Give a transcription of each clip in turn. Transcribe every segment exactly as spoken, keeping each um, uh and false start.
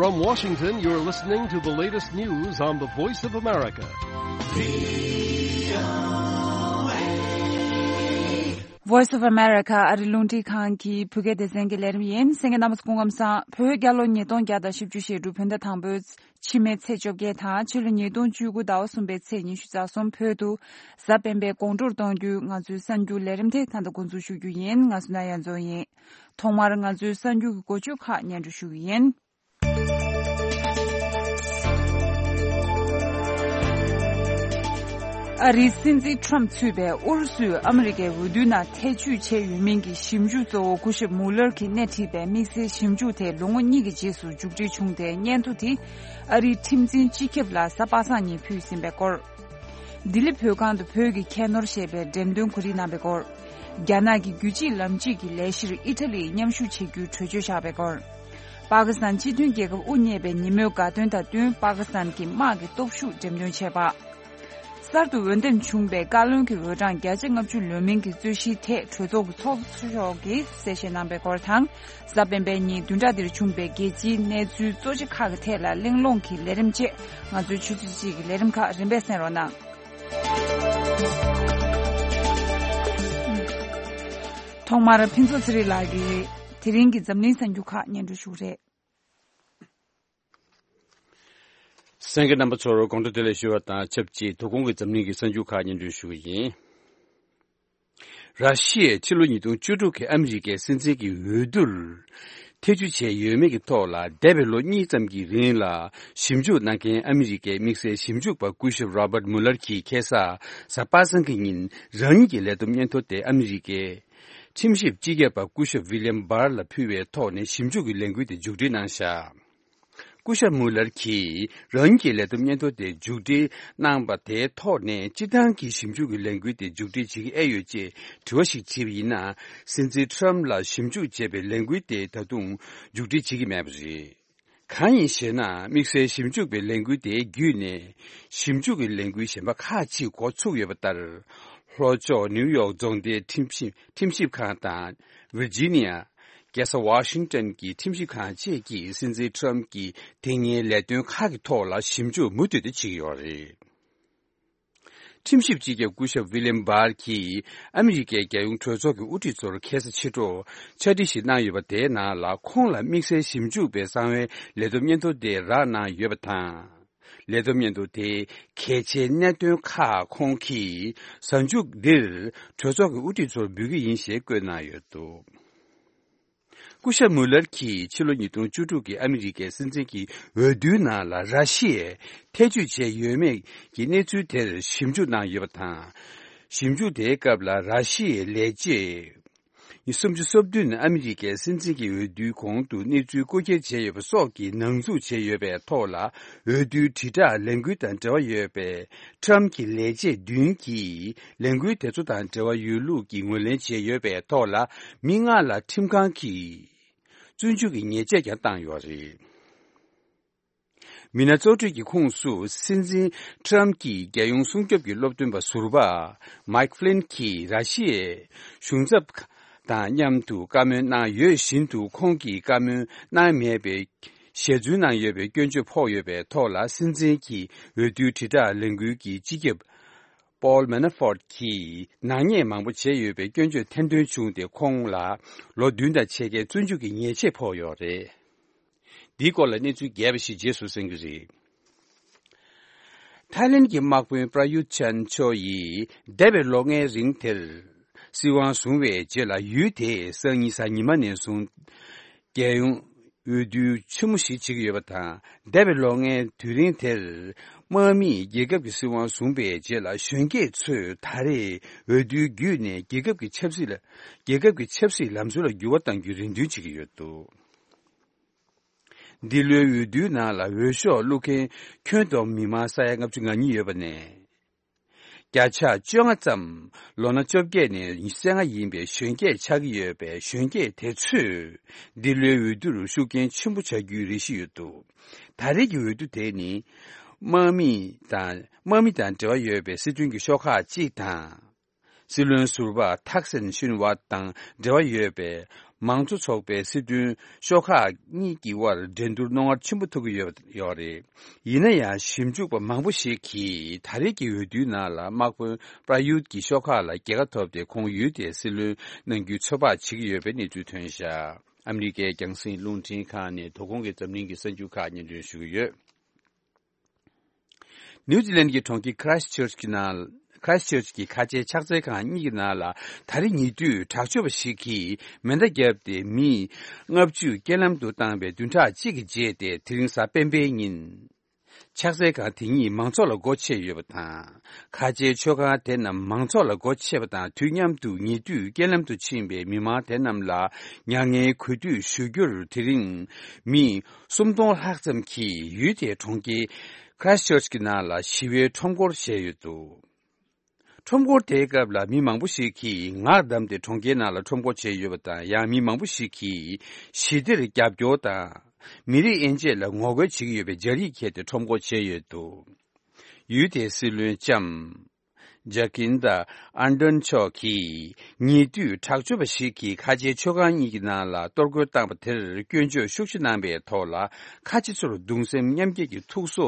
From Washington, you're listening to the latest news on the Voice of America. Voice of America ཨ་རི་རླུང་འཕྲིན་ཁང་གི་བོད་སྐད་སྡེ་ཚན་གྱི་ལས་རིམ་ཡིན། གསན་མཁན་རྣམ་པ་ཚོ་སྐུ་ཁམས་བཟང་། བོད་རྒྱལ་ལོ་ཉིས་སྟོང་བརྒྱ་དང་བཞི་བཅུ་ཞེ་དྲུག་བོད་ཟླ་དང་པོའི་ཕྱི་མའི་ཚེས་བཅོ་བརྒྱད་དང་ཕྱི་ལོ་ཉིས་སྟོང་བཅུ་དགུ་ཟླ་བ་གསུམ་པའི་ཚེས་ཉི་ཤུ་རྩ་གསུམ། བོད་དུ་གཟའ་སྤེན་པའི་དགོང་དྲོར་གཏོང་རྒྱུའི་ང་ཚོའི་གསར་འགྱུར་ལས་རིམ་དེ་ད་ལྟ་འགོ་འཛུགས་ཞུ་རྒྱུ་ཡིན། ང་སུ་ན་ཡ་མཚོ་ཡིན། ཐོག་མར་ང་ཚོའི་གསར་འགྱུར་གྱི་འགོ་བརྗོད་ཁག་སྙན་སྒྲོན་ཞུ་གི་ཡིན། ཨ་རིའི་སྲིད་འཛིན་ཁྲོམ་ཚུད་པའི་ཨུ་རུ་སུས་ཨ་མི་རི་ཀའི་འོས་བསྡུའི་ནང་ཐེ་བྱུས་བྱས་ཡོད་མིན་གྱི་ཞིབ་འཇུག་གཙོ་བོ་སྐུ་ཞབས་མུ་ལར་གྱིས་སྣེ་ཁྲིད་པའི་དམིགས་བསལ་ཞིབ་འཇུག་དེ་ལོ་ངོ་གཉིས་ཀྱི་རྗེས་སུ་མཇུག་སྒྲིལ་བྱུང་སྟེ། སྙན་ཐོ་དེ་ཨ་རིའི་ཁྲིམས་འཛིན་སྤྱི་ཁྱབ་ལ་གཟའ་པ་སངས་ཉིན་ཕུལ་ཟིན་པའི་སྐོར། ལྡི་ལི་བོད་ཁང་དུ་བོད་ཀྱི་ཁྱད་ནོར་ཞེས་པའི་འགྲེམས་སྟོན་གོ་སྒྲིག་གནང་བའི་སྐོར། རྒྱ་ནག་གི་རྒྱུད་གཅིག་ལམ་གཅིག་གི་ལས་གཞིར་ཨི་ཊ་ལིས་མཉམ་ཞུགས་བྱེད་རྒྱུའི་གྲོས་ཆོད་བཞག་པའི་སྐོར། པ་ཀི་སི་ཐན་སྤྱི་མཐུན་རྒྱལ་ཁབ་དབུ་བརྙེས་པའི་ཉིན་མོའི་དགའ་སྟོན་དང་བསྟུན་པ་ཀི་སི་ཐན་གྱི་དམག་གི་སྟོབས་ཤུགས་འགྲེམས་སྟོན་བྱས་པ། གསར་དུ་འོས་འདེམས་བྱུང་བའི་བཀའ་བློན་གྱི་འོས་གྲངས་བརྒྱ་ཆ་ལྔ་བཅུ་ལོན་མིན་གྱི་རྩོད་གཞིའི་ཐད་གྲོས་ཚོགས་ཀྱི་ཚོགས་གཙོ་མཆོག་གིས་གསལ་བཤད་གནང་བའི་སྐོར་དང་། གཟའ་སྤེན་པའི་ཉིན་བདུན་ཕྲག་འདིར་བྱུང་བའི་རྒྱལ་སྤྱིའི་གནས་ཚུལ་གཙོ་ཆེ་ཁག་གི་ཐད་ལ་གླེང་སློང་གི་ལས་རིམ་བཅས་ང་ཚོའི་ཆུ་ཚོད་གཅིག་གི་ལས་རིམ་ཁག་རིམ་པས་གསན་རོགས་གནང་། ཐོག་མར་ཕུན་ཚོགས་ཚེ་རིང་ལགས་ཀྱིས་དེ་རིང་གི་འཛམ་གླིང་གསར་འགྱུར་ཁག་སྙན་སྒྲོན་ཞུ་གི་རེད། གསན་མཁན་རྣམ་པ་ཚོར་དགོང་དྲོ་བདེ་ལེགས་ཞུ་བ་དང་ཆབས་ཅིག་དོ་དགོང་གི་འཛམ་གླིང་གི་གསར་འགྱུར་ཁག་སྙན་སྒྲོན་ཞུ་གི་ཡིན། ར་ཤི་ཡས་ཕྱི་ལོ་ཉིས་སྟོང་བཅུ་དྲུག་གི་ཨ་མི་རི་ཀའི་སྲིད་འཛིན་གྱི་འོས་བསྡུར་ཐེ་བྱུས་བྱས་ཡོད་མེད་ཀྱི་ཐོག་ལ་འདས་པའི་ལོ་གཉིས་ཙམ་གྱི་རིང་ལ་ཞིབ་འཇུག་གནང་མཁན་ཨ་མི་རི་ཀའི་དམིགས་བསལ་ཞིབ་འཇུག་པ་སྐུ་ཞབས་རོ་བར་མུ་ལར་གྱིས་ཁ་སང་གཟའ་པ་སངས་ཀྱི་ཉིན་རང་ཉིད་ཀྱི་ལས་བསྡོམས་སྙན་ཐོ་དེ་ཨ་མི་རི་ཀའི་ཁྲིམས་ཞིབ་སྤྱི་ཁྱབ་པ་སྐུ་ཞབས་ཝི་ལི་ཡམ་བྷར་ལ་ཕུལ་བའི་ཐོག་ནས་ཞིབ་འཇུག་གི་ལས་འགུལ་དེ་མཇུག་སྒྲིལ་གནང་བཞག་སྐུ་ཞབས་མུ་ལར་གྱིས་རང་ཉིད་ཀྱི་ལས་བསྡོམས་སྙན་ཐོ་དེ་མཇུག་སྒྲིལ་གནང་བ་དེའི་ཐོག་ནས་སྤྱིར་བཏང་གི་ཞིབ་འཇུག་གི་ལས་འགུལ་དེ་མཇུག་སྒྲིལ་བྱེད་ཀྱི་ཨེ་ཡོད་ཅེས་དྲི་བ་ཞིག་དྲིས་པ་ཡིན་ན། སྲིད་འཛིན་ཁྲོམ་ལ་ཞིབ་འཇུག་བྱས་པའི་ལས་འགུལ་དེ་ད་དུང་མཇུག་སྒྲིལ་བྱེད་ཀྱི་མེད་པ་རེད། གང་ཡིན་ཞེ་ན། དམིགས་བསལ་ཞིབ་འཇུག་པའི་ལས་འགུལ་དེའི་བརྒྱུད་ནས་ཞིབ་འཇུག་གི་ལས་འགུལ་གཞན་པ་ཁག་ཅིག་འགོ་ཚུགས་ཡོད་པ་ལྟར། ལྷོ་ཕྱོགས་ནིའུ་ཡོག་རྫོང་སྡེའི་ཁྲིམས་ཞིབ་ཁྲིམས་ཞིབ་ཁང་དང་། ཝིར་ཇི་ནི་ཡ། རྒྱལ་ས་ཝ་ཤིང་ཏོན་གྱི་ཁྲིམས་ཞིབ་ཁང་བཅས་ཀྱིས་སྲིད་འཛིན་ཁྲོམ་གྱི་དེ་སྔའི་ལས་དོན་ཁག་གི་ཐོག་ལ་ཞིབ་འཇུག་མུ་མཐུད་དུ་བྱེད་ཀྱི་ཡོད་རེད། ཁྲིམས་ཞིབ་སྤྱི་ཁྱབ་སྐུ་ཞབས་ཝི་ལི་ཡམ་བྷར་གྱིས་ཨ་མི་རི་ཀའི་རྒྱལ་ཡོངས་གྲོས་ཚོགས་ཀྱི་དབུ་ཁྲིད་ཚོར་ཁ་སང་ཕྱི་དྲོ་ཕྱག་བྲིས་ཤིག་གནང་ཡོད་པ། དེའི་ནང་ལ་ཁོང་ལ་དམིགས་བསལ་ཞིབ་འཇུག་པའི་གསང་བའི་ལས་བསྡོམས་སྙན་ཐོ་དེ་རག་གནང་ཡོད་པ་དང་། ལས་བསྡོམས་སྙན་ཐོ་དེ་གལ་ཆེའི་གནད་དོན་ཁག་ཁོང་གིས་གཟའ་མཇུག་འདིར་གྲོས་ཚོགས་ཀྱི་དབུ་ཁྲིད་ཚོར་འབུལ་གྱི་ཡིན་ཞེས་བཀོད་གནང་ཡོད་འདུག་སྐུ་ཞབས་མུ་ལར་གྱིས་ཕྱི་ལོ་ཉིས་སྟོང་བཅུ་དྲུག་གི་ཨ་མི་རི་ཀའི་སྲིད་འཛིན་གྱི་འོས་བསྡུའི་ནང་ལ་ར་ཤི་ཡས་ཐེ་བྱུས་བྱས་ཡོད་མེད་ཀྱི་གནས་ཚུལ་དེར་ཞིབ་འཇུག་གནང་ཡོད་པ་དང་། ཞིབ་འཇུག་དེའི་སྐབས་ལ་ར་ཤི་ཡའི་ལས་བྱེད་སུམ་ཅུ་སོ་བདུན་ཨ་མི་རི་ཀའི་སྲིད་འཛིན་གྱི་འོས་བསྡུའི་གོང་དུ་གནས་ཚུལ་རྐུ་འཁྱེར་བྱས་ཡོད་པ་སོགས་ཀྱི་ནང་འཛུལ་བྱས་ཡོད་པའི་ཐོག་ལ། འོས་བསྡུའི་དྲིལ་བསྒྲགས་ལས་འགུལ་དང་འབྲེལ་བ་ཡོད་པའི་ཁྲམ་གྱི་ལས་བྱེད་བདུན་གྱིས་ལས་འགུལ་དེ་ཚོ་དང་འབྲེལ་བ་ཡོད་ལུགས་ཀྱི་ངོས་ལེན་བྱས་ཡོད་པའི་ཐོག་ལ། མི་ལྔ་ལ་ཁྲིམས་ཁང་གིས་བཙོན་འཇུག་གི་ཉེས་ཆད་ཀྱང་བཏང་ཡོད་རེད། མི་སྣ་གཙོ་གྲས་ཀྱི་ཁོངས་སུ་སྲིད་འཛིན་ཁྲམ་གྱི་རྒྱལ་ཡོངས་སྲུང་སྐྱོབ་ཀྱི་སློབ་སྟོན་པ་ཟུར་པ་མཱིག་ཧྥི་ལིན་གྱིས་ར་ཤི་ཡའི་གཞུང་ཚབ་དང་མཉམ་དུ་བཀའ་མོལ་གནང་ཡོད་བཞིན་དུ། ཁོང་གིས་བཀའ་མོལ་གནང་མེད་པའི་ཞལ་རྫུན་གནང་ཡོད་པའི་སྐྱོན་བརྗོད་ཕོག་ཡོད་པའི་ཐོག་ལ། སྲིད་འཛིན་གྱི་འོས་བསྡུའི་དྲིལ་བསྒྲགས་ལས་འགུལ་གྱི་སྤྱི་ཁྱབ་པོལ་མེ་ན་ཧྥོར་གྱིས་ནག་ཉེས་མང་པོ་བྱས་ཡོད་པའི་སྐྱོན་བརྗོད་ཐེར་འདོན་བྱུང་སྟེ། ཁོང་ལ་ལོ་བདུན་དང་ཕྱེད་ཀའི་བཙོན་འཇུག་གི་ཉེས་ཆད་ཕོག་ཡོད་རེད། འདིའི་སྐོར་ལ་གནས་ཚུལ་རྒྱས་པ་ཞིག་རྗེས་སུ་གསན་རྒྱུ་རེད། ཐའི་ལེན་གྱི་དམག་དཔོན་པྲ་ཡུད་ཆན་ཆོ་ཡིས་འདས་པའི་ལོ་ལྔའི་རིང་དེར་སྲིད་དབང་བཟུང་བའི་རྗེས་ལ། ཡུལ་དེའི་སང་ཉིན་གཟའ་ཉི་མ་ནས་བཟུང་རྒྱལ་ཡོངས་འོས་བསྡུ་ཆེན་མོ་ཞིག་བྱེད་ཀྱི་ཡོད་པ་དང་། འདས་པའི་ལོ་ལྔའི་དུས་རིང་དེར་དམག་མིས་རྒྱལ་ཁབ་ཀྱི་སྲིད་དབང་བཟུང་བའི་རྗེས་ལ། གཞོན་སྐྱེས་ཚོས་ད་རེས་འོས་བསྡུའི་བརྒྱུད་ནས་རྒྱལ་ཁབ་ཀྱི་ཆབ་སྲིད་ལ། རྒྱལ་ཁབ་ཀྱི་ཆབ་སྲིད་ལམ་སྲོལ་ལ་འགྱུར་བ་གཏང་རྒྱུའི་རེ་འདུན་བྱེད་ཀྱི་ཡོད་འདུག་འདི་ལོའི་འོས་བསྡུའི་ནང་ལ་འོས་ཤོག་བླུག་མཁན་ཁྱོན་བསྡོམས་མི་མང་ས་ཡ་ལྔ་བཅུ་ང་གཉིས་ཡོད་པ་ནས། བརྒྱ་ཆ་བཅོ་ལྔ་ཙམ་ལོ་ན་བཅོ་བརྒྱད་ནས་ཉི་ཤུ་རྩ་ལྔ་ཡིན་པའི་གཞོན་སྐྱེས་ཆགས་ཀྱི་ཡོད་པས། གཞོན་སྐྱེས་དེ་ཚོས་འདི་ལོའི་འོས་བསྡུར་ཤུགས་རྐྱེན་ཆེན་པོ་བྱ་རྒྱུའི་རེ་ཞུ་ཡོད་འདུག་ད་རེས་ཀྱི་འོས་བསྡུ་དེ་ནི་དམག་མི་དང་དམག་མི་དང་འབྲེལ་བ་ཡོད་པའི་སྲིད་དོན་གྱི་ཤོག་ཁག་ཅིག་དང་། སྲིད་བློན་ཟུར་པ་ཐག་སིན་ཤིན་ཝཱད་དང་འབྲེལ་བ་ཡོད་པའི་ མང་གཙོ་ཚོགས་པའི་སྲིད་དོན་ཤོག་ཁག་གཉིས་ཀྱི་དབར་འགྲན་བསྡུར་རྣོ་ངར་ཆེན་པོ་ཐུག་གི་ཡོད་ཡོད་རེད། ཡིན་ན་ཡང་ཞིབ་འཇུག་པ་མང་པོ་ཞིག་གིས་ད་རེས་ཀྱི་འོས་བསྡུའི་ནང་ལ་དམག་དཔོན་པྲ་ཡུད་ཀྱི་ཤོག་ཁག་ལ་རྒྱལ་ཁ་ཐོབ་སྟེ་ཁོང་ཡུལ་དེའི་སྲིད་བློན་གནང་རྒྱུའི་ཚོད་དཔག་བྱེད་ཀྱི་ཡོད་པའི་གནས་ཚུལ་ཐོན་བཞག་ཨ་མི་རི་ཀའི་རྒྱང་སྲིང་རླུང་འཕྲིན་ཁང་ནས་དོ་དགོང་གི་འཛམ་གླིང་གི་གསར་འགྱུར་ཁག་སྙན་སྒྲོན་ཞུ་གི་ཡོད། ནིའུ་ཛི་ལན་གྱི་གྲོང་ཁྱེར་Christchurch་གྱི་ནང་Christchurch་གྱི་ཁ་ཆེའི་ཕྱག་འཚལ་ཁང་གཉིས་ཀྱི་ནང་ལ་ད་རེས་ཉེ་དུས་དྲག་སྤྱོད་པ་ཞིག་གིས་མེ་མདའ་བརྒྱབ་སྟེ་མི་ལྔ་བཅུ་རྐྱེན་ལམ་དུ་བཏང་བའི་བདུན་ཕྲག་གཅིག་གི་རྗེས་ཏེ་དེ་རིང་གཟའ་སྤེན་པའི་ཉིན། ཕྱག་འཚལ་ཁང་དེ་ཉིད་མང་ཚོགས་ལ་སྒོ་ཕྱེ་ཡོད་པ་དང་། ཁ་ཆེའི་མཆོད་ཁང་དེ་རྣམས་མང་ཚོགས་ལ་སྒོ་ཕྱེ་བ་དང་དུས་མཉམ་དུ་ཉེ་དུས་རྐྱེན་ལམ་དུ་ཕྱིན་པའི་མི་མང་དེ་རྣམས་ལ་མྱ་ངན་གུས་འདུད་ཞུ་རྒྱུར་དེ་རིང་མི་སུམ་སྟོང་ལྷག་ཙམ་གྱིས་ཡུལ་དེའི་གྲོང་ཁྱེར་Christchurch་གྱི་ནང་ལ་ཞི་བའི་ཁྲོམ་སྐོར་བྱས་ཡོད་འདུག་ཁྲོམ་སྐོར་དེའི་སྐབས་ལ་མི་མང་པོ་ཞིག་གིས་ངག་བསྡམས་ཏེ་གྲོང་ཁྱེར་ནང་ལ་ཁྲོམ་སྐོར་བྱས་ཡོད་པ་དང་། ཡང་མི་མང་པོ་ཞིག་གིས་ཞི་བདེར་རྒྱབ་སྐྱོར་དང་། མི་རིགས་དབྱེ་འབྱེད་ལ་ངོ་རྒོལ་བྱེད་ཀྱི་ཡོད་པའི་སྦྱར་ཡིག་འཁྱེར་ཏེ་ཁྲོམ་སྐོར་བྱས་ཡོད་འདུག་ཡུལ་དེའི་སྲིད་བློན་ལྕམ་Jacinda Ardern་མཆོག་གིས་ཉེ་དུས་དྲག་སྤྱོད་པ་ཞིག་གིས་ཁ་ཆེའི་མཆོད་ཁང་གཉིས་ཀྱི་ནང་ལ་གཏོར་རྒོལ་བཏང་པ་དེར་སྐྱོན་བརྗོད་ཤུགས་ཆེ་གནང་པའི་ཐོག་ལ། ཁ་ཆེ་ཚོར་གདུང་སེམས་མཉམ་སྐྱེད་ཀྱི་ཐུགས་གསོ་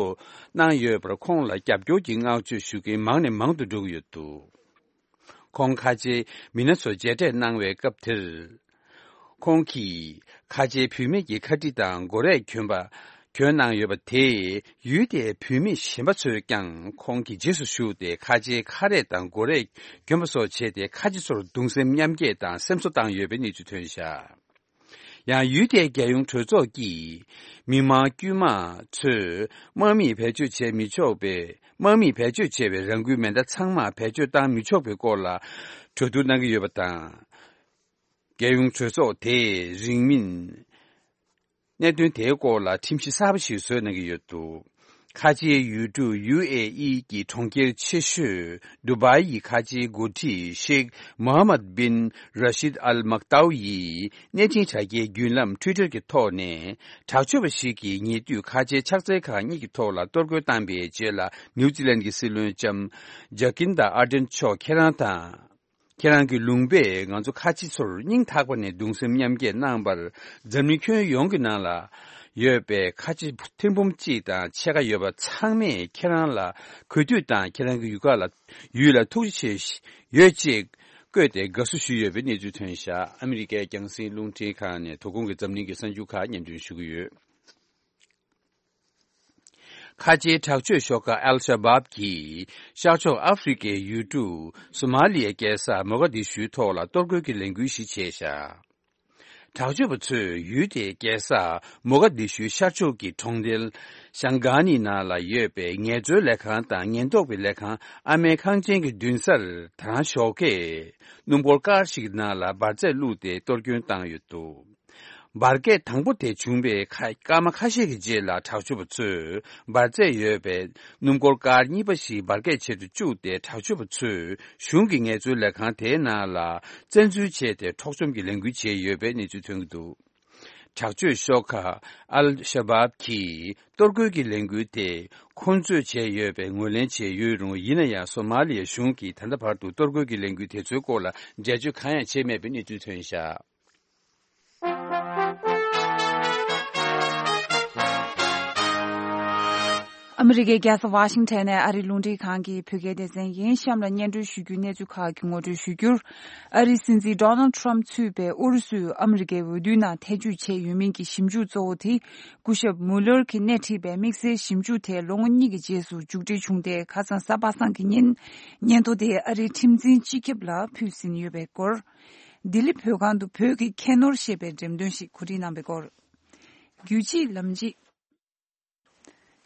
གནང་ཡོད་པར་ཁོང་ལ་རྒྱབ་སྐྱོར་གྱི་བསྔགས་བརྗོད་ཞུ་མཁན་མང་ནས་མང་དུ་འགྲོ་གི་ཡོད་འདུག་ཁོང་ཁ་ཆེའི་མི་སྣ་ཚོ་མཇལ་འཕྲད་གནང་བའི་སྐབས་དེར། ཁོང་གིས་ཁ་ཆེའི་བུད་མེད་ཀྱི་ཁ་དཀྲིས་དང་མགོ་རས་གྱོན་པ་གྱོན་གནང་ཡོད་པ་དེས་ཡུལ་དེའི་བུད་མེད་གཞན་པ་ཚོས་ཀྱང་ཁོང་གི་རྗེས་སུ་ཞུགས་ཏེ་ཁ་ཆེའི་ཁ་རས་དང་མགོ་རས་གྱོན་པ་སོགས་བྱས་ཏེ་ཁ་ཆེ་ཚོར་གདུང་སེམས་མཉམ་སྐྱེད་དང་སེམས་གསོ་བཏང་ཡོད་པའི་གནས་ཚུལ་ཐོན་བཞག་ཡང་ཡུལ་དེའི་རྒྱལ་ཡོངས་གྲོས་ཚོགས་ཀྱིས་མི་མང་དཀྱུས་མ་ཚོས་དམག་མིས་བེད་སྤྱོད་བྱས་མི་ཆོག་པའི་དམག་མིས་བེད་སྤྱོད་བྱས་པའི་རང་འགུལ་མེ་མདའ་ཚང་མ་བེད་སྤྱོད་བཏང་མི་ཆོག་པའི་སྐོར་ལ་གྲོས་བསྡུར་གནང་གི་ཡོད་པ་དང་། རྒྱལ་ཡོངས་གྲོས་ཚོགས་དེས་རིང་མིན་གནད་དོན་དེའི་སྐོར་ལ་ཁྲིམས་གཞི་གསར་པ་ཞིག་བཟོས་གནང་གི་ཡོད་འདུག་ཁ་ཆེའི་ཡུལ་གྲུ་ཡུ་ཨེ་ཨི་གྱི་གྲོང་ཁྱེར་ཆེ་ཤོས་ཌུ་བཱི་ཡི་ཁ་ཆེའི་འགོ་ཁྲིད་ཤེག་མོ་ཧམ་མད་བིན་ར་ཤིད་ཨལ་མག་ཏའུ་ཡིས་གནས་ཆེན་དྲ་རྒྱའི་བརྒྱུད་ལམ་Twitter་གྱི་ཐོག་ནས། དྲག་སྤྱོད་པ་ཞིག་གིས་ཉེ་དུས་ཁ་ཆེའི་ཕྱག་འཚལ་ཁང་གཉིས་ཀྱི་ཐོག་ལ་གཏོར་རྒོལ་བཏང་པའི་རྗེས་ལ། ནིའུ་ཛི་ལན་གྱི་སྲིད་བློན་ལྕམ་Jacinda Ardern་མཆོག་ཁྱེད་རང་དང་། ཁྱེད་རང་གི་ལུང་པས་ང་ཚོ་ཁ་ཆེ་ཚོར་སྙིང་ཐག་པ་ནས་གདུང་སེམས་མཉམ་སྐྱེད་གནང་བར། འཛམ་གླིང་ཁྱོན་ཡོངས་ཀྱི་ནང་ལ་ཡོད་པའི་ཁ་ཆེ་ཐེར་འབུམ་གཅིག་དང་ཕྱེད་ཀ་ཡོད་པ་ཚང་མས་ཁྱེད་རང་ལ་གུས་འདུད་དང་། ཁྱེད་རང་གི་ཡུལ་ཁག་ལ་ཡུལ་ལ་ཐུགས་རྗེ་ཆེ་ཡོད་ཅེས་བཀོད་དེ་དགའ་བསུ་ཞུས་ཡོད་པའི་གནས་ཚུལ་ཐོན་བཞག་ཨ་མི་རི་ཀའི་རྒྱང་སྲིང་རླུང་འཕྲིན་ཁང་ནས་དོ་དགོང་གི་འཛམ་གླིང་གི་གསར་འགྱུར་ཁག་སྙན་སྒྲོན་ཞུ་གི་ཡོད། ཁ་ཆེའི་དྲག་སྤྱོད་ཤོག་ཁག་ཨལ་ཤ་བཱབ་ཀྱིས་ཤར་ཕྱོགས་ཨ་ཧྥེ་རི་ཁའི་ཡུལ་གྲུ་སོ་མ་ལི་ཡའི་རྒྱལ་ས་མོ་ག་དི་ཤུའི་ཐོག་ལ་གཏོར་རྒོལ་གྱི་ལས་འགུལ་ཞིག་བྱས་བཞག་དྲག་སྤྱོད་པ་ཚོས་ཡུལ་དེའི་རྒྱལ་ས་མོ་ག་དི་ཤུའི་ཤར་ཕྱོགས་ཀྱི་གྲོང་རྡལ་ཤང་གྷ་ནི་ནང་ལ་ཡོད་པའི་ངལ་རྩོལ་ལས་ཁང་དང་ཉེན་རྟོག་པའི་ལས་ཁང་ཨ་མའི་ཁང་ཆེན་གྱི་མདུན་སར་དང་ཞོགས་ཀས་སྣུམ་འཁོར་ཀར་ཞིག་གི་ནང་ལ་འབར་རྫས་བླུགས་ཏེ་གཏོར་སྐྱོན་བཏང་ཡོད་འདུག་འབར་གས་དང་པོ་དེ་བྱུང་བའི་ཁ་སྐར་མ་ཁ་ཤས་ཀྱི་རྗེས་ལ། དྲག་སྤྱོད་པ་ཚོས་འབར་རྫས་ཡོད་པའི་སྣུམ་འཁོར་ཀར་གཉིས་པ་ཞིག་འབར་གས་བྱེད་དུ་བཅུག་སྟེ། དྲག་སྤྱོད་པ་ཚོས་གཞུང་གི་ངལ་རྩོལ་ལས་ཁང་དེའི་ནང་ལ་བཙན་འཛུལ་བྱས་ཏེ། འཕྲོག་བཅོམ་གྱི་ལས་འགུལ་བྱས་ཡོད་པའི་གནས་ཚུལ་ཐོན་གྱི་འདུག་དྲག་སྤྱོད་ཤོག་ཁག་ཨལ་ཤ་བཱབ་ཀྱིས་གཏོར་རྒོལ་གྱི་ལས་འགུལ་དེ་ཁོ་ཚོས་བྱས་ཡོད་པའི་ངོས་ལེན་བྱས་ཡོད་རུང་། ཡིན་ན་ཡང་སོ་མ་ལི་ཡའི་གཞུང་གིས་ད་ལྟ་བར་དུ་གཏོར་རྒོལ་གྱི་ལས་འགུལ་དེ་ཚོའི་སྐོར་ལ་འགྲེལ་བརྗོད་གང་ཡང་བྱས་མེད་པའི་གནས་ཚུལ་ཐོན་བཞག་ཨ་མི་རི་ཀའི་རྒྱལ་ས་ཝ་ཤིང་ཊོན་ནས་ཨ་རིའི་རླུང་འཕྲིན་ཁང་གི་བོད་སྐད་སྡེ་ཚན་ཡིན། གཤམ་ལ་སྙན་སྒྲོན་ཞུ་རྒྱུའི་གནས་ཚུལ་ཁག་གི་ངོ་སྤྲོད་ཞུ་རྒྱུར། ཨ་རིའི་སྲིད་འཛིན་Donald Trump་གཙོས་པའི་ཨུ་རུ་སུས་ཨ་མི་རི་ཀའི་འོས་བསྡུའི་ནང་ཐེ་བྱུས་བྱས་ཡོད་མིན་གྱི་ཞིབ་འཇུག་གཙོ་བོ་དེ། སྐུ་ཞབས་Mueller་གྱིས་སྣེ་ཁྲིད་པའི་དམིགས་བསལ་ཞིབ་འཇུག་དེ་ལོ་ངོ་གཉིས་ཀྱི་རྗེས་སུ་མཇུག་སྒྲིལ་བྱུང་སྟེ། ཁ་སང་གཟའ་པ་སངས་ཀྱི་ཉིན་སྙན་ཐོ་དེ་ཨ་རིའི་ཁྲིམས་འཛིན་སྤྱི་ཁྱབ་ལ་ཕུལ་ཟིན་ཡོད་པའི་སྐོར། ལྡི་ལི་བོད་ཁང་དུ་བོད་ཀྱི་ཁྱད་ནོར་ཞེས་པའི་འགྲེམས་སྟོན་ཞིག་གོ་སྒྲིག་གནང་བའི་སྐོར། རྒྱུད་གཅིག་ལམ་གཅིག་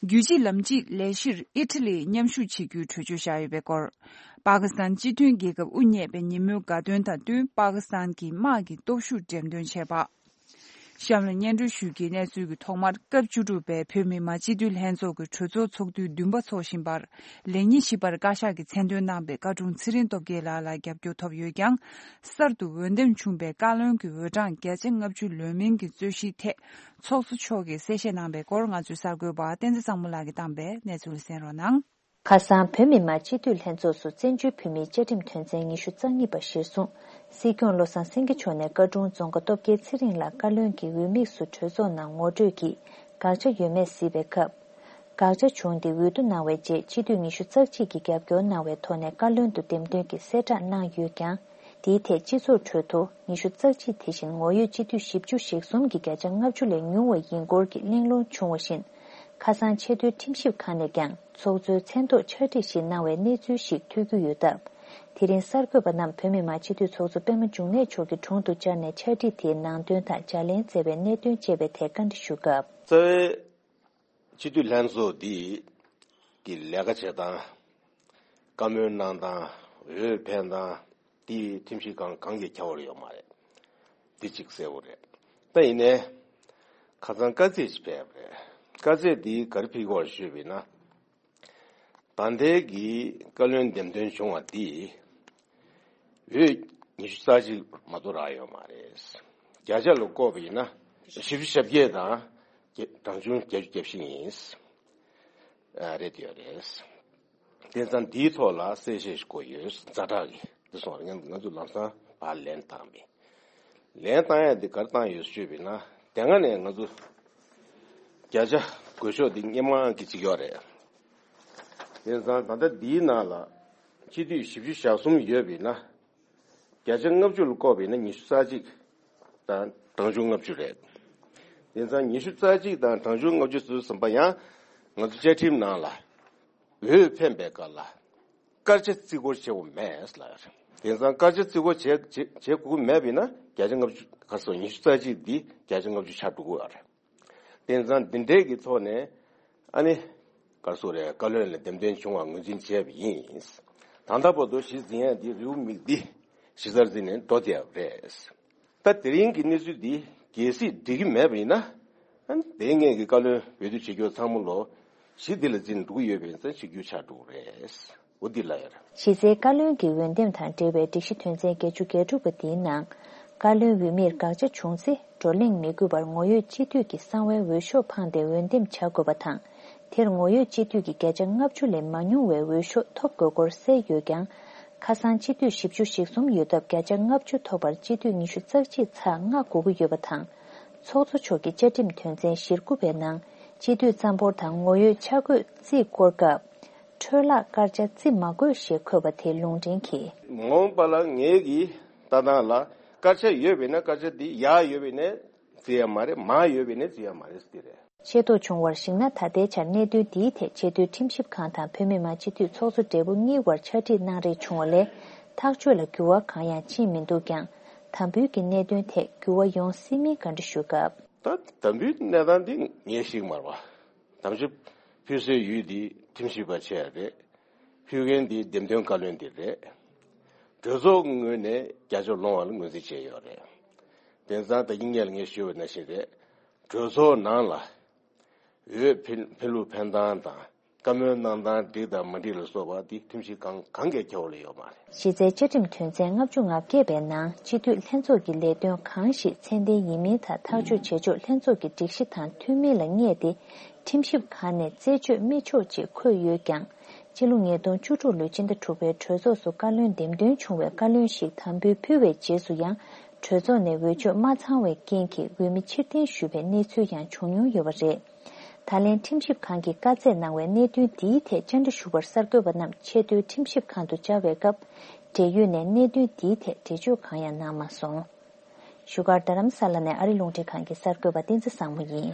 རྒྱུད་གཅིག་ལམ་གཅིག་ལས་གཞིར་ཨི་ཊ་ལིས་མཉམ་ཞུགས་བྱེད་རྒྱུའི་གྲོས་ཆོད་བཞག་ཡོད་པའི་སྐོར། པ་ཀི་སི་ཐན་སྤྱི་མཐུན་རྒྱལ་ཁབ་དབུ་བརྙེས་པའི་ཉིན་མོའི་དགའ་སྟོན་དང་བསྟུན། པ་ཀི་སི་ཐན་གྱི་དམག་གི་སྟོབས་ཤུགས་འགྲེམས་སྟོན་བྱས་པ། གཤམ་ལ་སྙན་སྒྲོན་ཞུ་རྒྱུའི་གནས་ཚུལ་གྱི་ཐོག་མར། སྐབས་བཅུ་དྲུག་པའི་བོད་མི་མང་སྤྱི་འཐུས་ལྷན་ཚོགས་ཀྱི་གྲོས་ཚོགས་ཚོགས་དུས་བདུན་པ་འཚོགས་བཞིན་པར། ལེགས་ཉེས་ཞིབ་པར་བཀའ་ཤག་གིས་མཚན་འདོན་གནང་བའི་བཀའ་དྲུང་ཚེ་རིང་སྟོབས་རྒྱལ་ལགས་ལ་རྒྱབ་སྐྱོར་ཐོབ་ཡོད་ཀྱང་། གསར་དུ་འོས་འདེམས་བྱུང་བའི་བཀའ་བློན་གྱི་འོས་གྲངས་བརྒྱ་ཆ་ལྔ་བཅུ་ལོན་མིན་གྱི་རྩོད་གཞིའི་ཐད། ཚོགས་གཙོ་མཆོག་གིས་གསལ་བཤད་གནང་བའི་སྐོར། ང་ཚོའི་གསར་འགོད་པ་བསྟན་འཛིན་བཟང་མོ་ལགས་ཀྱིས་བཏང་པའི་གནས་ཚུལ་གསན་རོགས་གནང་། ཁ་སང་བོད་མི་མང་སྤྱི་འཐུས་ལྷན་ཚོགས་སུ་བཙན་བྱོལ་བོད་མིའི་བཅའ་ཁྲིམས་དོན་ཚན་ཉི་ཤུ་རྩ་གཉིས་པ་གཞིར་བཟུང་། སྲིད་སྐྱོང་བློ་བཟང་སེང་གེ་མཆོག་ནས་བཀའ་དྲུང་རྫོང་དགའ་སྟོབས་རྒྱལ་ཚེ་རིང་ལ་བཀའ་བློན་གྱི་འོས་དམིགས་སུ་གྲོས་ཚོགས་ནང་ངོ་སྤྲོད་ཀྱིས་དགག་བྱ་ཡོད་མེད་གཟིགས་པའི་སྐབས། དགག་བྱ་བྱུང་སྟེ་འོས་བསྡུ་གནང་བའི་རྗེས་སྤྱི་འཐུས་ཉི་ཤུ་རྩ་གཅིག་གིས་རྒྱབ་སྐྱོར་གནང་བའི་ཐོག་ནས་བཀའ་བློན་དུ་འདེམས་ཐོན་གྱི་གསལ་བསྒྲགས་གནང་ཡོད་ཀྱང་། དེའི་ཐད་སྤྱི་ཚོགས་ཁྲོད་དུ་ཉི་ཤུ་རྩ་གཅིག་དེ་བཞིན་ངོ་ཡོད་སྤྱི་འཐུས་བཞི་བཅུ་ཞེ་གསུམ་གྱི་བརྒྱ་ཆ་ལྔ་བཅུ་ལས་ཉུང་བ་ཡིན་སྐོར་གྱི་གླེང་སློང་བྱུང་བ་བཞིན། ཁ་སང་ཆེས་མཐོའི་ཁྲིམས་ཞིབ་ཁང་ནས་ཀྱང་ཚོགས་གཙོའི་མཚན་ཐོག་ཕྱག་བྲིས་ཤིག་གནང་བའི་གནས་ཚུལ་ཞིག་ཐོས་རྒྱུ་ཡོད་སྟབས། དེ་རིང་གསར་འགོད་པ་རྣམས་བོད་མི་མང་སྤྱི་འཐུས་ཚོགས་གཙོ་པད་མ་འབྱུང་གནས་མཆོག་གི་དྲུང་དུ་བཅར་ནས་ཕྱག་བྲིས་དེའི་ནང་དོན་དང་ལྗགས་ལན་སྩལ་བའི་གནད་དོན་བཅས་པའི་ཐད་བཀའ་འདྲི་ཞུ་སྐབས། རྩ་བའི་སྤྱི་འཐུས་ལྷན་ཚོགས་འདི་གི་ལས་ཀ་བྱེད་སྟངས། བཀའ་མོལ་གནང་སྟངས། འོས་འཕེན་སྟངས། དེ་ཁྲིམས་ཞིབ་ཁང་གང་གིས་ཁྱབ་པ་ཡོད་མ་རེད། འདི་གཅིག་གསལ་པོ་རེད། ད་ཡིན་ནའི། ཁ་སང་དཀའ་ཚེགས་ཤིག་ཕེབས་པ་རེད། དཀའ་ཚེགས་འདི་ག་རེ་ཕིག་གོ་ཞུས་པ་ཡིན་ན། ད་ལྟའི་གི་བཀའ་བློན་འདེམས་ཐོན་བྱུང་བ་འདི། འོས་ཉི་ཤུ་རྩ་གཅིག་མ་གཏོགས་རག་ཡོད་མ་རེད། བརྒྱ་ཆ་ལ་བཀོད་པ་ཡིན་ན། བཞི་བཅུ་ཞེ་བརྒྱད་དང་། གྲངས་ཆུང་བརྒྱད་ཅུ་གྱ་བཞི་ཡིན། རེད་ཡོད་རེད། དེ་ཙང་འདིའི་ཐོག་ལ་གསལ་བཤད་ཞིག་དགོས་ཡོད། ཛ་དྲག་གི་འདི་སོང་རེད། ང་ང་ཚོ་ལམ་སང་ཕར་ལན་བཏང་མེད། ལན་བཏང་ཡ་འདི་ག་རེ་བཏང་ཡོད་ཞུས་པ་ཡིན་ན། དེ་སྔ་ནས་ང་ཚོ་བརྒྱ་ཆ་དགོས་ཤོག་འདི་སྔོན་མ་གི་གཅིག་ཡོད་རེད། དེ་ཙང་ད་ལྟ་འདིའི་ནང་ལ་སྤྱི་འཐུས་བཞི་བཅུ་ཞེ་གསུམ་ཡོད་པ་ཡིན་ན། བརྒྱ་ཆ་ལྔ་བཅུ་ལ་བཀོད་པ་ཡིན་ན་ཉི་ཤུ་རྩ་གཅིག་དང་གྲངས་ཆུང་ལྔ་བཅུ་རེད། དེ་ཙང་ཉི་ཤུ་རྩ་གཅིག་དང་གྲངས་ཆུང་ལྔ་བཅུ་ཟེར་ཙམ་པ་ཡང་ང་ཚོ་བཅའ་ཁྲིམས་ནང་ལ་འོས་འཕེན་པའི་སྐབས་ལ་སྐར་ཆ་བརྩི་བཀུར་བྱེད་དགོས་མེད་ལབ་ཡོད་རེད། དེ་ཙང་སྐར་ཆ་བརྩི་བཀུར་བྱེད་བྱེད་བྱེད་དགོས་མེད་པ་ཡིན་ན་བརྒྱ་ཆ་ལྔ་བཅུ། ག་རེ་ཟེར། ཉི་ཤུ་རྩ་གཅིག་འདི་བརྒྱ་ཆ་ལྔ་བཅུ་ཆགས་འགྲོ་གི་ཡོད་རེད། དེ་ཙང་འདི་འདྲའི་གི་ཐོག་ནས་ཨ་ནི་ག་རེ་ཟེར་རེད། བཀའ་བློན་ལ་འདེམས་ཐོན་བྱུང་བ་ངོས་འཛིན་བྱས་པ་ཡིན། ད་ལྟ་བར་དུ་གཞི་འཛིན་ཡ་འདི་རེའུ་མིག་འདི་གཞི་རྩར་འཛིན་ནས་འགྲོ་བསྡད་པ་རེད། ད་དེ་རིང་གི་གནས་ཚུལ་འདི་གལ་སྲིད་འགྲིག་གི་མེད་པ་ཡིན་ན། ཨ་ནི་དེ་སྔོན་གྱི་བཀའ་བློན་འོས་བསྡུ་བྱེད་རྒྱུ་ཚང་མ་ལོ་གཞི་འདི་ལ་འཛིན་འགྲོ་གི་ཡོད་པ་ཡིན་ཙང་ཆིག་བརྒྱུད་ཆགས་འགྲོ་གི་རེད། འོ་འདི་ལ་ཡོད་རེད། གཞི་རྩའི་བཀའ་བློན་གྱི་འོས་འདེམས་དང་འབྲེལ་བའི་སྒྲིག་གཞི་དོན་ཚན་བརྒྱད་ཅུ་གྱ་དྲུག་པ་འདིའི་ནང་། བཀའ་བློན་འོས་མིར་དགག་བྱ་བྱུང་ཚེ་བགྲོ་གླེང་མི་དགོས་པར་ངོ་ཡོད་སྤྱི་འཐུས་ཀྱི་གསང་བའི་འོས་ཤོག་འཕངས་ཏེ་འོས་འདེམས་བྱ་དགོས་པ་དང་། དེར་ངོ་ཡོད་སྤྱི་འཐུས་ཀྱི་བརྒྱ་ཆ་ལྔ་བཅུ་ལས་མ་ཉུང་བའི་འོས་ཤོག་ཐོབ་དགོས་སྐོར་གསལ་ཡོད་ཀྱང་། ཁ་སང་སྤྱི་འཐུས་བཞི་བཅུ་ཞེ་གསུམ་ཡོད་སྟབས་བརྒྱ་ཆ་ལྔ་བཅུ་ཐོབ་པར་སྤྱི་འཐུས་ཉི་ཤུ་རྩ་གཅིག་ཚེག་ལྔ་དགོས་ཀྱི་ཡོད་པ་དང་། ཚོགས་གཙོ་མཆོག་གིས་བཅའ་ཁྲིམས་དོན་ཚན་ཞེ་དགུ་པའི་ནང་སྤྱི་འཐུས་རྩ་འབོར་དང་ངོ་ཡོད་ཆ་བགོས་རྩིས་སྐོར་སྐབས། འཕྲོས་བརླག་སྐར་ཆ་བརྩི་མ་དགོས་ཞེས་འཁོད་པ་དེ་ལུང་འདྲེན་གྱིས། མ་འོངས་པ་ལ་ངེད་ཀྱི་ལྟ་སྟངས་ལ་སྐར་ཆ་ཡོད་པས་ན་སྐར་ཆ་དེ་ཡར་ཡོད་པས་ན་བརྩི་ཡ་མ་རེད། མར་ཡོད་པས་ན་བརྩི་ཡ་མ་རེད་ཟེར་དེ་རེད། ཤེས་རྟོགས་བྱུང་བར་གཞིགས་ན། ད་ལྟའི་ཆར་གནད་དོན་འདིའི་ཐད་ཆེས་མཐོའི་ཁྲིམས་ཞིབ་ཁང་དང་བོད་མི་མང་སྤྱི་འཐུས་ཚོགས་གཙོ་སྦྲེལ་པོ་གཉིས་དབར་ཕྱག་བྲིས་གནང་རེས་བྱུང་བ་ལས། ཐག་གཅོད་ལ་འགྱུར་བ་གང་ཡང་ཕྱིན་མི་འདུག་ཀྱང་། དམ་འབུལ་གྱི་གནད་དོན་ཐད་འགྱུར་བ་ཡོང་སྲིད་མིན་བཀའ་འདྲི་ཞུས་སྐབས། ད་དམ་འབུལ་གནས་སྟངས་འདི་ངས་ཤེས་ཀྱི་མ་རེད་པ། དམ་བཅའ་ཕུལ་སའི་ཡུལ་འདི་ཁྲིམས་ཞིབ་པ་བྱས་རེད། ཕུལ་མཁན་འདི་འདེམས་ཐོན་བཀའ་བློན་འདི་རེད། གྲོས་ཚོགས་ངོས་ནས་བརྒྱ་ཆ་ལོངས་པ་ལ་ངོས་འཛིན་བྱས་ཡོད་རེད། དེང་སང་ད་གིན་སྔོན་ལ་ངས་ཞུས་པ་ནང་བཞིན་རེད། གྲོས་ཚོགས་ནང་ལ་འོས་འཕེན་འཕེན་ལུགས་འཕེན་སྟངས་དང་བཀའ་མོལ་གནང་སྟངས་འགྲིག་དང་མ་འགྲིག་ལ་སོགས་པ་འདི་ཁྲིམས་ཞིབ་ཁང་གང་གིས་ཁྱབ་པ་ལ་ཡོད་མ་རེད། གཞི་རྩའི་བཅའ་ཁྲིམས་དོན་ཚན་ལྔ་བཅུ་ང་བརྒྱད་པའི་ནང་སྤྱི་འཐུས་ལྷན་ཚོགས་ཀྱི་ལས་དོན་གང་ཞིག་ཚད་ལྡན་ཡིན་མིན་དང་ཐག་གཅོད་བྱེད་ཕྱོགས་ལྷན་ཚོགས་ཀྱི་སྒྲིག་གཞི་དང་མཐུན་མིན་ལ་བསྙད་དེ་ཁྲིམས་ཞིབ་ཁང་ནས་རྩད་གཅོད་མི་ཆོག་ཅེས་འཁོད་ཡོད་ཀྱང་། སྤྱི་ལོ་ཉིས་སྟོང་བཅུ་དྲུག་ལོའི་སྤྱི་ཟླ་དྲུག་པའི་གྲོས་ཚོགས་སུ་བཀའ་བློན་འདེམས་ཐོན་བྱུང་བའི་བཀའ་བློན་ཞིག་དམ་འབུལ་ཕུལ་བའི་རྗེས་སུ་ཡང་གྲོས་ཚོགས་ནས་འོས་ཆོས་མ་ཚང་བའི་རྐྱེན་གྱིས་འོས་མི་ཕྱིར་འཐེན་ཞུས་པའི་གནས་ཚུལ་ཡང་བྱུང་མྱོང་ཡོད་པ་རེད། ད་ལན་ཁྲིམས་ཞིབ་ཁང་གིས་བཀའ་སྩལ་གནང་བའི་གནད་དོན་འདིའི་ཐད་བཅར་འདྲི་ཞུ་བར་གསར་འགོད་པ་རྣམས་ཆེས་མཐོའི་ཁྲིམས་ཞིབ་ཁང་དུ་བཅར་བའི་སྐབས། འབྲེལ་ཡོད་ནས་གནད་དོན་འདིའི་ཐད་འགྲེལ་བརྗོད་གང་ཡང་གནང་མ་སོང་། བཞུགས་སྒར་རྡ་རམ་ས་ལ་ནས་ཨ་རི་རླུང་འཕྲིན་ཁང་གི་གསར་འགོད་པ་བསྟན་འཛིན་བཟང་མོ་ཡིན།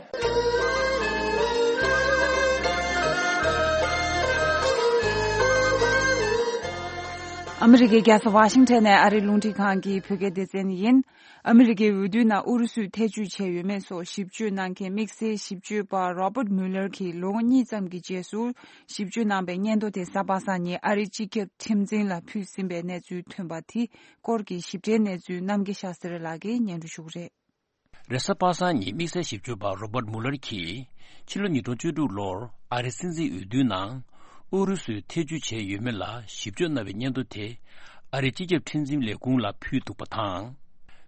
ཨ་མི་རི་ཀའི་རྒྱལ་ས་ཝ་ཤིང་ཊོན་ནས་ཨ་རིའི་རླུང་འཕྲིན་ཁང་གི་བོད་སྐད་སྡེ་ཚན་ཡིན། ཨ་མི་རི་ཀའི་འོས་བསྡུའི་ནང་ཨུ་རུ་སུས་ཐེ་བྱུས་བྱས་ཡོད་མེད་སོགས་ཞིབ་དཔྱོད་གནང་མཁན་དམིགས་བསལ་ཞིབ་དཔྱོད་པ་Robert Mueller གྱིས་ལོ་ངོ་གཉིས་ཙམ་གྱི་རྗེས་སུ་ཞིབ་དཔྱོད་གནང་པའི་སྙན་ཐོ་དེ་གཟའ་པ་སངས་ཉིན་ཨ་རིའི་སྤྱི་ཁྱབ་ཁྲིམས་འཛིན་ལ་ཕུལ་ཟིན་པའི་གནས་ཚུལ་ཐོན་པ་དེ་སྐོར་གྱི་ཞིབ་ཕྲའི་གནས་ཚུལ་རྣམ་རྒྱལ་ཤཱ་སྟྲི་ལགས་ཀྱིས་སྙན་སྒྲོན་ཞུ་གི་རེད། རེས་གཟའ་པ་སངས་ཉིན་དམིགས་བསལ་ཞིབ་དཔྱོད་པ་Robert Mueller གྱིས་ཕྱི་ལོ་ཉིས་སྟོང་བཅུ་དྲུག་ལོར་ཨ་རིའི་སྲིད་འཛིན་འོས་བསྡུའི་ནང་ཨུ་རུ་སུས་ཐེ་བྱུས་བྱས་ཡོད་མེད་ལ་ཞིབ་དཔྱོད་གནང་བའི་སྙན་ཐོ་དེ་ཨ་རིའི་སྤྱི་ཁྱབ་ཁྲིམས་འཛིན་ལས་ཁུངས་ལ་ཕུལ་འདུག་པ་དང་།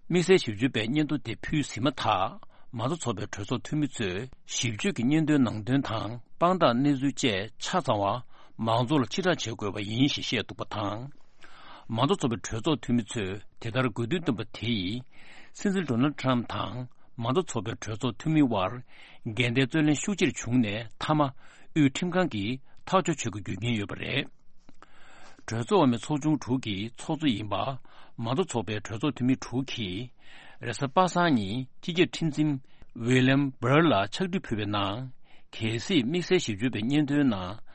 དམིགས་བསལ་ཞིབ་དཔྱོད་པས་སྙན་ཐོ་དེ་ཕུལ་ཟིན་མ་ཐག་མ་རྩ་ཚོགས་པའི་གྲོས་ཚོགས་འཐུས་མི་ཚོས་ཞིབ་དཔྱོད་ཀྱི་སྙན་ཐོའི་ནང་དོན་དང་དཔང་རྟགས་གནས་ཚུལ་བཅས་ཆ་ཚང་བ་ མང་ཚོགས་ལ་ཕྱིར་བསྒྲགས་བྱེད་དགོས་པ་ཡིན་ཞེས་བཤད་འདུག་པ་དང་། མང་གཙོ་ཚོགས་པའི་གྲོས་ཚོགས་འཐུས་མི་ཚོས་དེ་ལྟར་དགོས་འདུན་བཏོན་པ་དེ་ཡིས། སྲིད་འཛིན་ཌོ་ནལ་ཊམ་དང་མང་གཙོ་ཚོགས་པའི་གྲོས་ཚོགས་འཐུས་མི་དབར་འགལ་ཟླའི་རྩོད་གླེང་ཤུགས་ཆེར་བྱུང་ནས། མཐའ་མ་དབུས་ཁྲིམས་ཁང་གིས་ཐག་གཅོད་བྱེད་དགོས་རྒྱུ་རྐྱེན་ཡོད་པ་རེད། གྲོས་ཚོགས་འོག་མའི་ཚོགས་ཆུང་དྲུག་གི་ཚོགས་གཙོ་ཡིན་པ། མང་གཙོ་ཚོགས་པའི་གྲོས་ཚོགས་འཐུས་མི་དྲུག་གིས། རེས་གཟའ་པ་སངས་ཉིན་སྤྱི་ཁྱབ་ཁྲིམས་འཛིན་ཝི་ལི་ཡམ་བྷར་ལ་ཕྱག་བྲིས་ཕུལ་བའི་ནང་། གལ་སྲིད་དམིགས་བསལ་ཞིབ་དཔྱོད་པའི་སྙན་ཐོའི་ནང་།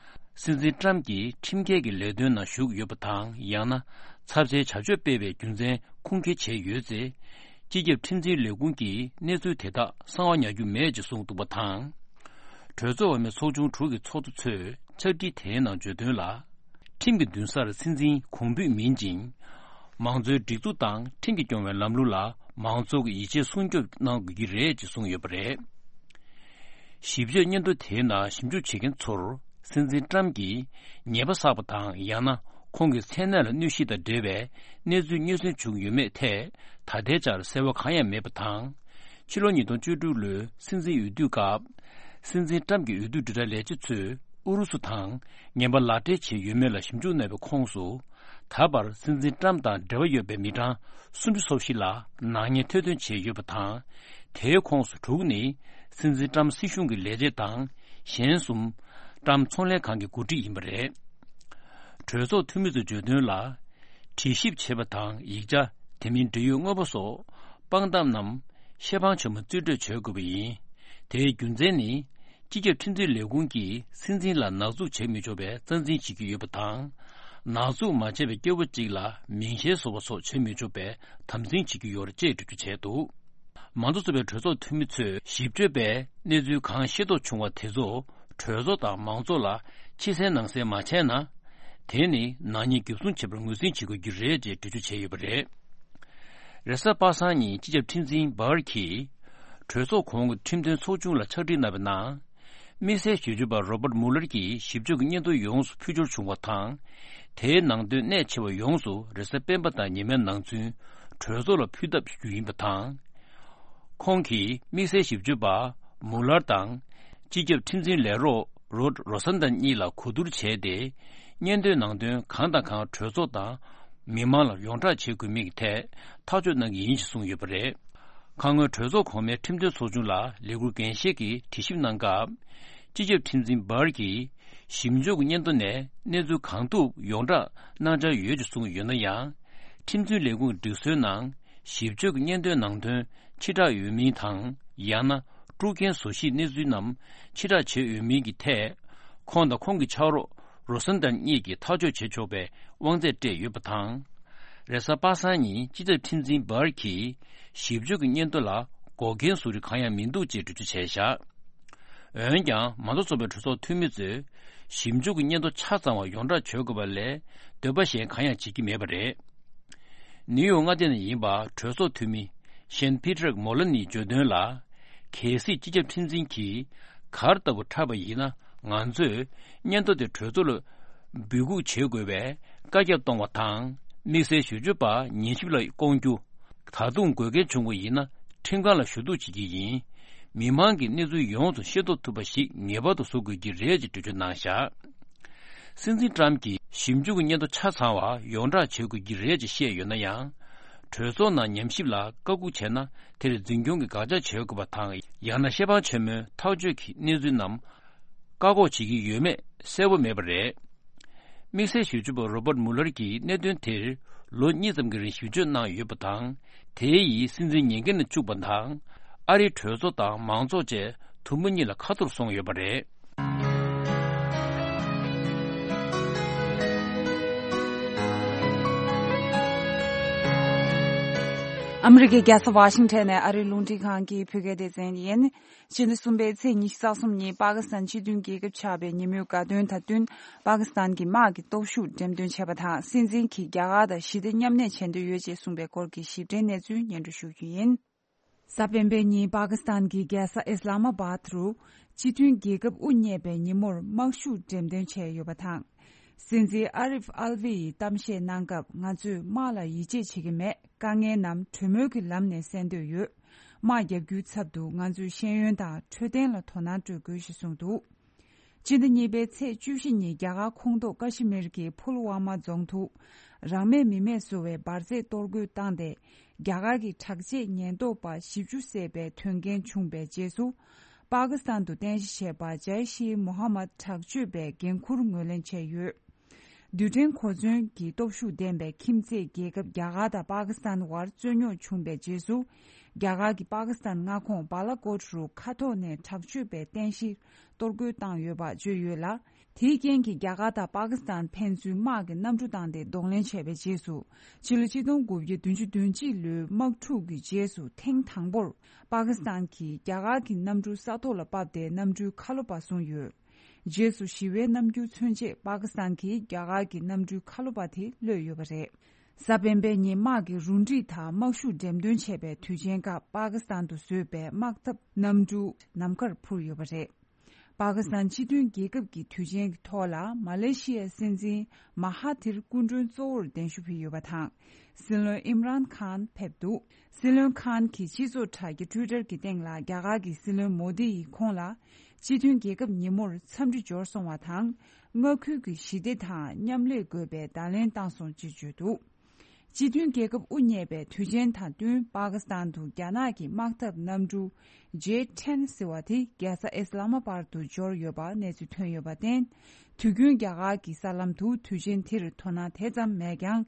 སྲིད་འཛིན་ཊམ་གྱིས་ཁྲིམས་འགལ་གྱི་ལས་དོན་ནང་ཞུགས་ཡོད་པ་དང་། ཡང་ན་ཚབས་ཆེའི་བྱ་སྤྱོད་སྤེལ་བའི་རྒྱུ་མཚན་ཁུངས་སྐྱེལ་བྱས་ཡོད་ཚེ། སྤྱི་ཁྱབ་ཁྲིམས་འཛིན་ལས་ཁུངས་ཀྱིས་གནས་ཚུལ་དེ་དག་གསང་བ་ཉར་རྒྱུ་མེད་ཅེས་གསུངས་འདུག་པ་དང་། གྲོས་ཚོགས་འོག་མའི་ཚོགས་ཆུང་དྲུག་གི་ཚོགས་གཙོ་ཚོས་ཕྱག་བྲིས་དེའི་ནང་བརྗོད་དོན་ལ། ཁྲིམས་ཀྱི་མདུན་སར་སྲིད་འཛིན་གོང་འབུད་མིན་ཅིང་། མང་གཙོའི་སྒྲིག་འཛུགས་དང་ཁྲིམས་ཀྱིས་སྐྱོང་བའི་ལམ་ལུགས་ལ་མང་ཚོགས་ཀྱི་ཡིད་ཆེས་སྲུང་སྐྱོབ་གནང་དགོས་ཀྱི་རེད་ཅེས་གསུངས་ཡོད་པ་རེད། ཞིབ་དཔྱོད་སྙན་ཐོ་དེའི་ནང་ཞིབ་འཇུག་བྱེད་མཁན་ཚོར། སྲིད་འཛིན་ཊམ་གྱིས་ཉེས་པ་བསགས་པ་དང་། ཡང་ན་ཁོང་གི་མཚན་གནས་ལ་གནོད་གཞི་དང་འབྲེལ་བའི་གནས་ཚུལ་རྙོག་ཟིང་བྱུང་ཡོད་མེད་ཐད་ད་ལྟའི་ཆར་གསལ་བ་གང་ཡང་མེད་པ་དང་། ཕྱི་ལོ་ཉིས་སྟོང་བཅུ་དྲུག་ལོའི་སྲིད་འཛིན་འོས་བསྡུའི་སྐབས། སྲིད་འཛིན་ཊམ་གྱི་འོས་བསྡུ་དྲིལ་བསྒྲགས་ལས་བྱེད་ཚོས་ཨུ་རུ་སུ་དང་ངན་པ་ལག་སྦྲེལ་བྱས་ཡོད་མེད་ལ་ཞིབ་འཇུག་གནང་བའི་ཁོངས་སུ། ད་བར་སྲིད་འཛིན་ཊམ་དང་འབྲེལ་བ་ཡོད་པའི་མི་གྲངས་སུམ་ཅུ་སོ་བཞི་ལ་ནག་ཉེས་ཐེར་འདོན་བྱས་ཡོད་པ་དང་། དེའི་ཁོངས་སུ་དྲུག་ནི་སྲིད་འཛིན་ཊམ་སྲིད་གཞུང་གི་ལས་བྱེད་དང་། གཞན་གསུམ་ཊམ་ཚོང་ལས་ཁང་གི་འགོ་ཁྲིད་ཡིན་པ་རེད། གྲོས་ཚོགས་འཐུས་མི་ཚོས་བརྗོད་དོན་ལ། དྲི་ཞིབ་བྱེད་པ་དང་། ཡིག་ཆ། དེ་མིན་འབྲེལ་ཡོད་དངོས་པོ་སོགས་དཔང་རྟགས་རྣམས་ཤེ་ཕང་ཆེན་མོ་རྩིས་སྤྲོད་བྱེད་དགོས་པ་ཡིན། དེའི་རྒྱུ་མཚན་ནི། སྤྱི་ཁྱབ་ཁྲིམས་འཛིན་ལས་ཁུངས་ཀྱིས་སྲིད་འཛིན་ལ་ནག་འཛུགས་བྱེད་མི་ཆོག་པའི་རྩ་འཛིན་བྱེད་ཀྱི་ཡོད་པ་དང་། ནག་འཛུགས་མ་བྱས་པའི་སྐྱེ་བོ་གཅིག་ལ་མིང་གཞན་བཟོ་བ་སོགས་བྱེད་མི་ཆོག་པའི་དམ་འཛིན་བྱེད་ཀྱི་ཡོད་རེད་ཅེས་འགྲེལ་བརྗོད་བྱས་འདུག། མང་གཙོ་ཚོགས་པའི་གྲོས་ཚོགས་འཐུས་མི་ཚོས་ཞིབ་དཔྱོད་པས་གནས་ཚུལ་གང་ཤེས་རྟོགས་བྱུང་བ་དེ་ཚོ་གྲོས་ཚོགས་དང་མང་ཚོགས་ལ་ཕྱི་གསལ་ནང་གསལ་མ་བྱས་ན། དེ་ནི་ནག་ཉེས་འགེབས་སྲུང་བྱེད་པར་ངོས་འཛིན་བྱེད་དགོས་ཀྱི་རེད་ཅེས་འགྲེལ་བརྗོད་བྱས་ཡོད་པ་རེད། རེས་གཟའ་པ་སངས་ཉིན་སྤྱི་ཁྱབ་ཁྲིམས་འཛིན་བྷར་གྱིས་གྲོས་ཚོགས་གོང་གི་ཁྲིམས་དོན་ཚོགས་ཆུང་ལ་ཕྱག་བྲིས་གནང་བའི་ནང་། དམིགས་བསལ་ཞིབ་དཔྱོད་པ་རོ་པར་མུ་ལར་གྱིས་ཞིབ་དཔྱོད་ཀྱི་སྙན་ཐོ་ཡོངས་སུ་ཕུལ་འབྱོར་བྱུང་བ་དང་། དེའི་ནང་དོན་གནད་ཆེ་བ་ཡོངས་སུ་རེས་གཟའ་སྤེན་པ་དང་ཉི་མའི་ནང་ཚུན་གྲོས་ཚོགས་ལ་ཕུལ་ཐབས་ཞུ་རྒྱུ་ཡིན་པ་དང་། ཁོང་གིས་དམིགས་བསལ་ཞིབ་དཔྱོད་པ་མུ་ལར་དང་། སྤྱི་ཁྱབ་ཁྲིམས་འཛིན་ལས་རོགས་རོད་རོ་སན་ཏན་གཉིས་ལ་གོ་བསྡུར་བྱས་ཏེ། སྙན་ཐོའི་ནང་དོན་གང་དང་གང་གྲོས་ཚོགས་དང་མི་མང་ལ་ཡོངས་བསྒྲགས་བྱེད་དགོས་མིན་གྱི་ཐད་ཐག་གཅོད་གནང་གི་ཡིན་ཞེས་གསུངས་ཡོད་པ་རེད། ཁ་སྔོན་གྲོས་ཚོགས་གོང་མའི་ཁྲིམས་དོན་ཚོགས་ཆུང་ལ་ལས་འཁུར་འགན་བཞེས་ཀྱིས་དྲི་ཞིབ་གནང་སྐབས། སྤྱི་ཁྱབ་ཁྲིམས་འཛིན་བྷར་གྱིས་ཞིབ་འཇུག་གི་སྙན་ཐོ་ནས་གནས་ཚུལ་གང་ཐུབ་ཡོངས་བསྒྲགས་གནང་འཆར་ཡོད་ཅེས་གསུངས་ཡོད་ན་ཡང་། ཁྲིམས་འཛིན་ལས་ཁུངས་ཀྱི་སྒྲིག་སྲོལ་ནང་ཞིབ་དཔྱོད་ཀྱི་སྙན་ཐོའི་ནང་དོན་ཕྱིར་བསྒྲགས་ཡོད་མིན་དང་། ཡང་ན་དཀྲུག་རྐྱེན་བཟོ་གཞིའི་གནས་ཚུལ་རྣམས་ཕྱིར་བསྒྲགས་བྱས་ཡོད་མིན་གྱི་ཐད། ཁོང་དང་ཁོང་གི་ཕྱག་རོགས་རོ་སན་ཏན་གཉིས་ཀྱིས་ཐག་གཅོད་བྱེད་ཆོག་པའི་དབང་ཚད་སྤྲད་ཡོད་པ་དང་། རེས་གཟའ་པ་སངས་ཉིན་སྤྱི་ཁྱབ་ཁྲིམས་འཛིན་བྷར་གྱིས་ཞིབ་དཔྱོད་ཀྱི་སྙན་ཐོ་ལ་འགོག་རྐྱེན་བཟོ་རིགས་གང་ཡང་མི་འདུག་ཅེས་འགྲེལ་བརྗོད་བྱས་བཞག། འོན་ཀྱང་མང་གཙོ་ཚོགས་པའི་གྲོས་ཚོགས་འཐུས་མི་ཚོས་ཞིབ་འཇུག་གི་སྙན་ཐོ་ཆ་ཚང་བ་ཡོངས་བསྒྲགས་བྱེད་དགོས་པ་ལས་འདོད་པ་གཞན་གང་ཡང་བྱེད་ཀྱི་མེད་པ་རེད། ནིའུ་ཡོག་མངའ་སྡེ་ནས་ཡིན་པ་གྲོས་ཚོགས་འཐུས་མི་ཤན་ཕི་ཏྲག་མོ་ལ་ནིས་བརྗོད་དོན་ལ། གལ་སྲིད་སྤྱི་ཁྱབ་ཁྲིམས་འཛིན་གྱིས་གར་ལྟ་བུ་འཁྲབ་པ་ཡིན་ན། ང་ཚོས་སྙན་ཐོ་དེ་གྲོས་ཚོགས་ལ་འབོད་འགུག་བྱེད་དགོས་པའི་བཀའ་ཁྱབ་གཏོང་བ་དང་། དམིགས་བསལ་ཞིབ་དཔྱོད་པ་ཉན་ཞིབ་ལ་བསྐོང་རྒྱུ། ད་དུང་དགོས་གལ་བྱུང་བ་ཡིན་ན་ཁྲིམས་ཁང་ལ་ཞུ་གཏུག་བྱེད་ཀྱི་ཡིན། མི་མང་གི་གནས་ཚུལ་ཡོངས་སུ་ཤེས་རྟོགས་ཐུབ་པ་ཞིག་ངེས་པར་དུ་བཟོ་དགོས་ཀྱི་རེད་ཅེས་འགྲེལ་བརྗོད་གནང་བཞག། སྲིད་འཛིན་ཊམ་གྱིས་ཞིབ་འཇུག་གི་སྙན་ཐོ་ཆ་ཚང་བ་ཡོངས་བསྒྲགས་བྱེད་དགོས་ཀྱི་རེད་ཅེས་བཤད་ཡོད་ན་ཡང་། གྲོས་ཚོགས་ནང་ཉམས་ཞིབ་ལ་བཀའ་འགུག་བྱས་ན་དེར་འཛིན་སྐྱོང་གི་དགག་བྱ་བྱེད་དགོས་པ་དང་། ཡང་ན་ཤེ་ཕང་ཆེན་མོའི་ཐག་གཅོད་ཀྱི་གནས་ཚུལ་རྣམས་བཀག་འགོག་བྱེད་ཀྱི་ཡོད་མེད་གསལ་པོ་མེད་པ་རེད། དམིགས་བསལ་ཞིབ་དཔྱོད་པ་རོ་པར་མུ་ལར་གྱིས་གནད་དོན་དེར་ལོ་གཉིས་ཙམ་གྱི་རིང་ཞིབ་དཔྱོད་གནང་ཡོད་པ་དང་། དེའི་ཡིས་སྲིད་འཛིན་ཉེན་ཁ་ནས་བཅུག་པ་དང་། ཨ་རིའི་གྲོས་ཚོགས་དང་མང་ཚོགས་བཅས་དུམ་བུ་གཉིས་ལ་ཁ་ཐོར་སོང་ཡོད་པ་རེད། ཨ་མི་རི་ཀའི་རྒྱལ་ས་ཝ་ཤིང་ཊོན་ནས་ཨ་རིའི་རླུང་འཕྲིན་ཁང་གི་བོད་སྐད་སྡེ་ཚན་ཡིན། ཕྱི་ཟླ་གསུམ་པའི་ཚེས་ཉི་ཤུ་རྩ་གསུམ་ཉིན་པ་ཀི་སི་ཐན་སྤྱི་མཐུན་རྒྱལ་ཁབ་ཆགས་པའི་ཉིན་མོའི་དགའ་སྟོན་དང་བསྟུན། པ་ཀི་སི་ཐན་གྱི་དམག་གི་སྟོབས་ཤུགས་འགྲེམས་སྟོན་བྱས་པ་དང་། སྲིད་འཛིན་གྱིས་རྒྱ་གར་དང་ཞི་བདེ་མཉམ་གནས་བྱེད་འདོད་ཡོད་ཅེས་གསུངས་པའི་སྐོར་གྱི་ཞིབ་ཕྲའི་གནས་ཚུལ་སྙན་སྒྲོན་ཞུ་རྒྱུ་ཡིན། གཟའ་སྤེན་པའི་ཉིན་པ་ཀི་སི་ཐན་གྱི་རྒྱལ་ས་ཨིས་ལ་མ་བཱད་རུ་སྤྱི་མཐུན་རྒྱལ་ཁབ་དབུ་བརྙེས་པའི་ཉིན་མོར་དམག་ཤུགས་འགྲེམས་སྟོན་བྱས་ཡོད་པ་དང་། སྲིད་འཛིན་ཨ་རིབ་ཨལ་ཝི་ཡིས་གཏམ་བཤད་གནང་སྐབས། ང་ཚོས་དམག་ལ་ཡིད་ཆེས་བྱེད་ཀྱི་མེད། དཀའ་ངལ་རྣམས་གྲོས་མོལ་གྱི་ལམ་ནས་སེལ་འདོད་ཡོད། དམག་རྒྱག་རྒྱུའི་ཚབ་ཏུ་ང་ཚོས་ཤེས་ཡོན་དང་འཕྲོད་བསྟེན་ལ་དོ་སྣང་སྤྲོད་དགོས་ཞེས་གསུངས་འདུག། སྤྱི་ཟླ་གཉིས་པའི་ཚེས་བཅུ་བཞི་ཉིན་རྒྱ་གར་ཁོངས་གཏོགས་ཀ་ཤི་མིར་གྱི་ཕུལ་ཝ་མ་རྫོང་དུ། རང་མེད་མི་མེད་བཟོ་བའི་འབར་རྫས་གཏོར་རྒོལ་བཏང་སྟེ། རྒྱ་གར་གྱི་དྲག་ཆས་ཉེན་རྟོག་པ་བཞི་བཅུ་བསད་པའི་དོན་རྐྱེན་བྱུང་བའི་རྗེས་སུ། པ་ཀི་སི་ཐན་དུ་རྟེན་གཞི་བྱས་པ་ཇའི་ཤི་མོ་ཧ་མད་དྲག་སྤྱོད་པའི་འགན་འཁུར་ངོས་ལེན་བྱས་ཡོད། རྡུལ་ཕྲན་གོ་མཚོན་གྱི་སྟོབས་ཤུགས་ལྡན་པའི་ཁྱིམ་མཚེས་རྒྱལ་ཁབ་རྒྱ་གར་དང་པ་ཀི་སི་ཐན་དབར་རྩོད་རྙོག་བྱུང་བའི་རྗེས་སུ། རྒྱ་གར་གྱིས་པ་ཀི་སི་ཐན་མངའ་ཁོངས་བཱ་ལ་ཀོཊ་རུ་མཁའ་ཐོག་ནས་དྲག་སྤྱོད་པའི་རྟེན་གཞི་གཏོར་རྒོལ་བཏང་ཡོད་པ་བརྗོད་ཡོད་ལ། དེའི་རྐྱེན་གྱིས་རྒྱ་གར་དང་པ་ཀི་སི་ཐན་ཕན་ཚུན་དམག་གི་གནམ་གྲུ་བཏང་སྟེ་གདོང་ལེན་བྱས་པའི་རྗེས་སུ། ཕྱི་ལོ་ཆིག་སྟོང་དགུ་བརྒྱ་བདུན་ཅུ་དོན་གཅིག་ལོའི་དམག་འཁྲུག་གི་རྗེས་སུ་ཐེངས་དང་པོར་པ་ཀི་སི་ཐན་གྱིས་རྒྱ་གར་གྱི་གནམ་གྲུ་ས་ཐོག་ལ་ཕབ་སྟེ་གནམ་གྲུའི་ཁ་ལོ་པ་བཟུང་ཡོད། རྗེས་སུ་ཞི་བའི་རྣམ་འགྱུར་མཚོན་ཆེད་པ་ཀི་སི་ཐན་གྱིས་རྒྱ་གར་གྱི་གནམ་གྲུའི་ཁ་ལོ་པ་དེ་གློད་ཡོད་པ་རེད། གཟའ་སྤེན་པའི་ཉིན་དམག་གི་རུ་སྒྲིག་དང་དམག་ཤུགས་འགྲེམས་སྟོན་བྱས་པའི་དུས་ཆེན་སྐབས་པ་ཀི་སི་ཐན་དུ་བཟོས་པའི་དམག་འཐབ་གནམ་གྲུ་ནམ་མཁར་འཕུར་ཡོད་པ་རེད། པ་ཀི་སི་ཐན་སྤྱི་མཐུན་རྒྱལ་ཁབ་ཀྱི་དུས་ཆེན་གྱི་ཐོག་ལ་མ་ལེ་ཤི་ཡའི་སྲིད་འཛིན་མ་ཧ་ཐིར་སྐུ་མགྲོན་གཙོ་བོར་གདན་ཞུ་ཕུལ་ཡོད་པ་དང་། སྲིད་བློན་ཨིམ་རཱན་ཁཱན་ཕེབས་འདུག་སྲིད་བློན་ཁཱན་གྱིས་སྤྱི་ཚོགས་དྲ་རྒྱ་ཊུའི་ཊར་གྱི་སྟེང་ལ་རྒྱ་གར་གྱི་སྲིད་བློན་མོ་དི་ཡིས་ཁོང་ལ་སྤྱི་མཐུན་རྒྱལ་ཁབ་ཉིན་མོར་འཚམས་འདྲི་འབྱོར་སོང་བ་དང་། མངའ་ཁུལ་གྱི་ཞི་བདེ་དང་མཉམ་ལས་དགོས་པའི་བརྡ་ལན་བཏང་སོང་ཅེས་བརྗོད་འདུག་སྤྱི་མཐུན་རྒྱལ་ཁབ་དབུ་བརྙེས་པའི་དུས་ཆེན་དང་བསྟུན་པ་ཀི་སི་ཐན་དུ་རྒྱ་ནག་གི་དམག་འཐབ་གནམ་གྲུ་ཇེ་ཊེན་ཟེར་བ་དེ་རྒྱལ་ས་ཨི་སི་ལ་མ་པར་དུ་འབྱོར་ཡོད་པ་གནས་ཚུལ་ཐོན་ཡོད་པར་བརྟེན། དུས་རྒྱུན་རྒྱ་གར་གྱི་གསར་ལམ་དུ་དུས་ཆེན་དེར་དོ་སྣང་དེ་ཙམ་མེད་ཀྱང་།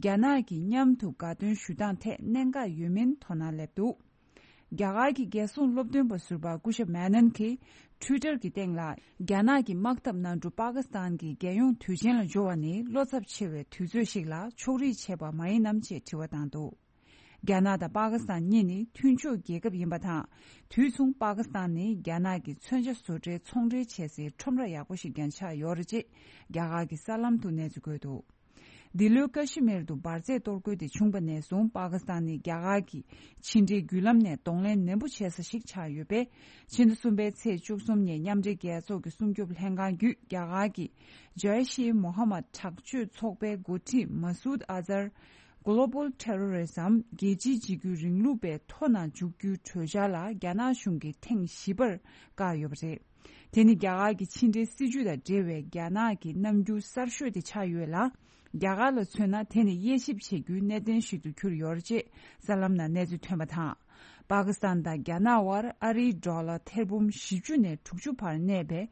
རྒྱ་ནག་གིས་མཉམ་དུ་དགའ་སྟོན་ཞུ་སྟངས་ཐད་གནད་འགག་ཡོད་མིན་དོ་སྣང་སླེབས་འདུག་རྒྱ་གར་གྱི་རྒྱལ་སྲུང་སློབ་སྟོན་པ་ཟུར་པ་སྐུ་ཞབས་མེ་ནན་གྱིས་ཊུའི་ཊར་གྱི་སྟེང་ལ། རྒྱ་ནག་གི་དམག་འཐབ་གནམ་གྲུ་པ་ཀི་སི་ཐན་གྱི་རྒྱལ་ཡོངས་དུས་ཆེན་ལ་འབྱོར་བ་ནི་བློ་འཚབ་ཆེ་བའི་དུས་ཚོད་ཞིག་ལ་ཕྱོགས་རིས་བྱས་པ་མ་ཡིན་ནམ་ཅེས་དྲི་བ་བཏང་འདུག་རྒྱ་ནག་དང་པ་ཀི་སི་ཐན་གཉིས་ནི་མཐུན་ཕྱོགས་རྒྱལ་ཁབ་ཡིན་པ་དང་། དུས་མཚུངས་པ་ཀི་སི་ཐན་ནི་རྒྱ་ནག་གི་མཚོན་ཆ་བཟོ་གྲྭའི་ཚོང་འབྲེལ་བྱེད་སའི་ཁྲོམ་ར་ཡག་པོ་ཞིག་ཀྱང་ཆགས་ཡོད་རེད་ཅེས་རྒྱ་གར་གྱི་གསར་ལམ་དུ་གནས་ཚུལ་བཀོད་འདུག་འདི་ལོའི་ཀ་ཤི་མིར་དུ་འབར་རྫས་གཏོར་རྒོལ་དེ་བྱུང་བ་ནས་བཟུང་པ་ཀི་སི་ཐན་ནི་རྒྱ་གར་གྱི་ཕྱི་འབྲེལ་བརྒྱུད་ལམ་ནས་གདོང་ལེན་ནན་པོ་བྱེད་ས་ཞིག་ཆགས་ཡོད་པས། ཕྱི་ཟླ་གསུམ་པའི་ཚེས་བཅུ་གསུམ་ཉིན་མཉམ་འབྲེལ་རྒྱལ་ཚོགས་ཀྱི་སྲུང་སྐྱོབ་ལྷན་ཁང་བརྒྱུད་རྒྱ་གར་གྱི་ཇའི་ཤེ་མོ་ཧ་མད་དྲག་སྤྱོད་ཚོགས་པའི་འགོ་ཁྲིད་མ་སུད་ཨ་ཛར། Global Terrorism རྒྱལ་སྤྱིའི་འཇིགས་སྐུལ་རིང་ལུགས་པའི་ཐོ་ནང་འཇུག་རྒྱུའི་གྲོས་འཆར་ལ་རྒྱ་ནག་གཞུང་གིས་ཐེངས་བཞི་པར་བཀག་ཡོད་པ་རེད། དེ་ནི་རྒྱ་གར་གྱི་ཕྱི་འབྲེལ་སྲིད་ཇུས་དང་འབྲེལ་བའི་རྒྱ་ནག་གི་རྣམ་འགྱུར་གསར་ཤོས་དེ་ཆགས་ཡོད་ལ། རྒྱ་གར་ལ་མཚོན་ན་དེ་ནི་དབྱེ་ཞིབ་བྱེད་རྒྱུའི་གནད་དོན་ཞིག་ཏུ་གྱུར་ཡོད་རེད་ཅེས་གསར་ལམ་ནང་གནས་ཚུལ་ཐོན་པ་དང་། པ་ཀི་སི་ཐན་དང་རྒྱ་ནག་དབར་ཨ་རིའི་ཌོ་ལར་ཐེར་འབུམ་བཞི་བཅུ་ནས་དྲུག་ཅུ་བར་གནས་པའི་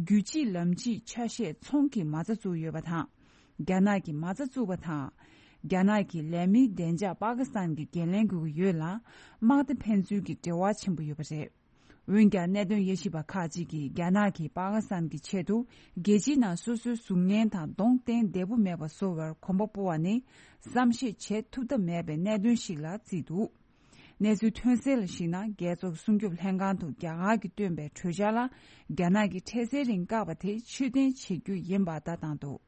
རྒྱུད་གཅིག་ལམ་གཅིག་ཆ་ཤས་ཚོང་གི་མ་རྩ་བཙུགས་ཡོད་པ་དང་། རྒྱ་ནག་གིས་མ་རྩ་བཙུགས་པ་དང་། རྒྱ་ནག་གི་ལས་མིའི་བདེ་འཇགས་པ་ཀི་སི་ཐན་གྱིས་འགན་ལེན་དགོས་ཀྱི་ཡོད་ལ། དམག་སྡེ་ཕན་ཚུན་གྱི་འབྲེལ་བ་ཆེན་པོ་ཡོད་པ་རེད། འོན་ཀྱང་གནད་དོན་དབྱེ་ཞིབ་པ་ཁག་ཅིག་གིས་རྒྱ་ནག་གིས་པ་ཀི་སི་ཐན་གྱི་ཆེད་དུ་རྒྱལ་སྤྱིའི་ནང་སོ་སོའི་གཟུགས་བརྙན་དང་གདོང་བསྟན་བདེ་པོ་མེད་པ་བཟོ་བར་གོམ་པ་སྤོ་བ་ནི་བསམ་ཤེས་བྱེད་ཐུབ་ཐབས་མེད་པའི་གནད་དོན་ཞིག་ལ་བརྩིས་འདུག་གནས་ཚུལ་ཐོན་གསལ་ལ་གཞིགས་ན། རྒྱལ་ཚོགས་སྲུང་སྐྱོབ་ལྷན་ཁང་དུ་རྒྱ་གར་གྱིས་བཏོན་པའི་གྲོས་འཆར་ལ་རྒྱ་ནག་གིས་འཕྲལ་སེལ་རིང་བཀག་པ་དེ་ཕྱིར་འཐེན་བྱེད་རྒྱུ་ཡིན་པ་ལྟ་སྟངས་འདུག་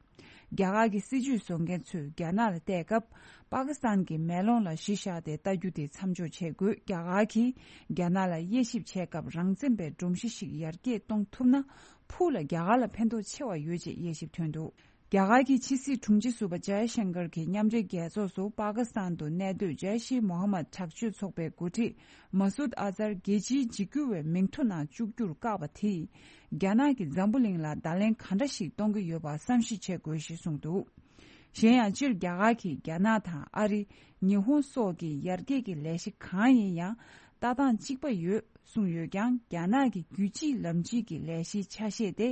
རྒྱ་གར་གྱི་སྲིད་ཇུས་བཟོ་མཁན་ཚོས་རྒྱ་ནག་ལ་བལྟས་སྐབས། པ་ཀི་སི་ཐན་གྱི་མེ་ལོང་ལ་གཞི་བཞག་སྟེ་ལྟ་རྒྱུ་དེ་མཚམས་འཇོག་བྱེད་དགོས། རྒྱ་གར་གྱིས་རྒྱ་ནག་ལ་དབྱེ་ཞིབ་བྱེད་སྐབས་རང་བཙན་པའི་སྒྲོམ་གཞི་ཞིག་ཡར་རྒྱས་གཏོང་ཐུབ་ན། ཕུགས་ལ་རྒྱ་གར་ལ་ཕན་ཐོགས་ཆེ་བ་ཡོད་ཅེས་དབྱེ་ཞིབ་ཐོན་འདུག་རྒྱ་གར་གྱི་ཕྱི་སྲིད་དྲུང་ཆེ་ཟུར་པ་ཇའི་ཤང་ཀར་གྱིས་མཉམ་འབྲེལ་རྒྱལ་ཚོགས་སུ་པ་ཀི་སི་ཐན་དུ་གནས་སྡོད་ཇའི་ཤེ་མོ་ཧ་མད་དྲག་སྤྱོད་ཚོགས་པའི་འགོ་ཁྲིད་མ་སུད་ཨ་ཛར་རྒྱལ་སྤྱིའི་འཇིགས་སྐུལ་བའི་མིང་ཐོ་ནང་བཅུག་རྒྱུར་བཀག་པ་དེས། རྒྱ་ནག་གིས་འཛམ་བུ་གླིང་ལ་བརྡ་ལན་ག་འདྲ་ཞིག་གཏོང་གི་ཡོད་པ་བསམ་གཞིག་བྱེད་དགོས་ཞེས་གསུངས་འདུག་གཞན་ཡང་། སྤྱིར་རྒྱ་གར་གྱིས་རྒྱ་ནག་དང་ཨ་རི། ཉི་ཧོང་སོགས་ཀྱི་ཡར་རྒྱས་ཀྱི་ལས་གཞི་གང་ཡིན་ཡང་ལྟ་སྟངས་གཅིག་པ་ཡོད་གསུངས་ཡོད་ཀྱང་། རྒྱ་ནག་གི་རྒྱུད་གཅིག་ལམ་གཅིག་གི་ལས་གཞིའི་ཆ་ཤས་དེ།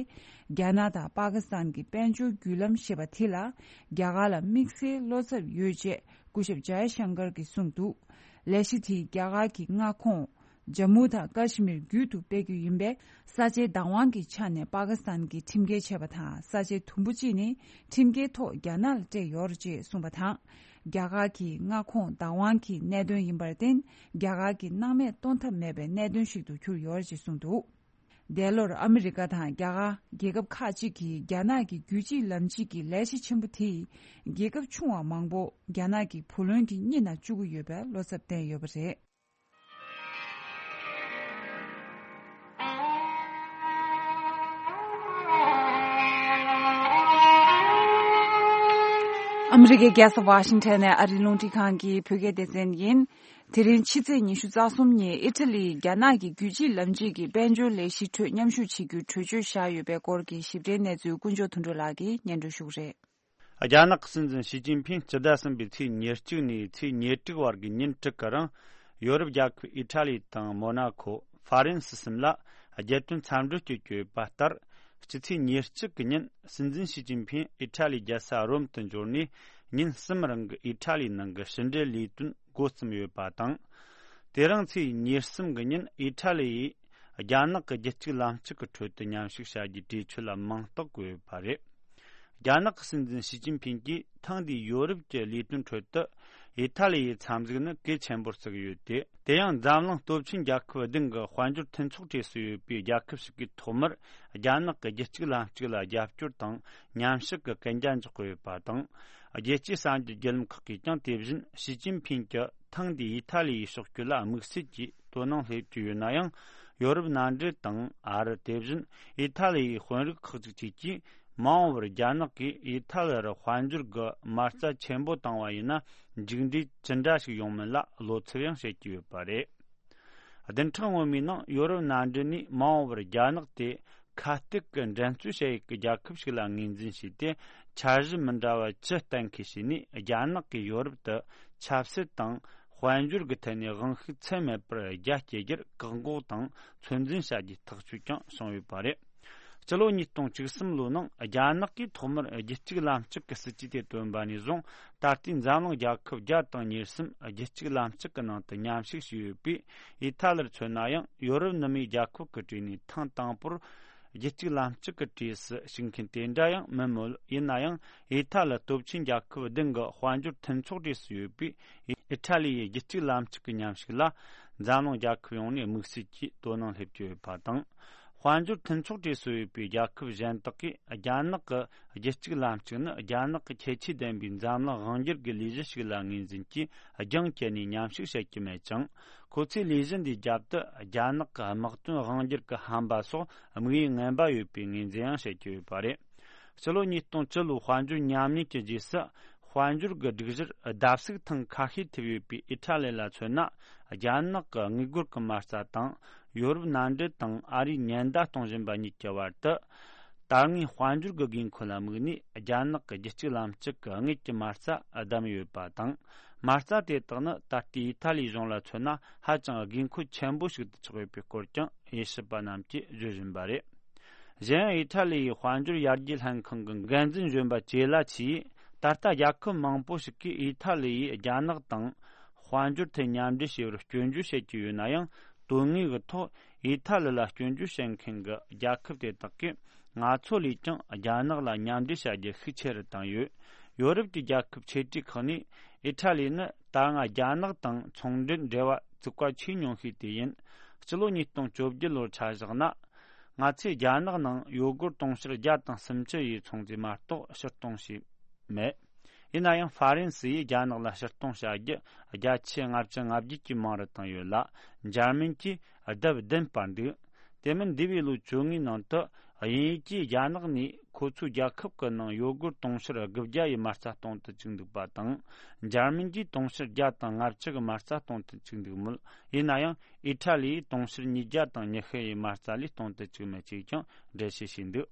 རྒྱ་ནག་དང་པ་ཀི་སི་ཐན་གྱི་དཔལ་འབྱོར་བརྒྱུད་ལམ་ཞེས་པ་དེ་ལ་རྒྱ་གར་ལ་དམིགས་བསལ་བློ་འཚབ་ཡོད་ཅེས་སྐུ་ཞབས་ཇའི་ཤང་ཀར་གྱིས་གསུངས་འདུག་ལས་གཞི་དེས་རྒྱ་གར་གྱི་མངའ་ཁོངས། ཇམ་མུ་དང་ཀ་ཤི་མིར་རྒྱུད་དུ་སྤེལ་རྒྱུ་ཡིན་པས། ས་ཆའི་བདག་དབང་གི་ཆ་ནས་པ་ཀི་སི་ཐན་གྱིས་ཁྲིམས་འགལ་བྱས་པ་དང་། ས་ཆའི་དུམ་བུ་གཅིག་ནི་ཁྲིམས་འགལ་ཐོག་རྒྱ་ནག་ལ་སྤྲད་ཡོད་རེད་ཅེས་གསུངས་པ་དང་། རྒྱ་གར་གྱི་མངའ་ཁོངས་བདག་དབང་གི་གནད་དོན་ཡིན་པར་བརྟེན། རྒྱ་གར་གྱིས་སྣང་མེད་གཏོང་ཐབས་མེད་པའི་གནད་དོན་ཞིག་ཏུ་གྱུར་ཡོད་རེད་ཅེས་གསུངས་འདུག་འདས་ལོར་ཨ་མི་རི་ཀ་དང་རྒྱ་གར་རྒྱལ་ཁབ་ཁག་ཅིག་གིས་རྒྱ་ནག་གི་རྒྱུད་གཅིག་ལམ་གཅིག་གི་ལས་གཞི་ཆེན་པོ་དེས། རྒྱལ་ཁབ་ཆུང་བ་མང་པོ་རྒྱ་ནག་གི་བུ་ལོན་གྱི་གཉེན་ལ་བཅུག་གི་ཡོད་པའི་བློ་འཚབ་བསྟན་ཡོད་པ་རེད། ཨ་མི་རི་ཀའི་རྒྱལ་ས་ཝ་ཤིང་ཊོན་ནས་ཨ་རིའི་རླུང་འཕྲིན་ཁང་གི་བོད་སྐད་སྡེ་ཚན་ཡིན། དེ་རིང་ཕྱི་ཚེས་ཉི་ཤུ་རྩ་གསུམ་ཉིན་ཨི་ཊ་ལིའི་རྒྱ་ནག་གི་རྒྱུད་གཅིག་ལམ་གཅིག་གི་དཔལ་འབྱོར་ལས་གཞི་ཁྲོད་མཉམ་ཞུགས་བྱེད་རྒྱུའི་གྲོས་ཆོད་བཞག་ཡོད་པའི་སྐོར་གྱི་ཞིབ་ཕྲའི་གནས་ཚུལ་དཀོན་མཆོག་དོན་གྲུབ་ལགས་ཀྱིས་སྙན་སྒྲོན་ཞུ་གི་རེད། རྒྱ་ནག་གི་སྲིད་འཛིན་ཞི་ཅིན་ཕིང་སྤྱི་ཟླ་གསུམ་པའི་ཚེས་ཉེར་གཅིག་ནས་ཚེས་ཉེར་དྲུག་བར་གྱི་ཉིན་དྲུག་གི་རིང་། ཡོ་རོབ་རྒྱལ་ཁབ་ཨི་ཊ་ལི་དང་མོ་ན་ཁོ། ཧྥ་རན་སི་གསུམ་ལ་རྒྱལ་དོན་འཚམས་འདྲི་བྱེད་ཀྱི་ཡོད་པ་ལྟར། སྤྱི་ཚེས་ཉེར་གཅིག་གི་ཉིན་སྲིད་འཛིན་ཞི་ཅིན་ཕིང་ཨི་ཊ་ལིའི་རྒྱལ་ས་རོམ་དུ་འབྱོར་ནས། ཉིན་གསུམ་རིང་གི་ཨི་ཊ་ལིའི་ནང་གི་ཕྱི་འབྲེལ་ལས་དོན་འགོ་རྩོམ་ཡོད་པ་དང་། དེ་རིང་ཚེས་ཉེར་གསུམ་གི་ཉིན་ཨི་ཊ་ལི་ཡིས་རྒྱ་ནག་གི་རྒྱུད་གཅིག་ལམ་གཅིག་གི་ཁྲོད་དུ་མཉམ་ཞུགས་བྱ་རྒྱུའི་གྲོས་ཆོད་ལ་མིང་རྟགས་བཀོད་ཡོད་པ་རེད། རྒྱ་ནག་གི་སྲིད་འཛིན་ཞི་ཅིན་ཕིང་གིས་ཐེངས་འདིའི་ཡོ་རོབ་ཀྱི་ལས་དོན་ཁྲོད་དུ་ཨི་ཐ་ལི་ཡི་འཚམས་གཟིགས་ནི་གལ་ཆེན་པོར་བརྩི་གི་ཡོད་དེ། དེ་ཡང་འཛམ་གླིང་སྟོབས་ཆེན་རྒྱལ་ཁབ་བདུན་གྱི་དཔལ་འབྱོར་མཐུན་ཚོགས་གྲས་སུ་ཡོད་པའི་རྒྱལ་ཁབ་ཞིག་གིས་ཐོག་མར་རྒྱ་ནག་གི་རྒྱུད་གཅིག་ལམ་གཅིག་ལ་རྒྱབ་སྐྱོར་དང་མཉམ་ཞུགས་ཀྱི་གན་རྒྱ་འཇོག་གི་ཡོད་པ་དང་། རྒྱལ་སྤྱིའི་གསར་འགྱུར་བརྒྱུད་ལམ་ཁག་གིས་ཀྱང་དེ་བཞིན་ཞི་ཅིན་ཕིང་གྱི་ཐེངས་འདིའི་ཨི་ཐ་ལི་ཡི་ཕྱོགས་བསྐྱོད་ལ་དམིགས་བསལ་གྱིས་དོ་སྣང་སླེབས་ཀྱི་ཡོད་ན་ཡང་། ཡོ་རོབ་མནའ་འབྲེལ་དང་ཨ་རི། དེ་བཞིན་ཨི་ཐ་ལི་ཡི་དཔོན་རིགས་ཁག་ཅིག་བཅས་ཀྱིས། མ་འོངས་པར་རྒྱ་ནག་གིས་ཨི་ཐ་ལི་རུ་དཔལ་འབྱོར་གྱི་མ་རྩ་ཆེན་པོ་བཏང་བ་ཡིན་ན། མཇུག་འབྲས་ཅི་འདྲ་ཞིག་ཡོང་མིན་ལ་བློ་འཚབ་ཡང་བྱེད་ཀྱི་ཡོད་པ་རེད། བདུན་ཕྲག་སྔོན་མའི་ནང་ཡོ་རོབ་མནའ་འབྲེལ་ནས་མ་འོངས་པར་རྒྱ་ནག་དེ་ཁ་གཏད་ཀྱི་འགྲན་རྩོད་བྱ་ཡུལ་གྱི་རྒྱལ་ཁབ་ཞིག་ལ་ངོས་འཛིན་བྱས་ཏེ། འཆར་གཞི་མི་འདྲ་བ་བཅུ་གཏན་འཁེལ་བྱས་ནས། རྒྱ་ནག་གིས་ཡོ་རོབ་ཏུ་ཆབ་སྲིད་དང་དཔལ་འབྱོར་གྱི་ཐད་ནས་དབང་ཤུགས་ཚད་མེད་པར་རྒྱ་སྐྱེད་རྒྱུར་བཀག་འགོག་དང་ཚོད་འཛིན་བྱ་རྒྱུའི་ཐག་གཅོད་ཀྱང་བྱུང་ཡོད་པ་རེད། སྤྱི་ལོ་ཉིས་སྟོང་བཅུ་གསུམ་ལོའི་ནང་རྒྱ་ནག་གིས་ཐོག་མར་རྒྱུད་གཅིག་ལམ་གཅིག་གི་སྲིད་ཇུས་དེ་བཏོན་པ་ནས་བཟུང་། ད་ལྟའི་འཛམ་གླིང་རྒྱལ་ཁབ་བརྒྱ་དང་ཉེར་གསུམ་རྒྱུད་གཅིག་ལམ་གཅིག་གི་ནང་དུ་མཉམ་ཞུགས་བྱས་ཡོད་པས། ཨི་ཐ་ལིར་མཚོན་ན་ཡང་ཡོ་རོབ་ནུབ་མིའི་རྒྱལ་ཁབ་ཀྱི་གྲས་ནས་ཐེངས་དང་པོར་རྒྱུད་གཅིག་ལམ་གཅིག་གི་གྲས་སུ་ཞུགས་མཁན་དེ་འདྲ་ཡང་མིན་མོད། ཡིན་ན་ཡང་ཨི་ཐ་ལི་སྟོབས་ཆེན་རྒྱལ་ཁབ་བདུན་གྱི་དཔལ་འབྱོར་མཐུན་ཚོགས་གྲས་སུ་ཡོད་པས། ཨི་ཐ་ལི་ཡི་རྒྱུད་གཅིག་ལམ་གཅིག་གི་མཉམ་ཞུགས་ལ་འཛམ་གླིང་རྒྱལ་ཁབ་ཡོངས་ནས་དམིགས་བསལ་གྱིས་དོ་སྣང་སླེབས་ཀྱི་ཡོད་པ་དང་། དཔལ་འབྱོར་མཐུན་ཚོགས་གྲས་སུ་ཡོད་པའི་རྒྱལ་ཁབ་གཞན་དག་གིས་རྒྱ་ནག་གི་རྒྱུད་གཅིག་ལམ་གཅིག་ནི་རྒྱ་ནག་གི་ཁྱད་ཆོས་ལྡན་པའི་འཛམ་གླིང་དབང་སྒྱུར་གྱི་ལས་གཞི་ཞིག་ལ་ངོས་འཛིན་གྱིས་རྒྱང་བཀྱེད་ནས་མཉམ་ཞུགས་བྱེད་ཀྱི་མེད་ཅིང་། ཁོ་ཚོས་ལས་གཞི་འདིའི་རྒྱབ་ཏུ་རྒྱ་ནག་གི་དམག་དོན་དབང་སྒྱུར་གྱི་ཧམ་པ་སོགས་དམིགས་ཡུལ་ངན་པ་ཡོད་པའི་ངོས་འཛིན་ཡང་བྱེད་ཀྱི་ཡོད་པ་རེད། སྤྱི་ལོ་ཉིས་སྟོང་བཅུ་ལོའི་དཔལ་འབྱོར་ཉམས་ཉེས་ཀྱི་རྗེས་སུ། དཔལ་འབྱོར་གྱི་སྒྲིག་གཞིར་བརྡབ་གསིག་ཐེངས་ཁ་ཤས་ཐེབས་ཡོད་པའི་ཨི་ཐ་ལི་ལ་མཚོན་ན། རྒྱ་ནག་གི་དངུལ་སྒོར་གྱི་མ་རྩ་དང་ཡོ་རོབ་མནའ་འབྲེལ་དང་ཨ་རིས་ཉེན་བརྡ་གཏོང་བཞིན་པ་གཉིས་ཀྱི་བར་དུ། ད་སྔའི་དཔལ་འབྱོར་གྱི་དགོས་མཁོ་ལ་དམིགས་ནས་རྒྱ་ནག་གི་རྒྱུད་གཅིག་ལམ་གཅིག་གི་དངུལ་གྱི་མ་རྩ་བསྡམས་ཡོད་པ་དང་། མ་རྩ་དེ་དག་ནི་ད་ལྟའི་ཨི་ཐ་ལིའི་གཞུང་ལ་མཚོན་ན་ཧ་ཅང་དགོས་མཁོ་ཆེན་པོ་ཞིག་ཏུ་ཆགས་ཡོད་པའི་སྐོར་ཀྱང་དབྱེ་ཞིབ་པ་རྣམས་ཀྱིས་བརྗོད་བཞིན་པ་རེད། གཞན་ཡང་ཨི་ཐ་ལི་ཡི་དཔལ་འབྱོར་ཡར་རྒྱས་ལྷན་ཁང་གི་འགན་འཛིན་གཞོན་པ་ཅེ་ལ་ཆིས། ད་ལྟ་རྒྱལ་ཁབ་མང་པོ་ཞིག་གིས་ཨི་ཐ་ལི་ཡིས་རྒྱ་ནག་དང་དཔལ་འབྱོར་ཐད་མཉམ་འབྲེལ་བྱེད་པར་སྐྱོན་བརྗོད་བྱེད་ཀྱི་ཡོད་ན་ཡང་། དོན་དངོས་ཀྱི་ཐོག་ཨི་ཐ་ལི་ལ་སྐྱོན་བརྗོད་བྱེད་མཁན་གྱི་རྒྱལ་ཁབ་དེ་དག་གིས་ང་ཚོ་ལས་ཀྱང་རྒྱ་ནག་ལ་མཉམ་འབྲེལ་བྱ་རྒྱུ་ཤུགས་ཆེ་རུ་བཏང་ཡོད། ཡོ་རོབ་ཀྱི་རྒྱལ་ཁབ་ཆེ་གྲས་ཁག་ནས་ཨི་ཐ་ལི་ནི་ད་སྔ་རྒྱ་ནག་དང་ཚོང་འབྲེལ་འབྲེལ་བ་བཙུགས་པ་ཆེས་ཉུང་ཤོས་དེ་ཡིན། སྤྱི་ལོ་ཉིས་སྟོང་བཅོ་བརྒྱད་ལོར་ཆ་བཞག་ན། ང་ཚོས་རྒྱ་ནག་ནང་ཡོ་སྒོར་དུང་ཕྱུར་བརྒྱ་དང་སུམ་ཅུ་ཡི་ཚོང་རྫས་མ་གཏོགས་ཕྱིར་གཏོང་བྱས་མེད། ཡིན་ན་ཡང་ཧྥ་རན་སི་ཡིས་རྒྱ་ནག་ལ་ཕྱིར་གཏོང་བྱ་རྒྱུ་བརྒྱ་ཆ་ལྔ་བཅུ་ང་བརྒྱད་ཀྱིས་མང་རུ་བཏང་ཡོད་ལ། འཇར་མན་གྱིས་ལྡབ་བདུན་སྤར་འདུག་དེ་མིན་འདས་པའི་ལོ་བཅོ་ལྔའི་ནང་དུ་དབྱིན་ཡུལ་གྱིས་རྒྱ་ནག་ནས་ཁོ་ཚོའི་རྒྱལ་ཁབ་ཀྱི་ནང་ཡོ་སྒོར་དུང་ཕྱུར་དགུ་བརྒྱ་ཡི་མ་རྩ་གཏོང་དུ་བཅུག་འདུག་པ་དང་། འཇར་མན་གྱིས་དུང་ཕྱུར་བརྒྱ་དང་ལྔ་བཅུ་གི་མ་རྩ་གཏོང་དུ་བཅུག་འདུག་མོད། ཡིན་ན་ཡང་ཨི་ཐ་ལི་ཡིས་དུང་ཕྱུར་ཉིས་བརྒྱ་དང་ཉི་ཤུ་ཡི་མ་རྩ་ལས་གཏོང་དུ་བཅུག་མེད་ཅེས་ཀྱང་འགྲེལ་བཤད་བྱས་འདུག་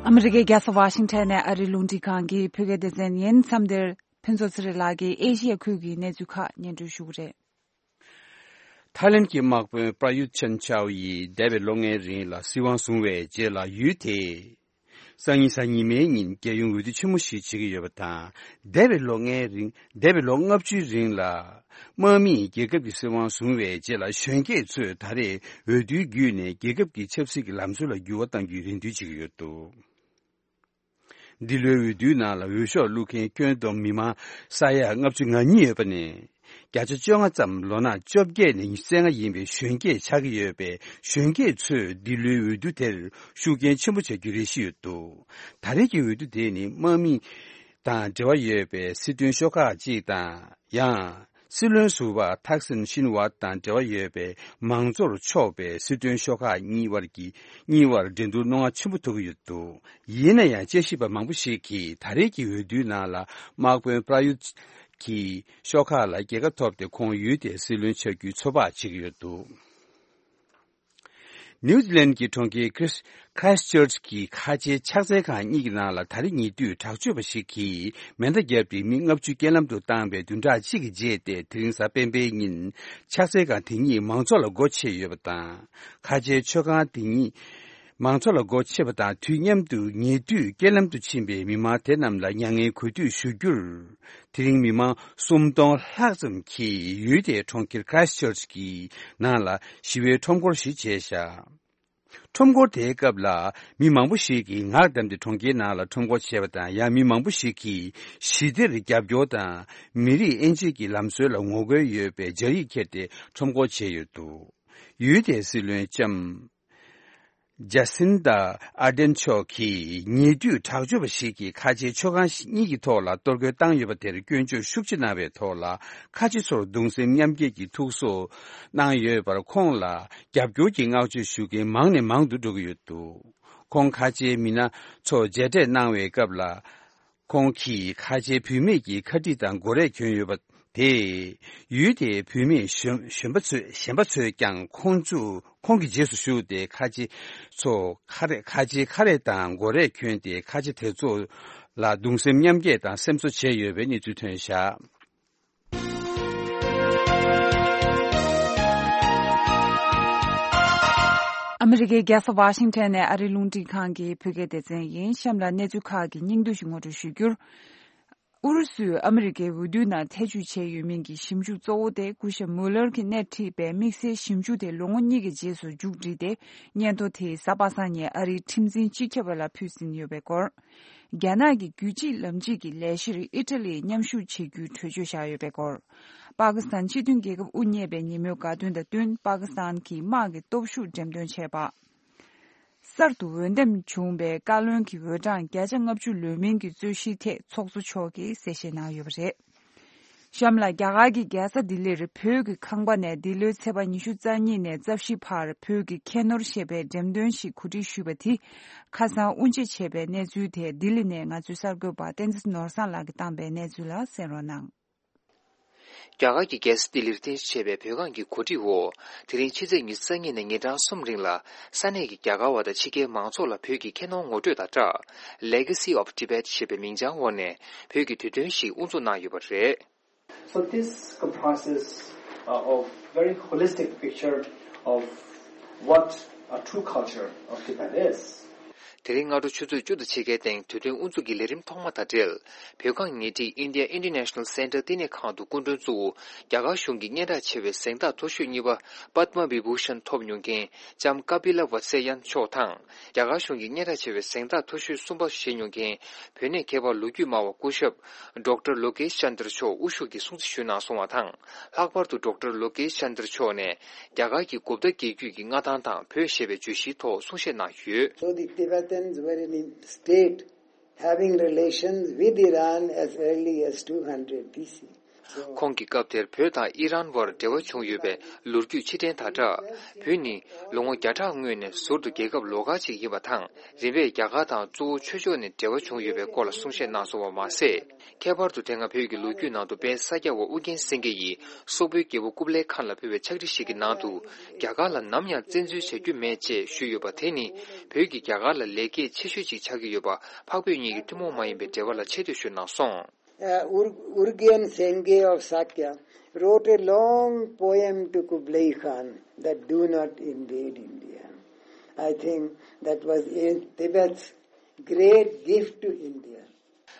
ཨ་མི་རི་ཀའི་རྒྱལ་ས་ཝ་ཤིང་ཊོན་ནས་ཨ་རིའི་རླུང་འཕྲིན་ཁང་གི་བོད་སྐད་སྡེ་ཚན་ཡིན། མཚམས་འདིར་ཕུན་ཚོགས་ཚེ་རིང་ལགས་ཀྱིས་ཨེ་ཤི་ཡ་ཁུལ་གྱི་གནས་ཚུལ་ཁག་སྙན་སྒྲོན་ཞུ་གི་རེད། ཐའི་ལེན་གྱི་དམག་དཔོན་པྲ་ཡུད་ཆན་ཆའོ་ཡིས་འདས་པའི་ལོ་ལྔའི་རིང་ལ་སྲིད་དབང་བཟུང་བའི་རྗེས་ལ་ཡུལ་དེས་སང་ཉིན་གཟའ་ཉི་མའི་ཉིན་རྒྱལ་ཡོངས་འོས་བསྡུ་ཆེན་མོ་ཞིག་བྱེད་ཀྱི་ཡོད་པ་དང་། འདས་པའི་ལོ་ལྔའི་རིང་། འདས་པའི་ལོ་ལྔ་བཅུའི་རིང་ལ་དམག་མིས་རྒྱལ་ཁབ་ཀྱི་སྲིད་དབང་བཟུང་བའི་རྗེས་ལ་གཞོན་སྐྱེས་ཚོས་ད་རེས་འོས་བསྡུའི་བརྒྱུད་ནས་རྒྱལ་ཁབ་ཀྱི་ཆབ་སྲིད་ཀྱི་ལམ་སྲོལ་ལ་འགྱུར་བ་གཏང་རྒྱུའི་རེ་འདུན་བྱེད་ཀྱི་ཡོད་འདུག་འདི་ལོའི་འོས་བསྡུའི་ནང་ལ་འོས་ཤོག་བླུགས་མཁན་ཁྱོན་བསྡོམས་མི་མང་ས་ཡ་ལྔ་བཅུ་ང་གཉིས་ཡོད་པ་ནས། བརྒྱ་ཆ་བཅོ་ལྔ་ཙམ་ལོ་ན་བཅོ་བརྒྱད་ནས་ཉི་ཤུ་རྩ་ལྔ་ཡིན་པའི་གཞོན་སྐྱེས་ཆགས་ཀྱི་ཡོད་པས། གཞོན་སྐྱེས་ཚོས་འདི་ལོའི་འོས་བསྡུ་དེར་ཤུགས་རྐྱེན་ཆེན་པོ་བྱ་རྒྱུའི་རེ་གཞི་ཡོད་འདུག་ད་རེས་ཀྱི་འོས་བསྡུ་དེ་ནི་དམག་མི་དང་འབྲེལ་བ་ཡོད་པའི་སྲིད་དོན་ཤོག་ཁག་ཅིག་དང་། ཡང་ སྲིད་བློན་ཟུར་པ་ཐག་སིན་ཤིན་ཝཱད་དང་འབྲེལ་བ་ཡོད་པའི་མང་གཙོར་ཕྱོགས་པའི་སྲིད་དོན་ཤོག་ཁག་གཉིས་བར་གྱི་གཉིས་བར་འགྲན་བསྡུར་རྣོ་ངར་ཆེན་པོ་ཐུག་གི་ཡོད་འདུག་ཡིན་ན་ཡང་དཔྱད་ཞིབ་པ་མང་པོ་ཞིག་གིས་ད་རེས་ཀྱི་འོས་བསྡུའི་ནང་ལ་དམག་དཔོན་པྲ་ཡུད་ཀྱི་ཤོག་ཁག་ལ་རྒྱལ་ཁ་ཐོབ་སྟེ་ཁོང་ཡུལ་དེའི་སྲིད་བློན་ཆགས་རྒྱུའི་ཚོད་དཔག་བྱེད་ཀྱི་ཡོད་འདུག་ནིའུ་ཛི་ལན་གྱི་གྲོང་ཁྱེར་ཁྲིས་ཁྲའིསི་ཅར་ཅི་གི་ཁ་ཆེའི་ཕྱག་འཚལ་ཁང་གཉིས་ཀྱི་ནང་ལ་ད་རེས་ཉེ་དུས་དྲག་སྤྱོད་པ་ཞིག་གིས་མེ་མདའ་བརྒྱབ་སྟེ་མི་ལྔ་བཅུ་རྐྱེན་ལམ་དུ་བཏང་བའི་བདུན་ཕྲག་གཅིག་གི་རྗེས་ཏེ་དེ་རིང་གཟའ་སྤེན་པའི་ཉིན་ཕྱག་འཚལ་ཁང་དེ་ཉིད་མང་ཚོགས་ལ་སྒོ་ཕྱེ་ཡོད་པ་དང་། ཁ་ཆེའི་མཆོད་ཁང་དེ་ཉིད་མང་ཚོགས་ལ་སྒོ་ཕྱེ་བ་དང་དུས་མཉམ་དུ་ཉེ་དུས་རྐྱེན་ལམ་དུ་ཕྱིན་པའི་མི་མང་དེ་རྣམས་ལ་མྱ་ངན་གུས་འདུད་ཞུ་རྒྱུར། དེ་རིང་མི་མང་སུམ་སྟོང་ལྷག་ཙམ་གྱིས་ཡུལ་དེའི་གྲོང་ཁྱེར་ཁྲའིསི་ཅར་ཅི་གི་ནང་ལ་ཞི་བའི་ཁྲོམ་སྐོར་ཞིག་བྱས་བཞག་ཁྲོམ་སྐོར་དེའི་སྐབས་ལ་མི་མང་པོ་ཞིག་གིས་ངག་བསྡམས་ཏེ་གྲོང་ཁྱེར་ནང་ལ་ཁྲོམ་སྐོར་བྱས་པ་དང་། ཡང་མི་མང་པོ་ཞིག་གིས་ཞི་བདེར་རྒྱབ་སྐྱོར་དང་མི་རིགས་དབྱེ་འབྱེད་ཀྱི་ལམ་སྲོལ་ལ་ངོ་རྒོལ་ཡོད་པའི་སྦྱར་ཡིག་འཁྱེར་ཏེ་ཁྲོམ་སྐོར་བྱས་ཡོད་འདུག་ཡུལ་དེའི་སྲིད་བློན་ལྕམ་ཇ་སིན་ཏ་ཨར་ཌེན་མཆོག་གིས་ཉེ་དུས་དྲག་སྤྱོད་པ་ཞིག་གིས་ཁ་ཆེའི་མཆོད་ཁང་གཉིས་ཀྱི་ཐོག་ལ་གཏོར་རྒོལ་བཏང་ཡོད་པ་དེར་སྐྱོན་བརྗོད་ཤུགས་ཆེ་གནང་བའི་ཐོག་ལ། ཁ་ཆེ་ཚོར་གདུང་སེམས་མཉམ་སྐྱེད་ཀྱི་ཐུགས་གསོ་གནང་ཡོད་པར། ཁོང་ལ་རྒྱབ་སྐྱོར་གྱི་བསྔགས་བརྗོད་ཞུ་མཁན་མང་ནས་མང་དུ་འགྲོ་གི་ཡོད་འདུག་ཁོང་ཁ་ཆེའི་མི་སྣ་ཚོ་མཇལ་འཕྲད་གནང་བའི་སྐབས་ལ། ཁོང་གིས་ཁ་ཆེའི་བུད་མེད་ཀྱི་ཁ་དཀྲིས་དང་མགོ་རས་གྱོན་ཡོད་པ་དེས། ཡུལ་དེའི་བུད་མེད་གཞོན་གཞོན་པ་ཚོས་གཞན་པ་ཚོས་ཀྱང་ཁོང་ཚོ་ཁོང་གི་རྗེས་སུ་ཞུགས་ཏེ། ཁ་ཆེ་ཚོ་ཁ་རས་ཁ་ཆེའི་ཁ་རས་དང་མགོ་རས་གྱོན་ཏེ། ཁ་ཆེ་དེ་ཚོ་ལ་གདུང་སེམས་མཉམ་སྐྱེད་དང་སེམས་གསོ་བྱས་ཡོད་པའི་གནས་ཚུལ་ཐོན་བཞག་ཨ་མི་རི་ཀའི་རྒྱལ་ས་ཝ་ཤིང་ཊོན་ནས་ཨ་རིའི་རླུང་འཕྲིན་ཁང་གི་བོད་སྐད་སྡེ་ཚན་ཡིན། གཤམ་ལ་གནས་ཚུལ་ཁག་གི་སྙིང་བསྡུས་ཤིག་ངོ་སྤྲོད་ཞུ་རྒྱུར། ཨུ་རུ་སུས་ཨ་མི་རི་ཀའི་འོས་བསྡུའི་ནང་ཐེ་བྱུས་བྱས་ཡོད་མིན་གྱི་ཞིབ་འཇུག་གཙོ་བོ་དེ་སྐུ་ཞབས་མུ་ལར་གྱིས་སྣེ་ཁྲིད་པའི་དམིགས་བསལ་ཞིབ་འཇུག་དེ་ལོ་ངོ་གཉིས་ཀྱི་རྗེས་སུ་མཇུག་བསྒྲིལ་ཏེ། སྙན་ཐོ་དེ་གཟའ་པ་སངས་ཉིན་ཨ་རིའི་ཁྲིམས་འཛིན་སྤྱི་ཁྱབ་པ་ལ་ཕུལ་ཟིན་ཡོད་པའི་སྐོར། རྒྱ་ནག་གི་རྒྱུད་གཅིག་ལམ་གཅིག་གི་ལས་གཞིར་ཨི་ཊ་ལིས་མཉམ་ཞུགས་བྱེད་རྒྱུའི་གྲོས་ཆོད་བཞག་ཡོད་པའི་སྐོར། པ་ཀི་སི་ཐན་སྤྱི་མཐུན་རྒྱལ་ཁབ་དབུ་བརྙེས་པའི་ཉིན་མོའི་དགའ་སྟོན་དང་བསྟུན། པ་ཀི་སི་ཐན་གྱི་དམག་གི་སྟོབས་ཤུགས་འགྲེམས་སྟོན་བྱས་པ། གསར་དུ་འོས་འདེམས་བྱུང་བའི་བཀའ་བློན་གྱི་འོས་གྲངས་བརྒྱ་ཆ་ལྔ་བཅུ་ལོན་མིན་གྱི་རྩོད་གཞིའི་ཐད་ཚོགས་གཙོ་མཆོག་གིས་གསལ་བཤད་གནང་ཡོད་པ་རེད། གཤམ་ལ། རྒྱ་གར་གྱི་རྒྱལ་ས་ལྡི་ལིར་བོད་ཀྱི་ཁང་པ་ནས་འདི་ལོའི་ཚེས་པ་ཉི་ཤུ་རྩ་གཉིས་ནས་རྩ་བཞི་བར་བོད་ཀྱི་ཁྱད་ནོར་ཞེས་པའི་འགྲེམས་སྟོན་ཞིག་གོ་སྒྲིག་ཞུས་པ་དེ། ཁ་སང་དབུ་འབྱེད་བྱས་པའི་གནས་ཚུལ་དེ་ལྡི་ལི་ནས་ང་ཚོའི་གསར་འགོད་པ་བསྟན་འཛིན་ནོར་བཟང་ལགས་ཀྱིས་བཏང་པའི་གནས་ཚུལ་ལ་གསན་རོགས་གནང་། རྒྱ་གར་གྱི་རྒྱལ་ས་ལྡི་ལིར་རྟེན་གཞི་བྱས་པའི་བོད་ཁང་གི་གོ་སྒྲིག་འོག་དེ་རིང་ཕྱི་ཚེས་ཉི་ཤུ་རྩ་གཉིས་ནས་ཉིན་གྲངས་གསུམ་རིང་ལ་ས་གནས་ཀྱི་རྒྱ་གར་བ་དང་ཕྱི་རྒྱལ་མང་ཚོགས་ལ་བོད་ཀྱི་ཁྱད་ནོར་ངོ་སྤྲོད་དང་སྦྲགས། Legacy of Tibet ཞེས་པའི་མིང་བྱང་འོག་ནས་བོད་ཀྱི་དུས་སྟོན་ཞིག་དབུ་འཛུགས་གནང་ཡོད་པ་རེད། So this comprises, uh, of very holistic picture of what a true culture of Tibet is. དེ་རིང་སྔ་དྲོ་ཆུ་ཚོད་བཅུ་དང་ཕྱེད་ཀའི་སྟེང་དུས་སྟོན་དབུ་འཛུགས་ཀྱི་ལས་རིམ་ཐོག་མ་དང་འབྲེལ། བོད་ཁང་ཉེ་འཁྲིས་India International Center བསྟི་གནས་ཁང་དུ་སྐུ་མགྲོན་གཙོ་བོ་རྒྱ་གར་གཞུང་གི་སྙན་གྲགས་ཆེ་བའི་གཟེངས་རྟགས་མཐོ་ཤོས་གཉིས་པ་Padma Vibhushan ཐོབ་མྱོང་མཁན་ལྕམ་ཀ་པི་ལ་ཝ་ཚེ་ཡན་མཆོག་དང་། རྒྱ་གར་གཞུང་གི་སྙན་གྲགས་ཆེ་བའི་གཟེངས་རྟགས་མཐོ་ཤོས་གསུམ་པ་བཞེས་མྱོང་མཁན་བོད་གནས་མཁས་པ་ལོ་རྒྱུས་སྨྲ་བ་སྐུ་ཞབས་Doctor Lokesh Chandra མཆོག་དབུ་བཞུགས་ཀྱིས་སྲུང་བརྩི་ཞུས་གནང་སོང་བ་དང་། ལྷག་པར་དུ་Doctor Lokesh Chandra མཆོག་ནས་རྒྱ་གར་གྱི་གོ་བརྡ་རྒྱལ་རྒྱུད་ཀྱི་མངའ་ཐང་དང་བོད་ཞེས་པའི་བརྗོད་གཞིའི་ཐོག་གསུང་བཤད་གནང་ཡོད། So the Tibetans were in state having relations with Iran as early as two hundred B C. ཁོང་གིས་སྐབས་དེར་བོད་དང་ཨི་རན་བར་འབྲེལ་བ་བྱུང་ཡོད་པའི་ལོ་རྒྱུས་ཕྱིར་དྲན་དང་སྦྲགས། བོད་ནི་ལོ་ངོ་བརྒྱ་ཕྲག་སྔོན་ནས་ཟུར་དུ་རྒྱལ་ཁབ་ལོགས་ཀ་ཅིག་ཡིན་པ་དང་། རིམ་པས་རྒྱ་གར་དང་གཙོ་བོ་ཆོས་ཕྱོགས་ནས་འབྲེལ་བ་བྱུང་ཡོད་པའི་སྐོར་ལ་གསུང་བཤད་གནང་སོང་བ་མ་ཟད། ཁྱད་པར་དུ་དེ་སྔ་བོད་ཀྱི་ལོ་རྒྱུས་ནང་དུ་དཔལ་ས་སྐྱ་པ་ཨུ་རྒྱན་སེང་གེ་ཡིས་སོག་པོའི་རྒྱལ་པོ་ཀུབ་ལའི་ཁཱན་ལ་ཕུལ་བའི་ཕྱག་བྲིས་ཤིག་གི་ནང་དུ། རྒྱ་གར་ལ་ནམ་ཡང་བཙན་འཛུལ་བྱ་རྒྱུ་མེད་ཅེས་ཞུས་ཡོད་པ་དེ་ནི། བོད་ཀྱིས་རྒྱ་གར་ལ་ལེགས་སྐྱེས་ཆེ་ཤོས་ཅིག་ཆགས་ཀྱི་ཡོད་པ་འཕགས་བོད་གཉིས་ཀྱི་ཐུན་མོང་མ་ཡིན་པའི་འབྲེལ་བ་ལ་ཆེ་བསྟོད་ཞུས་གནང་སོང་། Uh, Ur- Urgyen Senge of Sakya wrote a long poem to Kublai Khan that do not invade India. I think that was in Tibet's great gift to India.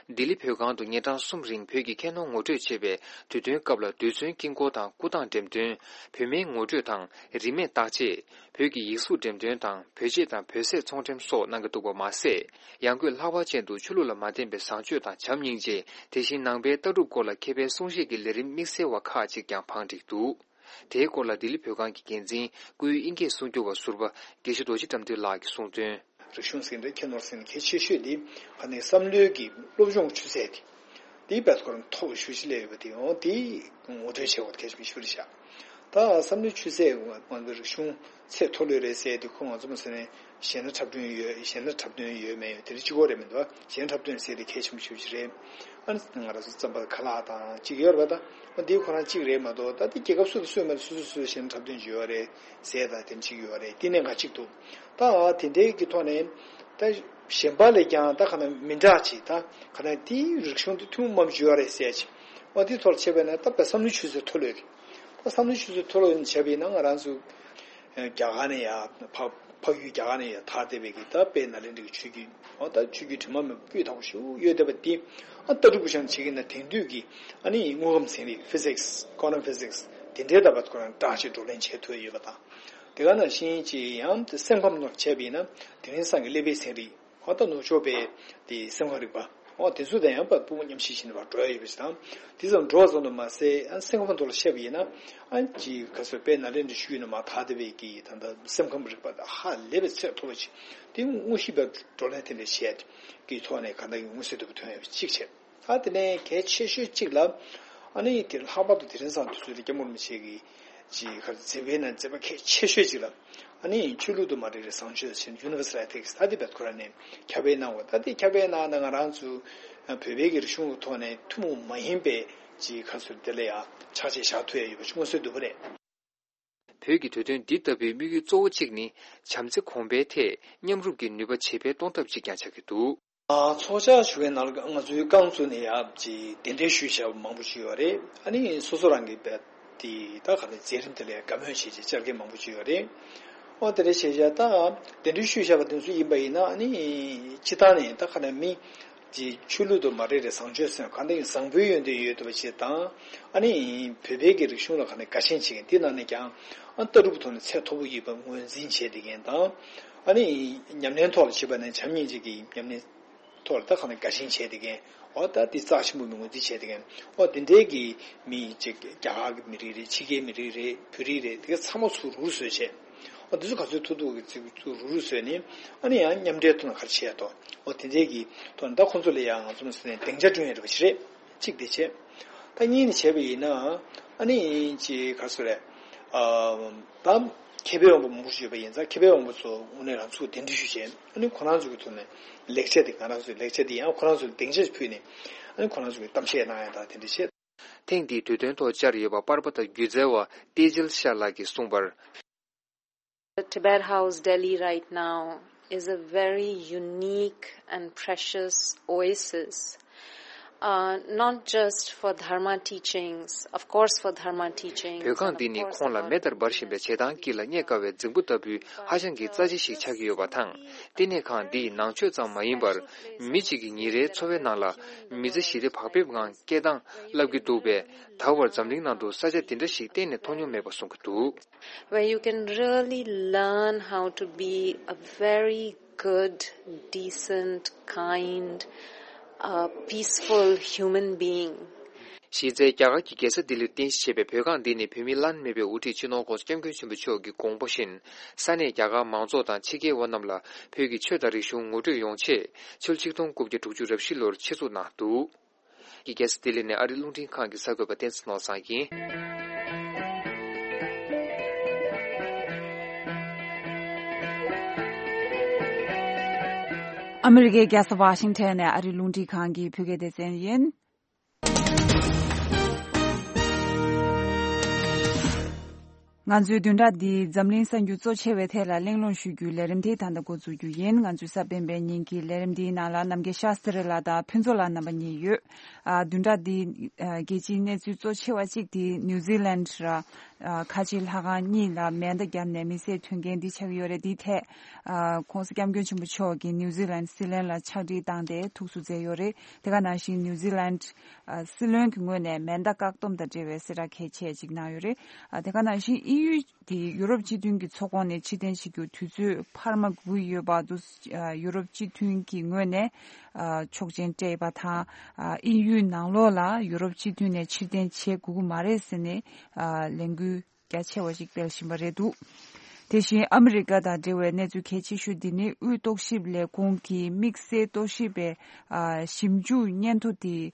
ལྡི་ལི་བོད་ཁང་དུ་ཉིན་གྲངས་གསུམ་རིང་བོད་ཀྱི་ཁྱད་ནོར་ངོ་སྤྲོད་བྱེད་པའི་དུས་སྟོན་སྐབས་ལ། རྡུལ་ཚོན་དཀྱིལ་འཁོར་དང་སྐུ་ཐང་འགྲེམས་སྟོན། བོད་མིའི་ངོ་སྤྲོད་དང་རིས་མེད་བརྟག་དཔྱད། བོད་ཀྱི་ཡིག་གཟུགས་འགྲེམས་སྟོན་དང་བོད་ཆས་དང་བོད་ཟས་ཚོང་འགྲེམས་སོགས་གནང་གི་འདུག་པ་མ་ཟད། ཡང་སྒོས་ལྷག་པ་ཅན་དུ་ཆོས་ལུགས་ལ་མ་བརྟེན་པའི་བཟང་སྤྱོད་དང་བྱམས་སྙིང་རྗེ། དེ་བཞིན་ནང་པའི་ལྟ་གྲུབ་སྐོར་ལ་མཁས་པའི་གསུང་བཤད་ཀྱི་ལས་རིམ་དམིགས་བསལ་བ་ཁག་ཅིག་ཀྱང་བང་བསྒྲིགས་འདུག་དེའི་སྐོར་ལ་ལྡི་ལི་བོད་ཁང་གི་འགན་འཛིན་སྐུའི་དབྱིན་སྐད་སྲུང་སྐྱོབ་པ་ཟུར་པ་དགེ་བཤེས་རྡོ་རྗེ་དགྲ་འདུལ་ལགས་ཀྱིས་གསུངས་དོན། རིག་གཞུང་ཟེར་འདྲ་ཁྱད་ནོར་ཟེར་ན་གལ་ཆེ་ཤོས་དེ་ཨ་ནི་བསམ་བློའི་གི་སློབ་སྦྱོང་ཆུ་ཚད་དེ། དེའི་བར་དུ་ཁོ་རང་མཐོ་བའི་ཤུགས་ཆེ་སླེབས་ཡོད་པ་དེ་ཡང་དེ་ངོ་སྤྲོད་བྱེད་དགོས་གལ་ཆེན་པོ་ཞིག་རེད་ཤག་ད་བསམ་བློའི་ཆུ་ཚད་ང་ཚོ་རིག་གཞུང་ཚད་མཐོ་ལོས་རེད་ཟེར་དུས་ཁོ་ང་ཚོ་མ་ཟེར་ནས་གཞས་སྣ་འཁྲབ་སྟོན་ཡོད་གཞས་སྣ་འཁྲབ་སྟོན་ཡོད་མེད་ཡོད་དེ་རིགས་གཅིག་པོ་རེད་མི་འདུག་གཞས་སྣ་འཁྲབ་སྟོན་ཟེར་དེ་གལ་ཆེན་པོ་ཞེ་པོ་ཅིག་རེད། ཨ་ནི་ང་རང་ཚོ་རྩམ་པ་ཁ་ལག་དང་གཅིག་ཡོད་རེད་པ། ད་འོ་འདིའི་ཁོ་རང་གཅིག་རེད་མ་གཏོགས་ད་འདི་རྒྱལ་ཁབ་སུ་དང་སུ་མ་རེད། སུ་སུ་སུ་གཞས་སྣ་འཁྲབ་སྟོན་བྱེད་ཡོད་རེད་ཟེར་ད་དེ་གཅིག་ཡོད་རེད། དེ་ནས་ང་གཅིག་འདུག་ད་དེ་འདྲའི་གི་ཐོག་ནས་ད་གཞན་པ་ལས་ཀྱང་ད་ག་ནས་མི་འདྲ་ཅིག་ད་ག་ནས་དེའི་རིག་གཞུང་དེ་ཐུན་མོང་མ་བྱུང་བ་རེད་ཟེར་ཅིག་འོ་དེའི་ཐོག་ལ་བྱས་པ་ན་ད་བསམ་བློའི་ཆུ་ཚད་མཐོ་ལོས་རེད། ད་བསམ་བློའི་ཆུ་ཚད་མཐོ་ལོས་བྱས་པ་ཡིན་ན་ང་རང་ཚོ་རྒྱ་གར་ནས་ཡར་འཕགས་འཕགས་ཡུལ་རྒྱ་གར་ནས་ཡར་དར་བསྡད་པའི་གི་ད་དཔལ་ནཱ་ལེནྡྲའི་གི་ཆོས་བརྒྱུད་འོ་ད་ཆོས་བརྒྱུད་དྲི་མ་མེད་པ་སྤུས་དག་པོ་ཞིག་ཡོད་བསྡད་པ་དེ་ཨ་ལྟ་གྲུབ་པོ་བཞག་ནས་བྱེད་ཀྱི་ན་དེང་དུས་ཀྱི་ཨ་ནི་དངོས་ཁམས་ཚན་རིག physics quantum physics དེ་འདྲའི་ལྟ་བ་ཁོ་རང་འདྲ་ཞིག་བགྲོ་གླེང་བྱེད་ཐུབ་ཡོད་པ་དང་། དེ་ག་ནང་བཞིན་གྱི་ཡང་དེ་སེམས་ཁམས་ནང་བྱས་པ་ཡིན་ན་དེ་རིང་སང་གི་ཀླད་པའི་ཚན་རིག་འོ་ད་ནུབ་ཕྱོགས་པའི་དེ་སེམས་ཁམས་རིག་པ་འོ་དེ་ཚོ་དང་ཡང་པ་དཔུང་མཉམ་གཤིབ་བྱས་ནས་མར་འགྲོ་ཡ་ཡོད་པ་ཞིག་དང་། དེ་ཙམ་འགྲོ་བ་ཙམ་དུ་མ་ཟད་ཨ་སེམས་ཁམས་ཐོག་ལ་བཤད་པ་ཡིན་ན་ཨ་ཅིག་ག་ཚོད་དཔལ་ནཱ་ལེནྡྲའི་ཆོས་བརྒྱུད་ནས་མར་དར་བསྡད་པའི་གི་ད་ལྟ་སེམས་ཁམས་རིག་པ་ཧ་ལས་པའི་ཚད་མཐོ་བ་ཅིག་དེ་དངོས་གཞི་པའི་བགྲོ་གླེང་དེ་འདྲ་བྱས་ཀྱི་ཐོག་ནས་ག་འདྲ་གི་མངོན་གསལ་དོད་པོ་ཐོན་ཡོད་པ་གཅིག་བྱས། ད་དེ་ནས་གལ་ཆེ་ཤོས་གཅིག་ལ། ཨ་ནི་དེ་ལྷག་པར་དུ་དེ་རིང་སང་དུས་ཚོད་དེ་སྐྱབས་མགོན་རིན་པོ་ཆེ་གིས་ཅིག་ག་རེ་མཛད་པའི་ནང་མཛད་པ་གལ་ཆེ་ཤོས་གཅིག་ལ། ཨ་ནི་ཆོས་ལུགས་དང་མ་འབྲེལ་བའི་བཟང་སྤྱོད་ཟེར་universal ethics ད་དེ་བེད་ཁོ་ར་ནས་ཁྱབ་སྤེལ་གནང་བ་ད་དེ་ཁྱབ་སྤེལ་གནང་ན་ང་རང་ཚོ་བོད་པའི་གི་རིག་གཞུང་གི་ཐོག་ནས་ཐུན་མོང་མ་ཡིན་པའི་ཅིག་ག་རེ་ཟེར་དེ་ལ་ཡང་ཕྱག་རྗེས་བཞག་ཐུབ་ཡ་ཡོད་པ་ཞིག་མངོན་གསལ་དོད་པོ་རེད། བོད་ཀྱི་གྲོས་མཐུན་འདི་ལྟ་བུའི་དམིགས་ཡུལ་གཙོ་བོ་གཅིག་ནི་བྱམས་བརྩེ་གོང་འཕེལ་ཐད་མཉམ་རུབ་ཀྱི་ནུས་པ་ཇེ་འཕེལ་གཏོང་ཐབས་ཅིག་ཀྱང་ཆགས་ཀྱི་འདུག་ཨ་ཚོགས་བཅར་ཞུ་མཁན་ནང་ལ་ང་ཚོའི་རྐང་བཙུགས་ནས་ཡ་ཅིག་གདན་འདྲེན་ཞུས་བྱས་པ་མང་པོ་ཞིག་ཡོད་རེད། ཨ་ནི་སོ་སོ་རང་གི་བལ་དེ་ད་ག་ནས་མཛད་རིམ་དེ་ལ་ཡ་དགའ་མོས་བྱས་བྱས་བཅར་མཁན་མང་པོ་ཞིག་ཡོད་རེད། ཨོ་དེ་འདྲ་བྱས་བྱས་ད་གདན་འདྲེན་ཞུས་བྱས་པ་དེ་ཚོ་ཡིན་པ་ཡིན་ན་ཨ་ནི་སྤྱི་བཏང་ནས་ད་ག་ནས་མི་ཅིག་ཆོས་ལུགས་དང་མ་འབྲེལ་བའི་བཟང་སྤྱོད་ཟེར་ན་གང་ལྟར་བཟང་པོའི་ཡོན་ཏན་ཡོད་ཐུབ་པ་ཞིག་དང་། ཨ་ནི་བོད་པའི་གི་རིག་གཞུང་ལ་ག་ནས་དགའ་ཞེན་བྱེད་མཁན་དེ་ནང་ནས་ཀྱང་ཨ་ལྟ་གྲུབ་ཐོག་ནས་ཚད་མཐོ་པོ་ཡོད་པ་ངོས་འཛིན་བྱས་བསྡད་མཁན་དང་། ཨ་ནི་ཉམས་ལེན་ཐོག་ལ་བྱེད་པ་ནས་བྱམས་སྙིང་རྗེ་གི་ཉམས་ལེན་ཐོག་ལ་ད་ག་ནས་དགའ་ཞེན་བྱས་བསྡད་མཁན་འོ་ད་དེ་རྩ་ཆེན་པོ་མི་ངོས་འཛིན་བྱས་བསྡད་མཁན་འོ་དེ་འདྲའི་གི་མི་ཅིག་རྒྱ་གར་གི་མི་རིགས་རེད། ཕྱི་རྒྱལ་མི་རིགས་རེད། བོད་རིགས་རེད། དེ་ག་ཚང་མ་ཚུར་རུག་རུག་བཟོས་བྱས། འོ་དེ་ཚོ་ག་ཚོད་ཐུབ་ཐུབ་ཀྱི་ཚུར་རུག་རུག་བཟོས་ནས་ཨ་ནི་ཡང་མཉམ་འབྲེལ་ཐོག་ནས་ག་རེ་བྱས་ཡ་དོ། འོ་དེ་འདྲའི་གི་ཐོག་ནས་ད་ཁོང་ཚོ་ལ་ཡང་ང་ཚོ་མ་ཟེར་ནས་སྡིངས་ཆ་བསྐྲུན་ཡ་རེད་པ་ཞིག་རེད། གཅིག་དེ་བྱས། ད་གཉིས་ནས་བྱས་པ་ཡིན་ན་ཨ་ནི་ཅིག་ག་རེ་ཟེར་རེད། ཨ་ད་མཁས་པའི་དབང་པོ་མང་པོ་ཞིག་ཡོད་པ་ཡིན་ཙང་མཁས་པའི་དབང་པོ་ཚོ་དངོས་གནས་རང་ཚུགས་གདན་འདྲེན་ཞུས་བྱས་ཨ་ནི་ཁོ་རང་ཚོ་གི་ཐོག་ནས་ལེགས་ཆ་དེ་ང་རང་ཚོའི་ལེགས་ཆ་དེ་ཡང་ཁོ་རང་ཚོ་ལ་སྡིངས་ཆ་ཞིག་ཕུལ་ནས་ཨ་ནི་ཁོ་རང་ཚོ་གི་གཏམ་བཤད་གནང་ཡ་དང་དེ་འདྲ་བྱས། ཐེངས་འདིའི་གྲོས་མཐུན་ཐོག་བཅར་ཡོད་པ་པར་པ་དང་སྒྱུ་རྩལ་བ་ཏེ་ཇལ་ཤཱ་ལགས་ཀྱིས་གསུངས་པར། The Tibet House Delhi right now is a very unique and precious oasis, uh, not just for Dharma teachings, of course for Dharma teachings, བོད་ཁང་འདི་ནི་ཁོང་ལ་མེ་ལྟར་འབར་བཞིན་པའི་བྱེ་ཐང་དཀྱིལ་ལ་རྙེད་དཀའ་བའི་རྫིང་བུ་ལྟ་བུའི་ཧ་ཅང་གི་རྩ་ཆེ་ཞིག་ཆགས་ཀྱི་ཡོད་པ་དང་། བསྟི་གནས་ཁང་འདིས་ནང་ཆོས་ཙམ་མ་ཡིན་པར་མི་གཅིག་གི་ཉིན་རེའི་འཚོ་བའི་ནང་ལ་མི་ཚེ་ཞི་བདེ་བག་ཕེབས་ངང་སྐྱེལ་སྟངས་བསླབ་ཀྱི་འདུག་པས། ད་བར་འཛམ་གླིང་ནང་དུ་ས་ཆ་འདི་འདྲ་ཞིག་གཏན་ནས་མཐོང་མྱོང་མེད་པ་གསུང་གི་འདུག Where you can really learn how to be a very good, decent, kind, uh, peaceful human being. གཞི་རྩའི་རྒྱ་གར་གྱི་རྒྱལ་ས་ལྡི་ལིར་རྟེན་གཞི་བྱས་པའི་བོད་ཁང་འདི་ནི་བོད་མིའི་བླ་ན་མེད་པའི་དབུ་ཁྲིད་སྤྱི་ནོར་༸གོང་ས་༸སྐྱབས་མགོན་ཆེན་པོ་མཆོག་གི་དགོངས་པ་བཞིན། ས་གནས་རྒྱ་གར་མང་ཚོགས་དང་ཕྱི་རྒྱལ་བ་རྣམས་ལ་བོད་ཀྱི་ཆོས་དང་རིག་གཞུང་ངོ་སྤྲོད་ཡོང་ཆེད། ཕྱི་ལོ་ཆིག་སྟོང་དགུ་བརྒྱ་དྲུག་ཅུ་རེ་བཞི་ལོར་ཆེད་འཛུགས་གནང་འདུག་གི་རྒྱལ་ས་ལྡི་ལི་ནས་ཨ་རིའི་རླུང་འཕྲིན་ཁང་གི་གསར་འགོད་པ་བསྟན་འཛིན་ནོར་བཟང་ཡིན། ཨ་མི་རི་ཀའི་རྒྱལ་ས་ཝ་ཤིང་ཊོན་ནས་ཨ་རིའི་རླུང་འཕྲིན་ཁང་གི་བོད་སྐད་སྡེ་ཚན་ཡིན། ང་ཚོའི་བདུན་ཕྲག་འདིའི་འཛམ་གླིང་གསར་འགྱུར་གཙོ་ཆེ་བའི་ཐད་ལ་གླེང་སློང་ཞུ་རྒྱུའི་ལས་རིམ་དེ་ད་ལྟ་འགོ་འཛུགས་རྒྱུ་ཡིན། ང་ཚོའི་གཟའ་སྤེན་པའི་ཉིན་གྱི་ལས་རིམ་འདིའི་ནང་ལ་རྣམ་རྒྱལ་ཤཱསྟྲི་ལགས་དང་ཕུན་ཚོགས་ལགས་རྣམ་པ་གཉིས་ཡོད། ཨ། བདུན་ཕྲག་འདིའི་ཨ་རྒྱལ་སྤྱིའི་གནས་ཚུལ་གཙོ་ཆེ་བ་གཅིག་དེ་ནིའུ་ཛི་ལན་ར་ཨ་ཁ་ཆེ་ལྷ་ཁང་གཉིས་ལ་མེ་མདའ་བརྒྱབ་ནས་མི་བསད་དོན་རྐྱེན་འདི་ཆགས་ཡོད་རེད། འདིའི་ཐད་ཨ་༸གོང་ས་༸སྐྱབས་མགོན་ཆེན་པོ་མཆོག་གིས་ནིའུ་ཛི་ལན་སྲིད་བློན་ལ་ཕྱག་བྲིས་བཏང་སྟེ་ཐུགས་གསོ་མཛད་ཡོད་རེད། དེ་ག་ནང་བཞིན་ནིའུ་ཛི་ལན་ཨ་སྲིད་བློན་གྱི་ངོས་ནས་མེ་མདའ་བཀག་སྡོམ་དང་འབྲེལ་བའི་གསལ་བསྒྲགས་གལ་ཆེ་ཅིག་གནང་ཡོད་རེད། ཨ་དེ་ག་ནང་བཞིན་དབྱིན་ཡུལ་དེ་ཡུ་རོབ་སྤྱི་མཐུན་གྱི་ཚོགས་ཁོངས་ནས་ཕྱིར་འཐེན་བྱེད་རྒྱུ་དུས་ཚོད་འཕར་མ་སྒུག་ཡོད་པ་དུ་ཨ་ཡུ་རོབ་སྤྱི་མཐུན་གྱི་ངོས་ནས་ཨ་ཆོག་མཆན་སྤྲད་ཡོད་པ་དང་། ཨ་དབྱིན་ཡུལ་ནང་ལོགས་ལ་ཡུ་རོབ་སྤྱི་མཐུན་ནས་ཕྱིར་འཐེན་བྱེད་དགོས་ཀྱི་མ་རེད་ཟེར་ནས་ཨ་ལས་འགུལ་རྒྱ་ཆེ་བ་ཞིག་སྤེལ་བཞིན་པ་རེད་འདུག་དེ་བཞིན་ཨ་མི་རི་ཀ་དང་འབྲེལ་བའི་གནས་ཚུལ་གལ་ཆེ་ཤོས་འདི་ནི་དབུས་རྟོག་ཞིབ་ལས་ཁུངས་ཀྱི་དམིགས་བསལ་རྟོག་ཞིབ་པའི་ཨ་ཞིབ་འཇུག་སྙན་ཐོ་དེ་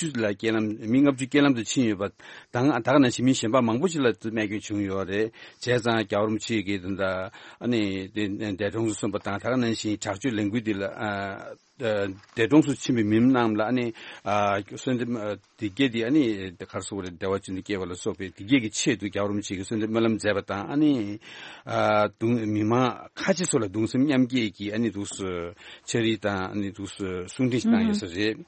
ཅུ་ལ་རྐྱེན་ལམ་མི་ལྔ་བཅུ་རྐྱེན་ལམ་དུ་ཕྱིན་ཡོད་པ་དང་། ད་ག་ནང་བཞིན་མི་གཞན་པ་མང་པོ་ཞིག་ལ་རྨས་སྐྱོན་བྱུང་ཡོད་རེད། བྱས་ཙང་རྒྱལ་བ་རིན་པོ་ཆེ་གིས་ད་ལྟ་ཨ་ནི་འདས་གྲོངས་སུ་སོན་པ་དང་། ད་ག་ནང་བཞིན་དྲག་སྤྱོད་ལས་འགུལ་འདི་ལ་ཨ། ཨ། འདས་གྲོངས་སུ་ཕྱིན་པའི་མི་རྣམས་ལ་ཨ་ནི་ཨ་གསོལ་འདེབས་ཨ་དེ་གས་དེ་ཨ་ནི་ག་རེ་ཟེར་དགོས་རེད། བདེ་བ་ཅན་དུ་སྐྱེ་བ་ལ་སོགས་པའི་དེ་གས་ཀྱི་ཆེད་དུ་རྒྱལ་བ་རིན་པོ་ཆེ་གིས་གསོལ་འདེབས་སྨོན་ལམ་མཛད་པ་དང་། ཨ་ནི་ཨ་གདུང་མི་མང་ཁ་ཆེ་ཚོ་ལ་གདུང་སེམས་མཉམ་སྐྱེད་ཀྱི་ཨ་ནི་འདུག་སེ་ཕྱག་བྲིས་དང་། ཨ་ནི་འདུག་སེ་གསུང་འཕྲིན་ཞིག་བཏང་ཡོད་ས་རེད།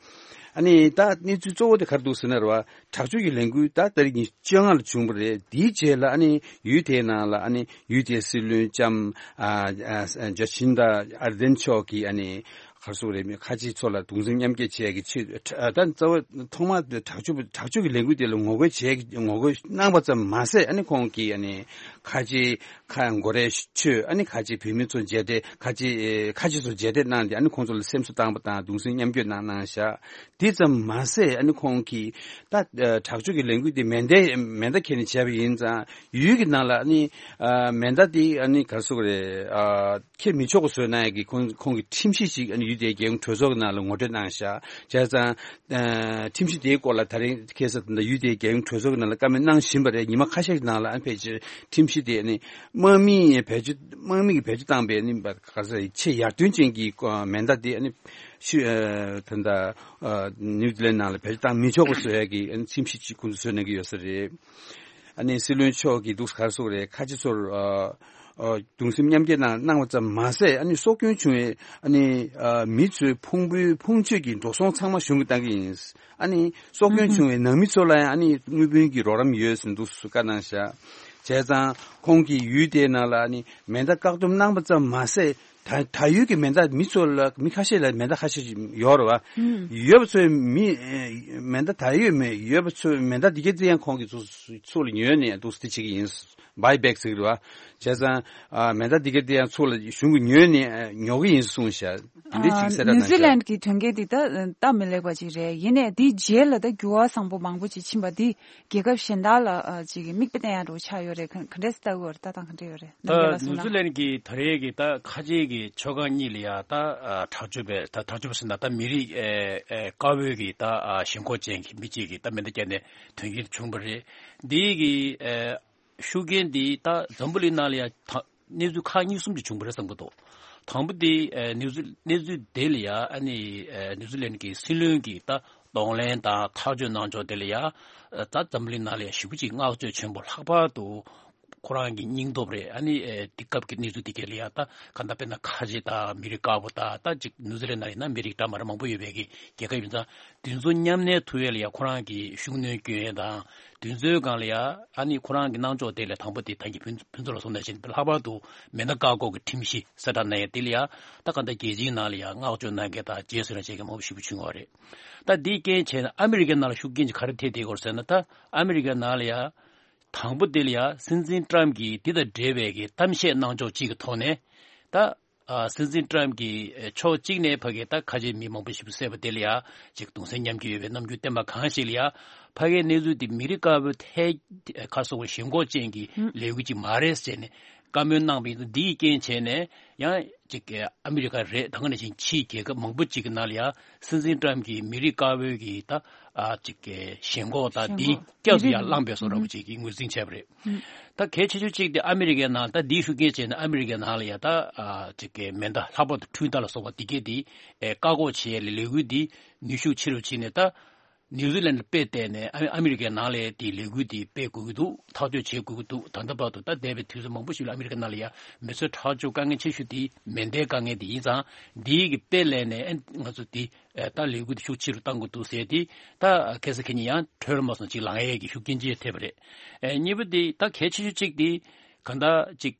ཨ་ནི་ད་གནས་ཚུལ་གཙོ་བོ་དེ་ག་རེ་འདུག་ཟེར་ན་རེད་བ། དྲག་སྤྱོད་ཀྱི་ལས་འགུལ་ད་ཏ་རིག་ཉི་ཤུ་རྩ་ལྔ་ལ་བྱུང་བ་རེད། དེའི་རྗེས་ལ་ཨ་ནི་ཡུལ་དེའི་ནང་ལ་ཨ་ནི་ཡུལ་དེའི་སྲིད་བློན་ལྕམ་ཨ་ཨ་ཇ་ཆིན་ད་ཨར་དེན་མཆོག་གིས་ཨ་ནི་ག་རེ་ཟེར་དགོས་རེད། ཁ་ཆེ་ཚོ་ལ་གདུང་སེམས་མཉམ་སྐྱེད་བྱེད་ཡག་གི་ཆེད། ད་གཙོ་བོ་ཐོག་མར་དྲག་སྤྱོད་དྲག་སྤྱོད་ཀྱི་ལས་འགུལ་དེ་ལ་ངོ་རྒོལ་བྱེད་ངོ་རྒོལ་གནང་བ་ཙམ་མ་ཟད། ཨ་ནི་ཁོང་གིས་ཨ་ནི་ཁ་ཆེ་ཁ་མགོ་རས་མཆོད། ཨ་ནི་ཁ་ཆེ་བོད་མི་ཚོ་མཇལ་འཕྲད། ཁ་ཆེ་ཁ་ཆེ་ཚོ་མཇལ་འཕྲད་གནང་སྟེ། ཨ་ནི་ཁོང་ཚོ་ལ་སེམས་གསོ་བཏང་བ་དང་། གདུང་སེམས་མཉམ་སྐྱེད་གནང་གནང་བཞག་དེ་ཙམ་མ་ཟད། ཨ་ནི་ཁོང་གིས་ད་ཨ་དྲག་སྤྱོད་ཀྱི་ལས་འགུལ་དེ་མེ་མདའ་མེ་མདའ་འཁྱེར་ནས་བྱས་པ་ཡིན་ཙང་། ཡུལ་གྱི་ནང་ལ་ཨ་ནི་ཨ་མེ་མདའ་དེ་ཨ་ནི་ག་རེ་ཟེར་དགོས་རེད། ཨ་འཁྱེར་མི་ཆོག་པ་བཟོས་གནང་ཡག་གི་ཁོང་ཁོང་གིས་ཁྲིམས་གཞི་ཞིག་ཨ་ནི་ཡུལ་དེའི་རྒྱལ་ཡོངས་གྲོས་ཚོགས་ཀྱི་ནང་ལ་ངོ་སྤྲོད་གནང་བཞག་བྱས་ཙང་། ཨ་ཁྲིམས་གཞི་དེའི་སྐོར་ལ་ད་རིང་ཁ་སང་ད་ལྟ་ཡུལ་དེའི་རྒྱལ་ཡོངས་གྲོས་ཚོགས་ཀྱི་ནང་ལ་བཀའ་མོལ་གནང་བཞིན་པ་རེད། ཉི་མ་ཁ་ཤས་ཀྱི་ནང་ལ་ཨ་ནི་ཕལ་ཆེར་ཁྲིམས་གཞི་དེ་ཨ་ནི་དམག་མིས་བེད་སྤྱོད་དམག་མི་གིས་བེད་སྤྱོད་བཏང་པའི་ཨ་ནི་ག་རེ་ཟེར། ཆེས་ཡར་ཐོན་ཅན་གྱི་མེ་མདའ་དེ་ཨ་ནི་ཤུ་ཨ་ད་ལྟ་ཨ་ནིའུ་ཛི་ལན་ནང་ལ་བེད་སྤྱོད་བཏང་མི་ཆོག་པ་བཟོ་ཡག་གི་ཨ་ནི་ཁྲིམས་གཞི་ཅིག་ཁོང་ཚོས་བཟོས་གནང་གི་ཡོད་ས་རེད། ཨ་ནི་སྲིད་བློན་མཆོག་གིས་འདུག་ག་རེ་ཟེར་དགོས་རེད། ཁ་ཆེ་ཚོར་ཨ་ཨ་གདུང་སེམས་མཉམ་སྐྱེད་གནང་གནང་བ་ཙམ་མ་ཟད། ཨ་ནི་སྲོག་སྐྱོན་བྱུང་བའི་ཨ་ནི་ཨ་མི་ཚོའི་ཕུང་པོའི་ཕུང་མཆོད་ཀྱི་འགྲོ་སོང་ཚང་མ་གཞུང་གིས་གཏང་གི་ཡིན། ཨ་ནི་སྲོག་སྐྱོན་ཨུ་ཧུམ། བྱུང་བའི་ནང་མི་ཚོ་ལ་ཡང་ཨ་ནི་དངུལ་བུན་གྱི་རོགས་རམ་ཡོད་ཟེར་འདུག་སེ་བཀའ་གནང་བཞག་བྱས་ཙང་ཁོང་གིས་ཡུལ་དེའི་ནང་ལ་ཨ་ནི་མེ་མདའ་བཀག་སྡོམ་གནང་བ་ཙམ་མ་ཟད། ད་ད་ཡུལ་གྱི་མེ་མདའ་མི་ཚོ་ལ་མི་ཁ་ཤས་ལ་མེ་མདའ་ཁ་ཤས་ཤིག་ཡོད་རེད་བ། ཨུ་ཧུམ། ཡོད་པ་ཚོའི་མི་ཨེ་མེ་མདའ་ད་ཡོད་མེད་ཡོད་པ་ཚོའི་མེ་མདའ་འདི་གའི་རྩིས་ཡང་ཁོང་གིས་ཚུར་ཚུར་ལ་ཉོས་ནས་འདུག་སེ་དེ་བྱེད་ཀྱི་ཡིན། བྷའི་བེག་ཟེར་གྱི་རེད་བ། བྱས་ཙང་ཨ་མེ་མདའ་འདི་གའི་དེ་ཡང་ཚུར་ལ་གཞུང་གིས་ཉོས་ནས་ཨ་ཉོ་གི་ཡིན་གསུངས་ཤག་དེ་འདྲའི་ཅིག་གསལ་བསྒྲགས་གནང་ཤག་ནིའུ་ཛི་ལན་གྱི་དོན་རྐྱེན་འདི་ད་སྟབས་མི་ལེགས་པ་ཅིག་རེད། ཡིན་ནའི་དེའི་རྗེས་ལ་ད་འགྱུར་བ་བཟང་པོ་མང་པོ་ཅིག་ཕྱིན་པ་འདི་རྒྱལ་ཁབ་གཞན་དག་ལ་ཨ་ཅིག་མིག་དཔེ་བསྟན་ཡག་འདྲ་བོ་ཆགས་ཡོད་རེད། ག་ག་འདྲས་ལྟ་གི་ཡོད་རེད། ལྟ་སྟངས་ག་འདྲས་ཡོད་རེད། ད་ནམ་རྒྱལ་ལགས་གསུངས་ན། ནིའུ་ཛི་ལན་གྱི་ད་རེས་ཀྱི་ད་ཁ་ཆེ་གི་མཆོད་ཁང་གཉིས་ལ་ཡ་ད་ཨ་དྲག་སྤྱོད་པའི་ད་དྲག་སྤྱོད་པ་ཟེར་ན་ད་མི་རིགས་ཨེ་ཨེ་དཀར་པོའི་གི་ད་ཨ་ཞེན་ཁོག་ཅན་གྱི་མི་གཅིག་གིས་ད་མེ་མདའ་བརྒྱབ་ནས་དོན་རྐྱེན་བྱུང་བ་རེད། འདི་གི་ཨེ་ཤུགས་རྐྱེན་འདི་ད་འཛམ་བུ་གླིང་ནང་ལ་ཡང་ད་གནས་ཚུལ་ཁག་གཉིས་གསུམ་ཅིག་བྱུང་བ་རེད་བསམ་གྱི་འདུག་དང་པོ་དེ་ཨ་གནས་ཚུལ་གནས་ཚུལ་དེ་ལ་ཡ་ཨ་ནི་ཨ་ནིའུ་ཛི་ལན་གྱི་སྲིད་བློན་གྱིས་ད་གདོང་ལེན་དང་ཐག་གཅོད་གནང་ཕྱོགས་དེ་ལ་ཡ་ཨ་ད་འཛམ་བུ་གླིང་ནང་ལ་ཡ་ཞེ་པོ་ཅིག་བསྔགས་བརྗོད་ཆེན་པོ། ལྷག་པར་དུ་ཁོ་རང་གི་སྙིང་སྟོབས་རེད། ཨ་ནི་ཨ་དེ་སྐབས་ཀྱི་གནས་ཚུལ་དེ་ག་ལ་ཡ་ད་ག་ད་དཔེར་ན་ཁ་ཆེ་དང་མི་རིགས་དཀར་པོ་དང་། ད་ཅིག་ནིའུ་ཛི་ལན་ནང་ཡིན་ན་མི་རིགས་འདྲ་མི་འདྲ་མང་པོ་ཡོད་པའི་གི་རྒྱལ་ཁབ་ཡིན་ཙང་། དེ་ཚོ་མཉམ་གནས་ཐུབ་ཡས་ལ་ཡ་ཁོ་རང་གི་ཤུགས་སྣོན་སྐྱོན་ཡས་དང་། དེ་ཚོའི་སྒང་ལ་ཡ་ཨ་ནི་ཁོ་རང་གི་གནང་ཕྱོགས་དེ་ལ་དང་པོ་དེ་ད་གིན་ཕུན་ཕུན་ཚོགས་ལགས་གསུངས་ནང་བཞིན་ལྷག་པར་དུ་མེ་མདའ་བཀག་འགོག་གི་ཁྲིམས་གཞི་གསལ་བསྒྲགས་གནང་ཡས་དེ་ལ་ཡ་ད་ག་ད་རྒྱལ་སྤྱིའི་ནང་ལ་ཡ་བསྔགས་བརྗོད་གནང་མཁན་དང་རྗེས་སུ་ཡི་རང་བྱེད་མཁན་མང་པོ་ཞེ་པོ་བྱུང་བ་རེད། ད་འདིའི་རྐྱེན་བྱས་ནས་ཨ་མི་རི་ཀའི་ནང་ལ་ཤུགས་རྐྱེན་ཅིག་ག་རེ་ཐེབས་བསྡད་ཡོད་རེད་ཟེར་ན། ད་ཨ་མི་རི་ཀའི་ནང་ལ་ཡ་དང་པོ་དེ་ལ་ཡ་སྲིད་འཛིན་ཊམ་གྱིས་འདི་དང་འབྲེལ་བའི་གི་གཏམ་བཤད་གནང་ཕྱོགས་གཅིག་གི་ཐོག་ནས་ད། ཨ་སྲིད་འཛིན་ཊམ་གྱིས་ཕྱོགས་གཅིག་ནས་ཕ་གི་ད་ཁ་ཆེ་མི་མང་པོ་ཞེ་པོ་བསད་པ་དེ་ལ་ཡ་ཅིག་གདུང་སེམས་མཉམ་སྐྱེད་ཡོད་པའི་རྣམ་འགྱུར་བསྟན་པ་གང་ཞིག་ལ་ཡ་ཕ་གིའི་གནས་ཚུལ་དེ་མི་རིགས་དཀར་པོའི་ཐད་ཁ་སོགས་པ་ཞེན་ཁོག་ཅན་གྱི་ལས་འགུལ་ཅིག་མ་རེད་ཟེར་ནས་བཀའ་མོལ་གནང་བ་ཡིན་ཙང་། འདིའི་རྐྱེན་བྱས་ནས་ཡང་ཅིག་ཨ་མི་རི་ཀ་རེད། ད་ག་ནང་བཞིན་ཕྱིའི་རྒྱལ་ཁབ་མང་པོ་ཅིག་གི་ནང་ལ་ཡ་སྲིད་འཛིན་ཊམ་གྱིས་མི་རིགས་དཀར་པོའི་གི་ད་ཨ་ཅིག་ཞེན་ཁོག་དང་ཞེན་འདི་ཁོག་བསྐྱར་དུ་ཡར་བླངས་པའི་བཟོ་འདྲ་པོ་ཅིག་གི་ངོས་འཛིན་བྱས་པ་རེད། ད་གལ་ཆེ་ཤོས་གཅིག་དེ་ཨ་མི་རི་ཀའི་ནང་ད་འདིའི་ཤུགས་རྐྱེན་བྱས་ནས་ཨ་མི་རི་ཀའི་ནང་ལ་ཡ་ད་ཨ་ཅིག་གི་མེ་མདའ་ལྷག་པར་དུ་འཕྲུལ་མདའ་ལ་སོགས་པ་འདི་གས་དེ་ཨེ་བཀག་འགོག་བྱེད་ཡས་ལས་འགུལ་འདི་ནུས་ཤུགས་ཆེ་རུ་ཕྱིན་ནས། ད་ ནིའུ་ཛི་ལན་ལ་དཔེ་བལྟས་ནས་ཨ་ཨ་མི་རི་ཀའི་ནང་ལ་དེ་ལས་འགུལ་དེ་སྤེལ་དགོས་ཀྱི་འདུག་ཐག་གཅོད་བྱེད་དགོས་ཀྱི་འདུག་ད་ལྟ་བར་དུ་ད་འདས་པའི་དུས་ཚོད་མང་པོ་ཞིག་ལ་ཨ་མི་རི་ཀ་ནང་ལ་ཡང་མི་ཚེ་ཁྲག་སྦྱོར་དཀའ་ངལ་ཆེ་ཤོས་དེ་མེ་མདའི་དཀའ་ངལ་དེ་ཡིན་ཙང་འདིའི་གི་དཔེ་ལེན་ནས་ཨ་ང་ཚོ་དེ་ད་ལས་འགུལ་དེ་ཤུགས་ཆེ་རུ་གཏང་དགོས་འདུག་ཟེར་དེ་ད་ཁ་སང་ཁ་ཉིན་ཡང་ཁྲོལ་མ་སོང་ཅིག་ལངས་ཡས་ཀྱི་ཤུགས་རྐྱེན་ཅིག་ཐེབས་པ་རེད། ཨེ་གཉིས་པ་དེ་ད་གལ་ཆེ་ཤོས་གཅིག་དེ་གང་ལྟར་ཅིག་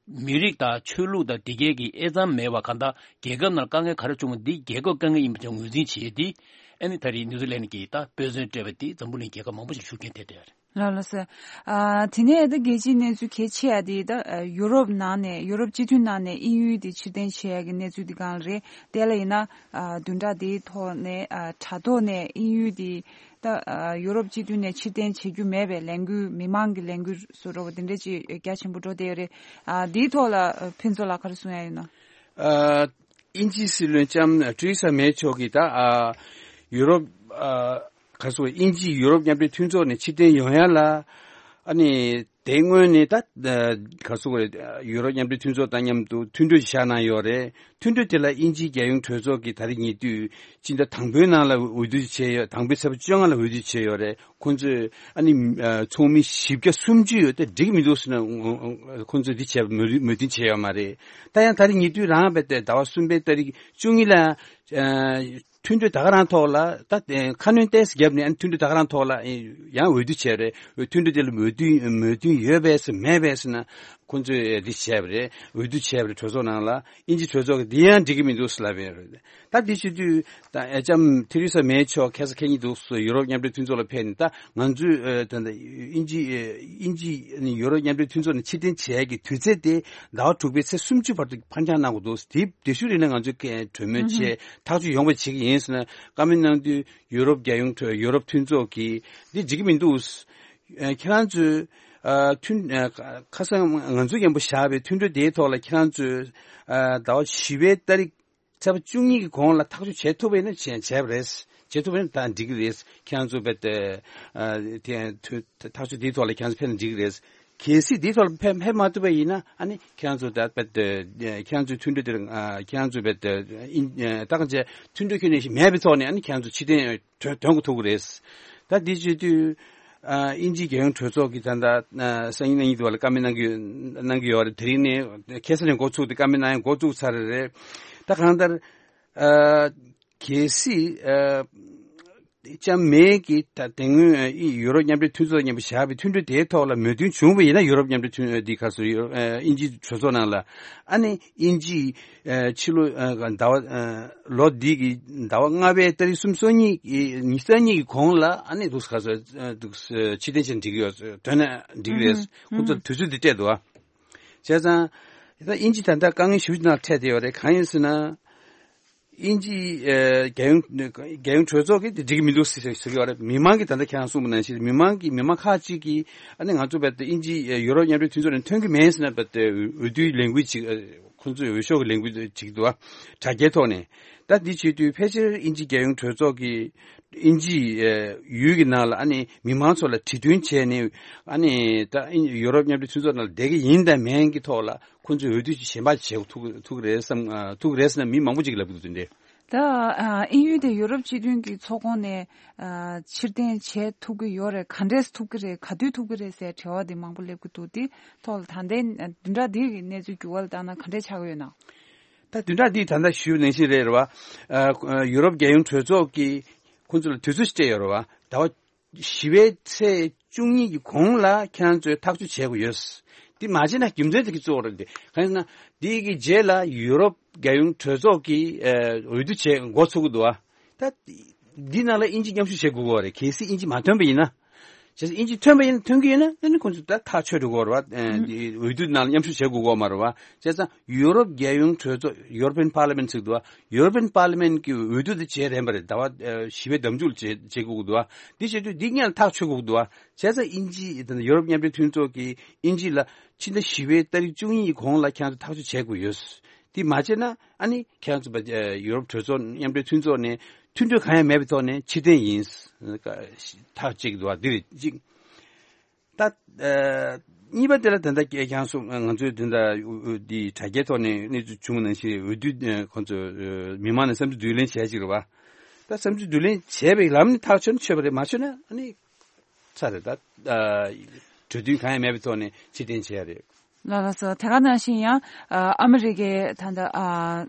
མི་རིགས་དང་ཆོས་ལུགས་དང་དེ་གའི་གི་དབྱེ་མཚམས་མེད་པ་གང་ལྟར་རྒྱལ་ཁབ་ནང་དཀའ་ངལ་ག་རེ་བྱུང་བ་འདི་རྒྱལ་ཁབ་དཀའ་ངལ་ཡིན་པ་ཅིག་ངོས་འཛིན་བྱས་ཏེ་ཨ་ནི་ད་རེས་ནིའུ་ཛི་ལན་གྱིས་ད་དཔེ་མཚོན་སྤྲད་པ་འདི་འཛམ་བུ་གླིང་རྒྱལ་ཁབ་མང་པོ་ཞིག་ཤུགས་རྐྱེན་ཐེབས་བསྡད་ཡོད་རེད། ལགས་ལགས་སོ། ཨ་དེ་ནས་ད་རྒྱལ་སྤྱིའི་གནས་ཚུལ་གལ་ཆེ་ཡ་དེ་ད་ཡུ་རོབ་ནང་ནས་ཡུ་རོབ་སྤྱི་མཐུན་ནང་ནས་དབྱིན་ཡུལ་དེ་ཕྱིར་འཐེན་བྱེད་ཡ་གི་གནས་ཚུལ་དེ་གང་རེད། དེ་ལ་ཡིན་ན་ཨ་བདུན་ཕྲག་དེའི་ཐོག་ནས་ཨ་དྲ་ཐོག་ནས་དབྱིན་ཡུལ་དེ། ད་ཨ་ཡུ་རོབ་སྤྱི་མཐུན་ནས་ཕྱིར་འཐེན་བྱེད་རྒྱུ་མེད་པའི་ལས་འགུལ་མི་མང་གི་ལས་འགུལ་བཟོ་འདྲ་བོ་དེ་འདྲ་ཅིག་རྒྱ་ཆེན་པོ་འགྲོ་བསྡད་ཡོད་རེད། ཨ་འདིའི་ཐོག་ལ་ཨ་ཕུན་ཚོགས་ལགས་ག་རེ་གསུང་ཡ་ཡོད་ན། ཨ་དབྱིན་ཇིའི་སྲིད་བློན་ལྕམ་ཐེ་རེ་ས་མེ་མཆོག་གིས་ད་ཨ་ཡུ་རོབ་ཨ་ག་རེ་ཟེར་དབྱིན་ཇི་ཡུ་རོབ་མཉམ་འབྲེལ་མཐུན་ཚོགས་ནས་ཕྱིར་འཐེན་ཡོང་ཡ་ལ་ཨ་ནི་དེ་སྔོན་ནས་ད་ཨ་ག་རེ་ཟེར་ཡུ་རོབ་མཉམ་འབྲེལ་མཐུན་ཚོགས་དང་མཉམ་དུ་མཐུན་གྲོས་བཞག་གནང་ཡོད་རེད། མཐུན་གྲོས་དེ་ལ་དབྱིན་ཇིའི་རྒྱལ་ཡོངས་གྲོས་ཚོགས་ཀྱིས་ད་རེས་ཉེ་དུས་སྤྱི་ཟླ་དང་པོའི་ནང་ལ་འོས་བསྡུ་བྱས་ཡོད། དང་པོའི་ཚེས་པ་བཅོ་ལྔ་ལ་འོས་བསྡུ་བྱས་ཡོད་རེད། ཁོང་ཚོས་ཨ་ནི་ཨ་ཚོགས་མི་བཞི་བརྒྱ་སུམ་ཅུ་ཡོད་དེ་འགྲིག་མི་འདུག་ཟེར་ན་ཁོང་ཚོས་འདི་བྱས་མོས་མོས་མཐུན་བྱས་ཡོད་མ་རེད། ད་ཡང་ད་རེས་ཉེ་དུས་རང་བས་ཏེ་ཟླ་བ་གསུམ་པའི་ཏ་རིག་བཅུ་གཉིས་ལ་ཨ་མཐུན་གྲོས་ད་ག་རང་ཐོག་ལ་ད་ཁ་སྣོན་ཏོག་ཙམ་བརྒྱབ་ནས་ཨ་ནི་མཐུན་གྲོས་ད་ག་རང་ཐོག་ལ་ཡང་འོས་བསྡུ་བྱས་རེད། མཐུན་གྲོས་དེ་ལ་མོས་མཐུན་མོས་མཐུན་ཡོད་པས་ཟེར་མེད་པས་ཟེར་ན། ཁོང་ཚོས་འདི་བྱས་པ་རེད། འོས་བསྡུ་བྱས་པ་རེད། གྲོས་ཚོགས་ནང་ལ་དབྱིན་ཇི་གྲོས་ཚོགས་ཀྱིས་འདི་ཡང་འགྲིག་གི་མི་འདུག་ཟེར་ལབ་པ་རེད། ད་འདི་བྱེད་དུས་ད་ཨ་ལྕམ་ཐེ་རེ་ས་མེ་མཆོག་ཁ་སང་ཁ་ཉིན་འདུག་སེ་ཡུ་རོབ་མཉམ་འབྲེལ་མཐུན་ཚོགས་ལ་ཕེབས་ནས་ད་ང་ཚོས་ཨ་ད་ད་དབྱིན་ཇི་ཨ་དབྱིན་ཇི་ནི་ཡུ་རོབ་མཉམ་འབྲེལ་མཐུན་ཚོགས་ནས་ཕྱིར་འཐེན་བྱེད་ཡག་གི་དུས་ཚོད་དེ་ཟླ་བ་དྲུག་པའི་ཚེས་སུམ་ཅུ་བར་དུ་ཕར་འགྱངས་གནང་དགོས་འདུག་དེ་དེ་ཤུལ་རིང་ལ་ང་ཚོས་གྲོས་མོལ་བྱས་ཐག་གཅོད་ཡོང་བ་བྱེད་ཀྱི་ཡིན་ཟེར་ནས་བཀའ་མོལ་གནང་དུས་ཡུ་རོབ་རྒྱལ་ཡོངས་ཁྲོད་ཡུ་རོབ་མཐུན་ཚོགས་ཀྱིས་འདི་འགྲིག་གི་མི་འདུག་ཨ་ཁྱེད་རང་ཚོས་ཨ་མཐུན་ཨ་ཁ་སང་ང་ཚོས་མཉམ་པོ་བཞག་པའི་མཐུན་གྲོས་དེའི་ཐོག་ལ་ཁྱེད་རང་ཚོས་ཨ་ཟླ་བ་བཞི་པའི་ཏ་རིག་ཚེས་པ་བཅུ་གཉིས་ཀྱི་གོང་ལ་ཐག་གཅོད་བྱེད་ཐུབ་པ་ཡིན་ན་བྱས་བྱས་པ་རེད། བྱེད་ཐུབ་པ་ཡིན་ན་ད་འགྲིག་གི་རེད། ཁྱེད་རང་ཚོ་བེད་ཨ་དེ་ཐག་གཅོད་དེའི་ཐོག་ལ་ཁྱེད་རང་ཚོ་ཕེབས་ན་འགྲིག་གི་རེད། གལ་སྲིད་དེའི་ཐོག་ལ་ཕེབས་ཕེབས་མ་ཐུབ་པ་ཡིན་ན་ཨ་ནི་ཁྱེད་རང་ཚོ་ད་བེད་ཁྱེད་རང་ཚོའི་མཐུན་གྲོས་དེར་ཁྱེད་རང་ཚོ་བེད་ད་གང་བྱས་མཐུན་གྲོས་ཁྱོན་ནས་མེད་པའི་ཐོག་ནས་ཨ་ནི་ཁྱེད་རང་ཚོ་ཕྱིར་འཐེན་དོན་དོན་གོ་ཐུབ་ཀྱི་རེད། ད་འདི་བྱེད་དུས་ཨ་དབྱིན་ཇིའི་རྒྱལ་ཡོངས་གྲོས་ཚོགས་ཀྱིས་ད་ལྟ་ཨ་སང་ཉིན་གནངས་ཉིན་དུ་བ་ལ་བཀའ་མོལ་གནང་གི་གནང་གི་ཡོད་རེད། དེ་རིང་ནས་ཁ་སང་ནས་འགོ་ཚུགས་ཏེ་བཀའ་མོལ་གནང་ཡང་འགོ་བཙུགས་ཚར་རེད། ད་གང་ལྟར་ཨ་གལ་སྲིད་ཨ་ལྕམ་མེ་གིས་ད་དེ་སྔོན་ཨ་ཡུ་རོབ་མཉམ་འབྲེལ་མཐུན་ཚོགས་མཉམ་པོ་བཞག་པའི་མཐུན་གྲོས་དེའི་ཐོག་ལ་མོས་མཐུན་བྱུང་བ་ཡིན་ན་ཡུ་རོབ་མཉམ་འབྲེལ་མཐུན་འདི་ག་སོ་ཡུ་རོབ་ཨ་དབྱིན་ཇིའི་གྲོས་ཚོགས་ནང་ལ་ཨ་ནི་དབྱིན་ཇིའི་ཨ་ཕྱི་ལོ་ཨ་ཟླ་བ་ཨ་ལོ་འདི་གི་ཟླ་བ་ལྔ་པའི་ཏ་རིག་སུམ་ཅུ་སོ་གཉིས་ཉི་ཤུ་རྩ་གཉིས་ཀྱི་གོང་ལ་ཨ་ནི་འདུག་ག་སོ་འདུག་ཕྱིར་འཐེན་བྱས་འགྲིག་གི་ཡོད་དོན་ན་འགྲིག་གི་རེད། ཁོང་ཚོར་དུས་ཚོད་འདི་སྤྲད་འདུག་ཨ། བྱས་ཙང་ད་དབྱིན་ཇི་ད་ལྟ་དཀའ་ངལ་ཞེ་པོ་ཅིག་ནང་འཕྲད་བསྡད་ཡོད་རེད། གང་ཡིན་ཟེར་ན། དབྱིན་ཇིའི་ཨ་རྒྱལ་ཡོངས་རྒྱལ་ཡོངས་གྲོས་ཚོགས་ཀྱིས་དེ་འགྲིག་གི་མི་འདུག་ཟེར་ཟེར་གྱི་ཡོད་རེད། མི་མང་གིས་ད་ལྟ་ཁྱེད་རང་གསུངས་པ་ནང་བཞིན་མི་མང་གིས་མི་མང་ཁག་ཅིག་གིས་ཨ་ནི་ང་ཚོ་བལ་ཏེ་དབྱིན་ཇི་ཡུ་རོབ་མཉམ་འབྲེལ་མཐུན་ཚོགས་ནས་ཐོན་གྱི་མེད་ཟེར་ན་བལ་ཏེ་འོས་བསྡུའི་ལས་འགུལ་ཅིག་ཁོང་ཚོས་འོས་ཤོག་གི་ལས་འགུལ་ཅིག་འདུག་ཨ། དྲ་རྒྱའི་ཐོག་ནས་ད་འདི་བྱེད་དུས་ཕལ་ཆེར་དབྱིན་ཇིའི་རྒྱལ་ཡོངས་གྲོས་ཚོགས་ཀྱིས་དབྱིན་ཇིའི་ཡུལ་གྱི་ནང་ལ་ཨ་ནི་མི་མང་ཚོ་ལ་གྲོས་མཐུན་བྱས་ནས་ཨ་ནི་ད་ཡུ་རོབ་མཉམ་འབྲེལ་མཐུན་ཚོགས་ནང་ལ་བསྡད་ཀྱི་ཡིན་དང་མིན་གྱི་ཐོག་ལ། ཁོང་ཚོས་འོས་བསྡུ་ཅིག་གཞན་པ་བྱེད་ཐུབ་ཐུབ་ཀྱི་རེད་བསམ་ཐུབ་ཀྱི་རེད་ཟེར་ན་མི་མང་པོ་ཅིག་ལབ་ཀྱི་འདུག་དེ་འདྲས། ད་ཨ་དབྱིན་ཡུལ་དེ་ཡུ་རོབ་སྤྱི་མཐུན་གྱི་ཚོགས་ཁོངས་ནས་ཨ་ཕྱིར་འཐེན་བྱེད་ཐུབ་ཀྱི་ཡོད་རེད། ག་འདྲས་ཐུབ་ཀྱི་རེད། ག་དུས་ཐུབ་ཀྱི་རེད་ཟེར་དྲི་བ་དེ་མང་པོ་སླེབས་ཀྱི་འདུག་དེ་ཐོག་ལ་ད་ལྟའི་བདུན་ཕྲག་འདིའི་གནས་ཚུལ་འགྱུར་བ་ལ་བལྟས་ན་ག་འདྲས་ཆགས་ཀྱི་ཡོད་ན། ད་བདུན་ཕྲག་འདིའི་ད་ལྟ་ཞུས་ནང་བཞིན་རེད་རེད་བ། ཨ་ཡུ་རོབ་རྒྱལ་ཡོངས་གྲོས་ཚོགས་ཀྱིས་ཁོང་ཚོ་ལ་དུས་ཚོད་སྤྲད་ཡོད་རེད་བ། ཟླ་བ་བཞི་པའི་ཚེས་བཅུ་གཉིས་ཀྱི་གོང་ལ་ཁྱེད་རང་ཚོས་ཐག་གཅོད་བྱེད་དགོས་ཡོད། འདི་མ་བྱས་ན་རྒྱུ་མཚན་དེ་གི་གཙོ་བོ་རེད་དེ། གང་ཡིན་ཟེར་ན་འདི་གི་རྗེས་ལ་ཡུ་རོབ་རྒྱལ་ཡོངས་གྲོས་ཚོགས་ཀྱིས་ཨ་འོས་བསྡུ་བྱེད་འགོ་ཚུགས་ཀྱི་འདུག་ཨ། ད་འདི་ནང་ལ་དབྱིན་ཇི་མཉམ་ཞུགས་བྱེད་དགོས་ཀྱི་རེད། གལ་སྲིད་དབྱིན་ཇི་མ་ཐོན་པ་ཡིན་ན། བྱས་ཙང་དབྱིན་ཇི་ཐོན་པ་ཡིན་ན་ཐོན་གྱི་ཡོད་ན་ཨ་ནི་ཁོང་ཚོ་ད་ཐག་ཆོད་འགྲོ་གི་རེད་བ། ཨ་འདི་འོས་བསྡུ་ནང་ལ་མཉམ་ཞུགས་བྱེད་དགོས་ཀྱི་མ་རེད་བ། བྱས་ཙང་ཡུ་རོབ་རྒྱལ་ཡོངས་གྲོས་ཚོགས་European Parliament ཟེར་གྱི་འདུག་བ། European Parliament གི་འོས་བསྡུ་དེ་བྱེད་རན་པ་རེད། ཟླ་བ་ཨ་བཞི་པའི་ཟླ་མཇུག་ལ་བྱེད་བྱེད་དགོས་ཀྱི་འདུག་བ། འདི་བྱེད་དུས་འདི་སྔོན་ལ་ཐག་ཆོད་དགོས་ཀྱི་འདུག་བ། བྱས་ཙང་དབྱིན་ཇི་ད་ནི་ཡུ་རོབ་མཉམ་འབྲེལ་མཐུན་ཚོགས་ཀྱིས་དབྱིན་ཇི་ལ་ཕྱི་ཟླ་བཞི་པའི་ཏ་རིག་བཅུ་གཉིས་ཀྱི་གོང་ལ་ཁྱེད་ཚོ་ཐག་གཅོད་བྱེད་དགོས་ཡོད། འདི་མ་བྱས་ན་ཨ་ནི་ཁྱེད་ཚོ་ཡུ་རོབ་གྲོས་ཚོགས་མཉམ་འབྲེལ་མཐུན་ཚོགས་ནས་མཐུན་གྲོས་གང་ཡང་མེད་པའི་ཐོག་ནས་ཕྱིར་འཐེན་ཡིན། ཐག་གཅིག་འདུག་བ། འདི་རེད་གཅིག་ད་ཨ་གཉིས་པ་དེ་ལ་ད་ལྟ་ཁྱེད་རང་ཚོ་ང་ཚོའི་དོན་དག་འདི་དྲ་རྒྱའི་ཐོག་ནས་གནས་ཚུལ་བྱུང་བ་ནང་བཞིན་འོས་བསྡུ་ཁོང་ཚོ་མི་མང་ནས་བསམ་ཚུལ་བསྡུ་ལེན་བྱས་ཅིག་རེད་བ། ད་བསམ་ཚུལ་བསྡུ་ལེན་བྱས་པའི་ལམ་ནས་ཐག་ཆོད་ན་ཆོད་པ་རེད། མ་ཆོད་ན་ཨ་ནི་ཚར་རེད། ད་ཨ་གྲོས་མཐུན་གང་ཡང་མེད་པའི་ཐོག་ནས་ཕྱིར་འཐེན་བྱས་རེད། ལགས་ལགས་སོ། དེ་ག་ནང་བཞིན་ཡང་ཨ་ཨ་མི་རི་ཀའི་ད་ལྟ་ཨ་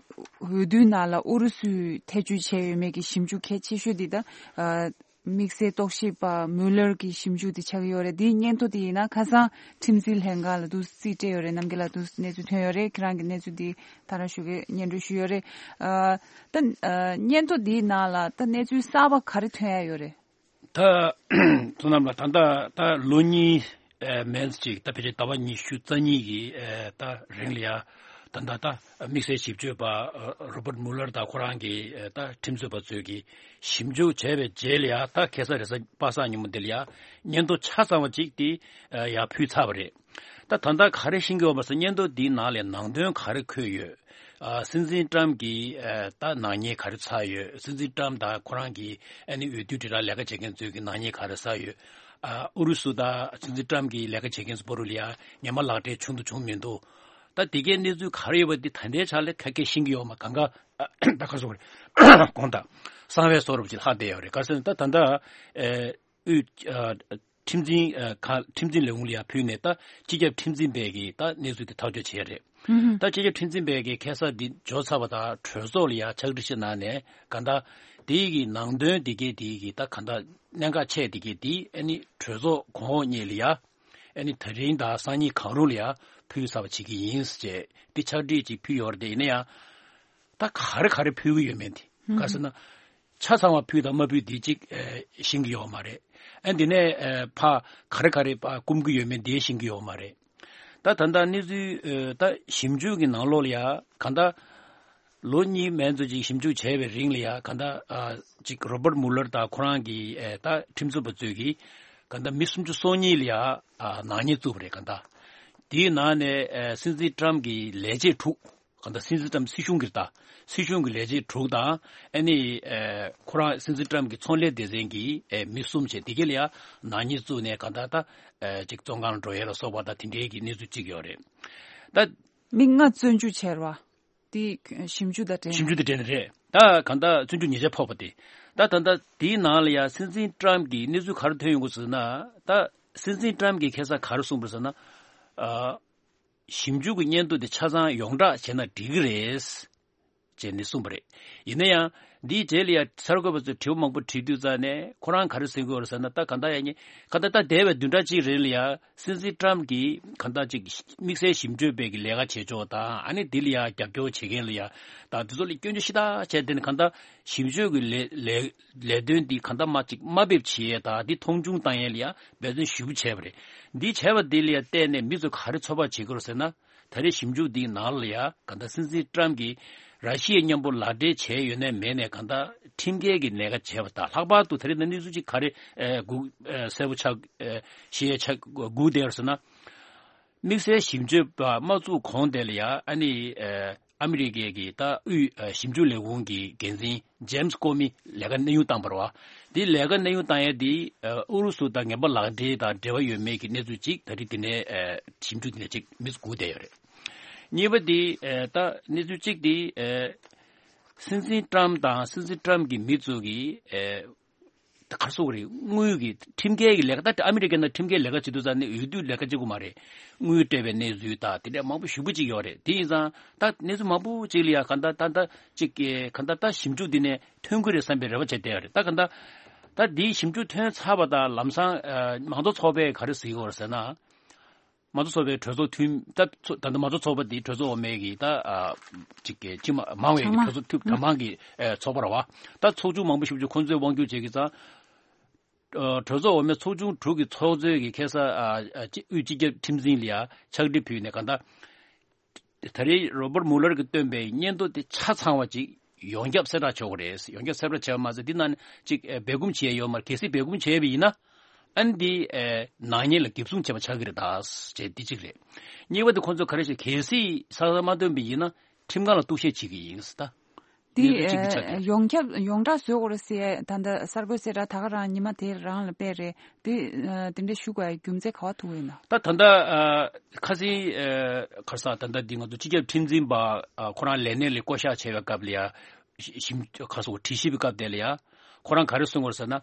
འོས་བསྡུའི་ནང་ལ་ཨུ་རུ་སུས་ཐེ་བྱུས་བྱས་ཡོད་མེད་ཀྱི་ཞིབ་འཇུག་གལ་ཆེ་ཤོས་འདི་ད་ཨ་དམིགས་བསལ་རྟོག་ཞིབ་པ་མུ་ལར་གྱི་ཞིབ་འཇུག་དེ་ཆགས་ཀྱི་ཡོད་རེད། འདིའི་སྙན་ཐོ་དེ་ཡིན་ན་ཁ་སང་ཁྲིམས་འཛིན་ལྷན་ཁང་ལ་འདུག་རྩིས་སྤྲད་ཡོད་རེད། རྣམ་རྒྱལ་ལགས་འདུག་གནས་ཚུལ་ཐོན་ཡོད་རེད། ཁྱེད་རང་གི་གནས་ཚུལ་འདི་ད་རང་ཞུ་གི་སྙན་སྒྲོན་ཞུས་ཡོད་རེད། ཨ་ད་ཨ་སྙན་ཐོ་འདིའི་ནང་ལ་ད་གནས་ཚུལ་གསར་པ་ག་རེ་ཐོན་ཡ་ཡོད་རེད། ད་ཚོ་རྣམས་ལ་ད་ལྟ་ད་ལོ་གཉིས་ཨ་མན་ཅིག་ད་ཕལ་ཆེར་ཟླ་བ་ཉི་ཤུ་རྩ་གཉིས་ཀྱི་ཨ་ད་རིང་ལ་ཡ་ད་ལྟ་ད་དམིགས་བསལ་ཞིབ་དཔྱོད་པ་ཨ་རོ་པར་མུ་ལར་དང་ཁོ་རང་གི་ཨ་ད་ཁྲིམས་རྩོད་པ་ཚོས་ཀྱི་ཞིབ་འཇུག་བྱས་པའི་རྗེས་ལ་ཡ་ད་ཁ་སང་རེས་གཟའ་པ་སངས་ཉིན་མོ་འདི་ལ་ཡ་སྙན་ཐོ་ཆ་ཚང་བ་ཅིག་དེ་ཨ་ཡར་ཕུལ་ཚར་བ་རེད། ད་ད་ལྟ་ག་རེ་ཤེས་ཀྱི་ཡོད་པ་ཟེར་སྙན་ཐོ་འདིའི་ནང་ལ་ནང་དོན་ག་རེ་འཁོད་ཡོད། ཨ་སྲིད་འཛིན་ཏྲམ་གྱི་ཨ་ད་ནག་ཉེས་ག་རེ་ཚར་ཡོད། སྲིད་འཛིན་ཏྲམ་དང་ཁོ་རང་གི་ཨ་ནི་འོས་བསྡུ་དྲིལ་བསྒྲགས་ལས་ཀ་བྱེད་མཁན་ཚོས་ཀྱི་ནག་ཉེས་ག་རེ་ཚར་ཡོད། ཨ་ཨུ་རུ་སུ་དང་སྲིད་འཛིན་ཏྲམ་གྱི་ལས་ཀ་བྱེད་མཁན་ཚོ་བར་ལ་ཡ་ངན་པ་ལག་འབྲེལ་བྱུང་འདུག་བྱུང་མི་འདུག་ད་དེ་གའི་གནས་ཚུལ་ག་རེ་ཡོད་པ་འདི་ད་ལྟའི་ཆ་ལ་ཁ་སྐད་ཤེས་ཀྱི་ཡོད་མ་གང་ག་ད་ག་སོ་རེད། དགོངས་དག་གསང་བའི་བཟོ་འདྲ་ཅིག་ལྷག་བསྡད་ཡོད་རེད། ག་རེ་ཟེར་ན་ད་ད་ལྟ་ཨ་དབུས་ཨ་ཁྲིམས་འཛིན་ཨ་ཁ་ཁྲིམས་འཛིན་ལས་ཁུངས་ལ་ཡང་ཕུལ་ནས་ད་སྤྱི་ཁྱབ་ཁྲིམས་འཛིན་པས་ཀྱིས་ད་གནས་ཚུལ་དེ་ཐག་གཅོད་བྱས་རེད། ད་སྤྱི་ཁྱབ་ཁྲིམས་འཛིན་པས་ཀྱིས་ཁ་སང་འདི་འབྱོར་ཚར་བ་དང་གྲོས་ཚོགས་ལ་ཡང་ཕྱག་བྲིས་ཤིག་གནང་ནས་གང་ལྟར་དེའི་གི་ནང་དོན་དེ་གའི་དེའི་གི་ད་གང་ལྟར་གནད་འགག་ཆེ་དེ་གའི་དེ་ཨ་ནི་གྲོས་ཚོགས་གོང་འོག་གཉིས་ལ་ཡང་ཨ་ནི་ད་རིང་དང་སང་ཉིན་གང་རུང་ལ་ཡང་ཕུལ་ཚར་བ་བྱེད་ཀྱི་ཡིན་ཟེར་དེ་ཕྱག་བྲིས་ཅིག་ཕུལ་ཡོད་རེད། དེ་ཡིན་ན་ཡང་ད་ག་རེ་ག་རེ་ཕུལ་གི་ཡོད་མེད་དེ་ག་ཟེར་ན། ཆ་ཚང་བ་ཕུལ་དང་མ་ཕུལ་དེ་གཅིག་ཨ་ཤེས་ཀྱི་ཡོད་མ་རེད། ཨ་འདི་ནས་ཨ་ཕ་ག་རེ་ག་རེ་ཕ་སྐུམ་གྱི་ཡོད་མེད་དེ་ཤེས་ཀྱི་ཡོད་མ་རེད། ད་ད་ལྟ་གནས་ཚུལ་ཨ་ད་ཞིབ་འཇུག་གི་ནང་ལོགས་ལ་ཡ་གང་ལྟར་ལོ་གཉིས་མན་ཙམ་ཅིག་ཞིབ་འཇུག་བྱས་པའི་རིང་ལ་ཡ་གང་ལྟར་ཨ་ཅིག་རོ་པར་མུ་ལར་དང་ཁོ་རང་གི་ཨ་ད་ཁྲིམས་རྩོད་པ་ཚོས་ཀྱིས་གང་ལྟར་མི་སུམ་ཅུ་སོ་གཉིས་ལ་ཡ་ཨ་ནག་ཉེས་བཙུགས་པ་རེད། གང་ལྟར་དེའི་ནང་ནས་ཨ་སྲིད་འཛིན་ཏྲམ་གྱི་ལས་བྱེད་དྲུག་གང་ལྟར་སྲིད་འཛིན་ཏྲམ་སྲིད་གཞུང་གི་ད་སྲིད་གཞུང་གི་ལས་བྱེད་དྲུག་དང་ཨ་ནི་ཨ་ཁོ་རང་སྲིད་འཛིན་ཏྲམ་གྱི་ཚོང་ལས་སྡེ་ཚན་གྱི་ཨ་མི་གསུམ་བྱས་དེ་ག་ལ་ཡ་ནག་ཉེས་བཙུགས་ནས་གང་ལྟར་ད་ཨ་ཅིག་བཙོན་ཁང་ལ་འགྲོ་ཡས་ལ་སོགས་པ་ད་དེ་འདྲའི་གི་གནས་ཚུལ་གཅིག་ཡོད་རེད། ད་མི་ལྔ་བཙོན་འཇུག་བྱས་རེད་བ། དེ་ཞིབ་འཇུག་དང་འབྲེལ་ཞིབ་འཇུག་དང་འབྲེལ་ནས་རེད། ད་གང་ལྟར་བཙོན་འཇུག་ཉེས་ཆད་ཕོག་པ་དེ། ད་ད་ལྟ་དེའི་ནང་ལ་ཡ་སྲིད་འཛིན་ཏྲམ་གྱི་གནས་ཚུལ་ག་རེ་ཐོན་ཡོང་གི་ཟེར་ན། ད་སྲིད་འཛིན་ཏྲམ་གྱིས་ཁ་སང་ག་རེ་གསུངས་པ་རེད་ཟེར་ན། ཨ། ཞིབ་འཇུག་གི་སྙན་ཐོ་དེ་ཆ་ཚང་ཡོངས་གྲགས་བྱས་ན་འགྲིག་གི་རེད། ཅེས་ནི་གསུངས་པ་རེད། ཡིན་ན་ཡང་འདིའི་རྗེས་ལ་ཡང་གསར་འགོད་པ་ཚོས་དྲི་བ་མང་པོ་དྲིས་དུས་ཙང་ནས་ཁོ་རང་ག་རེ་ཟེར་གྱི་ཡོད་རེད་ཟེར་ན། ད་ག་ད་ཡང་ཉེ་ག་ད་ད་འདས་པའི་བདུན་ཕྲག་གཅིག་རིང་ལ་ཡང་སྲིད་འཛིན་ཏྲམ་གྱིས་ག་ད་ཅིག་དམིགས་བསལ་ཞིབ་དཔྱོད་པའི་གི་ལས་ཀ་བྱེད་ཕྱོགས་དང་ཨ་ནི་འདི་ལ་ཡང་རྒྱབ་སྐྱོར་བྱེད་མཁན་ལ་ཡང་ད་འདི་ཚོ་ལ་སྐྱོན་བརྗོད་ཞེ་དྲག་བྱས། དེ་ནི་ག་ད་ཞིབ་དཔྱོད་ཀྱི་ལས་ལས་ལས་དོན་འདི་ག་ད་མ་ཅིག་དམའ་འབེབས་བྱེད་ཡས་དང་འདི་མཐོང་ཆུང་བཏང་ཡས་ལ་ཡང་འབད་བརྩོན་ཞེ་པོ་བྱས་པ་རེད། འདི་བྱས་པ་འདི་ལ་ཡང་བལྟས་ནས་མི་ཚོ་ག་རེ་ཚོད་དཔག་བྱེད་ཀྱི་ཡོད་རེད་ཟེར་ན། ད་རེས་ཞིབ་འཇུག་འདིའི་ནང་ལ་ཡ་ག་ད་སྲིད་འཛིན་ཏྲམ་གྱིས་ར་ཤི་ཡའི་མཉམ་པོ་ལག་འབྲེལ་བྱས་ཡོད་ནའི་མེད་ནའི་ག་ད་ཁྲིམས་འགལ་གྱི་ལས་ཀ་བྱས་པ་དང་། ལྷག་པར་དུ་ད་རེས་ནས་གནས་ཚུལ་ཅིག་ག་རེ་ཨེ་སྒུག་ཨེ་གསལ་པོ་ཆགས་ཨེ་ཤེས་ཡ་ཆགས་སྒུག་བསྡད་ཡོད་ཟེར་ན། དམིགས་བསལ་ཞིབ་དཔྱོད་པ་མ་བཙུགས་གོང་དེ་ལ་ཡ་ཨ་ནི་ཨེ་ཨ་མི་རི་ཀའི་གི་ད་དབུས་ཨེ་ཞིབ་འཇུག་ལས་ཁུངས་ཀྱི་འགན་འཛིན་ཇེམ་སི་ཀོ་མི་ལས་ཀ་གནས་དབྱུང་བཏང་བ་རེད་བ། དེ་ལས་ཀ་གནས་དབྱུང་བཏང་ཡས་དེ་ཨུ་རུ་སུ་དང་ངན་པ་ལག་འབྲེལ་དང་འབྲེལ་བ་ཡོད་མེད་ཀྱི་གནས་ཚུལ་ཅིག་ད་རེས་དེ་ནས་ཞིབ་འཇུག་དེ་ནས་ཅིག་མི་ཚོ་སྒུག་བསྡད་ཡོད་རེད། གཉིས་པ་དེ་ད་གནས་ཚུལ་གཅིག་དེ་སྲིད་འཛིན་ཏྲམ་དང་སྲིད་འཛིན་ཏྲམ་གྱི་མི་ཚོ་གིས་ག་རེ་ཟེར་དགོས་རེད། དངུལ་གྱི་ཁྲིམས་འགལ་གྱི་ལས་ཀ་ད་ཨ་མི་རི་ཀའི་ནང་ཁྲིམས་འགལ་ལས་ཀ་བྱེད་དུས་ཙང་ནས་འོས་བསྡུ་ལས་ཀ་བྱེད་དགོས་མ་རེད། དངུལ་སྤྲད་པའི་གནས་ཚུལ་དང་དེ་འདྲ་མང་པོ་ཞེ་པོ་ཅིག་ཡོད་རེད། དེ་ཡིན་ཙང་ད་གནས་ཚུལ་མང་པོ་ཅིག་ལ་ཡ་ག་ད་ད་ད་ཅིག་ག་ད་ད་ཞིབ་འཇུག་འདི་ནས་ཐོན་གྱི་རེད་བསམ་པའི་རེ་བ་བྱས་བསྡད་ཡོད་རེད། ད་ག་ད་ད་འདིའི་ཞིབ་འཇུག་ཐོན་ཚར་བ་དང་ལམ་སང་ཨ་མང་གཙོ་ཚོགས་པས་ག་རེ་ཟེར་གྱི་ཡོད་རེད་ཟེར་ན། མང་གཙོ་ཚོགས་པའི་གྲོས་ཚོགས་འཐུས་མི་ད་ཚོ་ད་ལྟ་མང་གཙོ་ཚོགས་པ་འདི་གྲོས་ཚོགས་འོག་མའི་གི་ད་ཨ་ཅིག་གི་སྤྱི་མ་མང་བའི་གི་གྲོས་ཚོགས་འཐུས་གྲངས་མང་གི་ཨ་ཚོགས་པ་རེད་བ། ད་ཚོགས་ཆུང་མང་པོ་ཞེ་པོ་ཅིག་ཁོང་ཚོས་དབང་སྒྱུར་བྱེད་ཀྱི་ཙང་། ཨ་གྲོས་ཚོགས་འོག་མའི་ཚོགས་ཆུང་དྲུག་གི་ཚོགས་གཙོས་ཀྱི་ཁ་སང་ཨ་ཨ་སྤྱི་དབུས་སྤྱི་ཁྱབ་ཁྲིམས་འཛིན་ལ་ཡ་ཕྱག་བྲིས་ཕུལ་ནས་གང་ལྟར། ད་རེས་རོ་པར་མུ་ལར་གྱིས་བཏོན་པའི་སྙན་ཐོ་དེ་ཆ་ཚང་བ་ཅིག་ཡོངས་ཁྱབ་གསལ་བསྒྲགས་བྱེད་དགོས་རེད། ཡོངས་ཁྱབ་གསལ་བསྒྲགས་བྱས་པ་མ་ཟད་འདི་ནང་ཅིག་ཨ་སྦས་སྐུང་བྱས་ཡོད་མ་རེད། གལ་སྲིད་སྦས་སྐུང་བྱས་པ་ཡིན་ན་ཨ་ནི་འདི་ཨ་ནག་ཉེས་ལ་འགེབས་སྲུང་བྱས་པ་ཆགས་ཀྱི་རེད་ད་ཅེས་འདི་གཅིག་རེད། གཉིས་པ་དེ་ཁོང་ཚོས་ག་རེ་ཞུ། གལ་སྲིད་ས་ས་མ་བཏོན་པ་ཡིན་ན་ཁྲིམས་ཁང་ལ་གཏུག་བཤེར་བྱེད་ཀྱི་ཡིན་ཟེར་ད། འདི་ཡོད་དོ་གཅིག་གི་ཆ་དེ་ཡོངས་ཁྱབ་ཡོངས་གྲགས་བཟོ་དགོས་རེད་ཟེར་ད་ལྟ་གསར་འགོད་གསལ་བསྒྲགས་ད་ག་རང་ཉི་མ་དེ་རང་ལ་སྤེལ་རེད། དེ་དེ་འདྲ་ཞུ་དགོས་ཡ་རྒྱུ་མཚན་ག་བ་ཐུག་ཡོད་ན། ད་ད་ལྟ་ཁ་སང་ཁ་སང་ད་ལྟ་འདི་ང་ཚོ་སྤྱི་ཁྱབ་ཁྲིམས་འཛིན་པ་ཁོ་རང་ལས་གནས་ལས་བསྐོ་གཞག་བྱས་པའི་སྐབས་ལ་ཡ་ཞིབ་ཁ་སང་དྲི་ཞིབ་པའི་སྐབས་དེ་ལ་ཡ། ཁོ་རང་ག་རེ་གསུངས་པ་རེད་ཟེར་ན།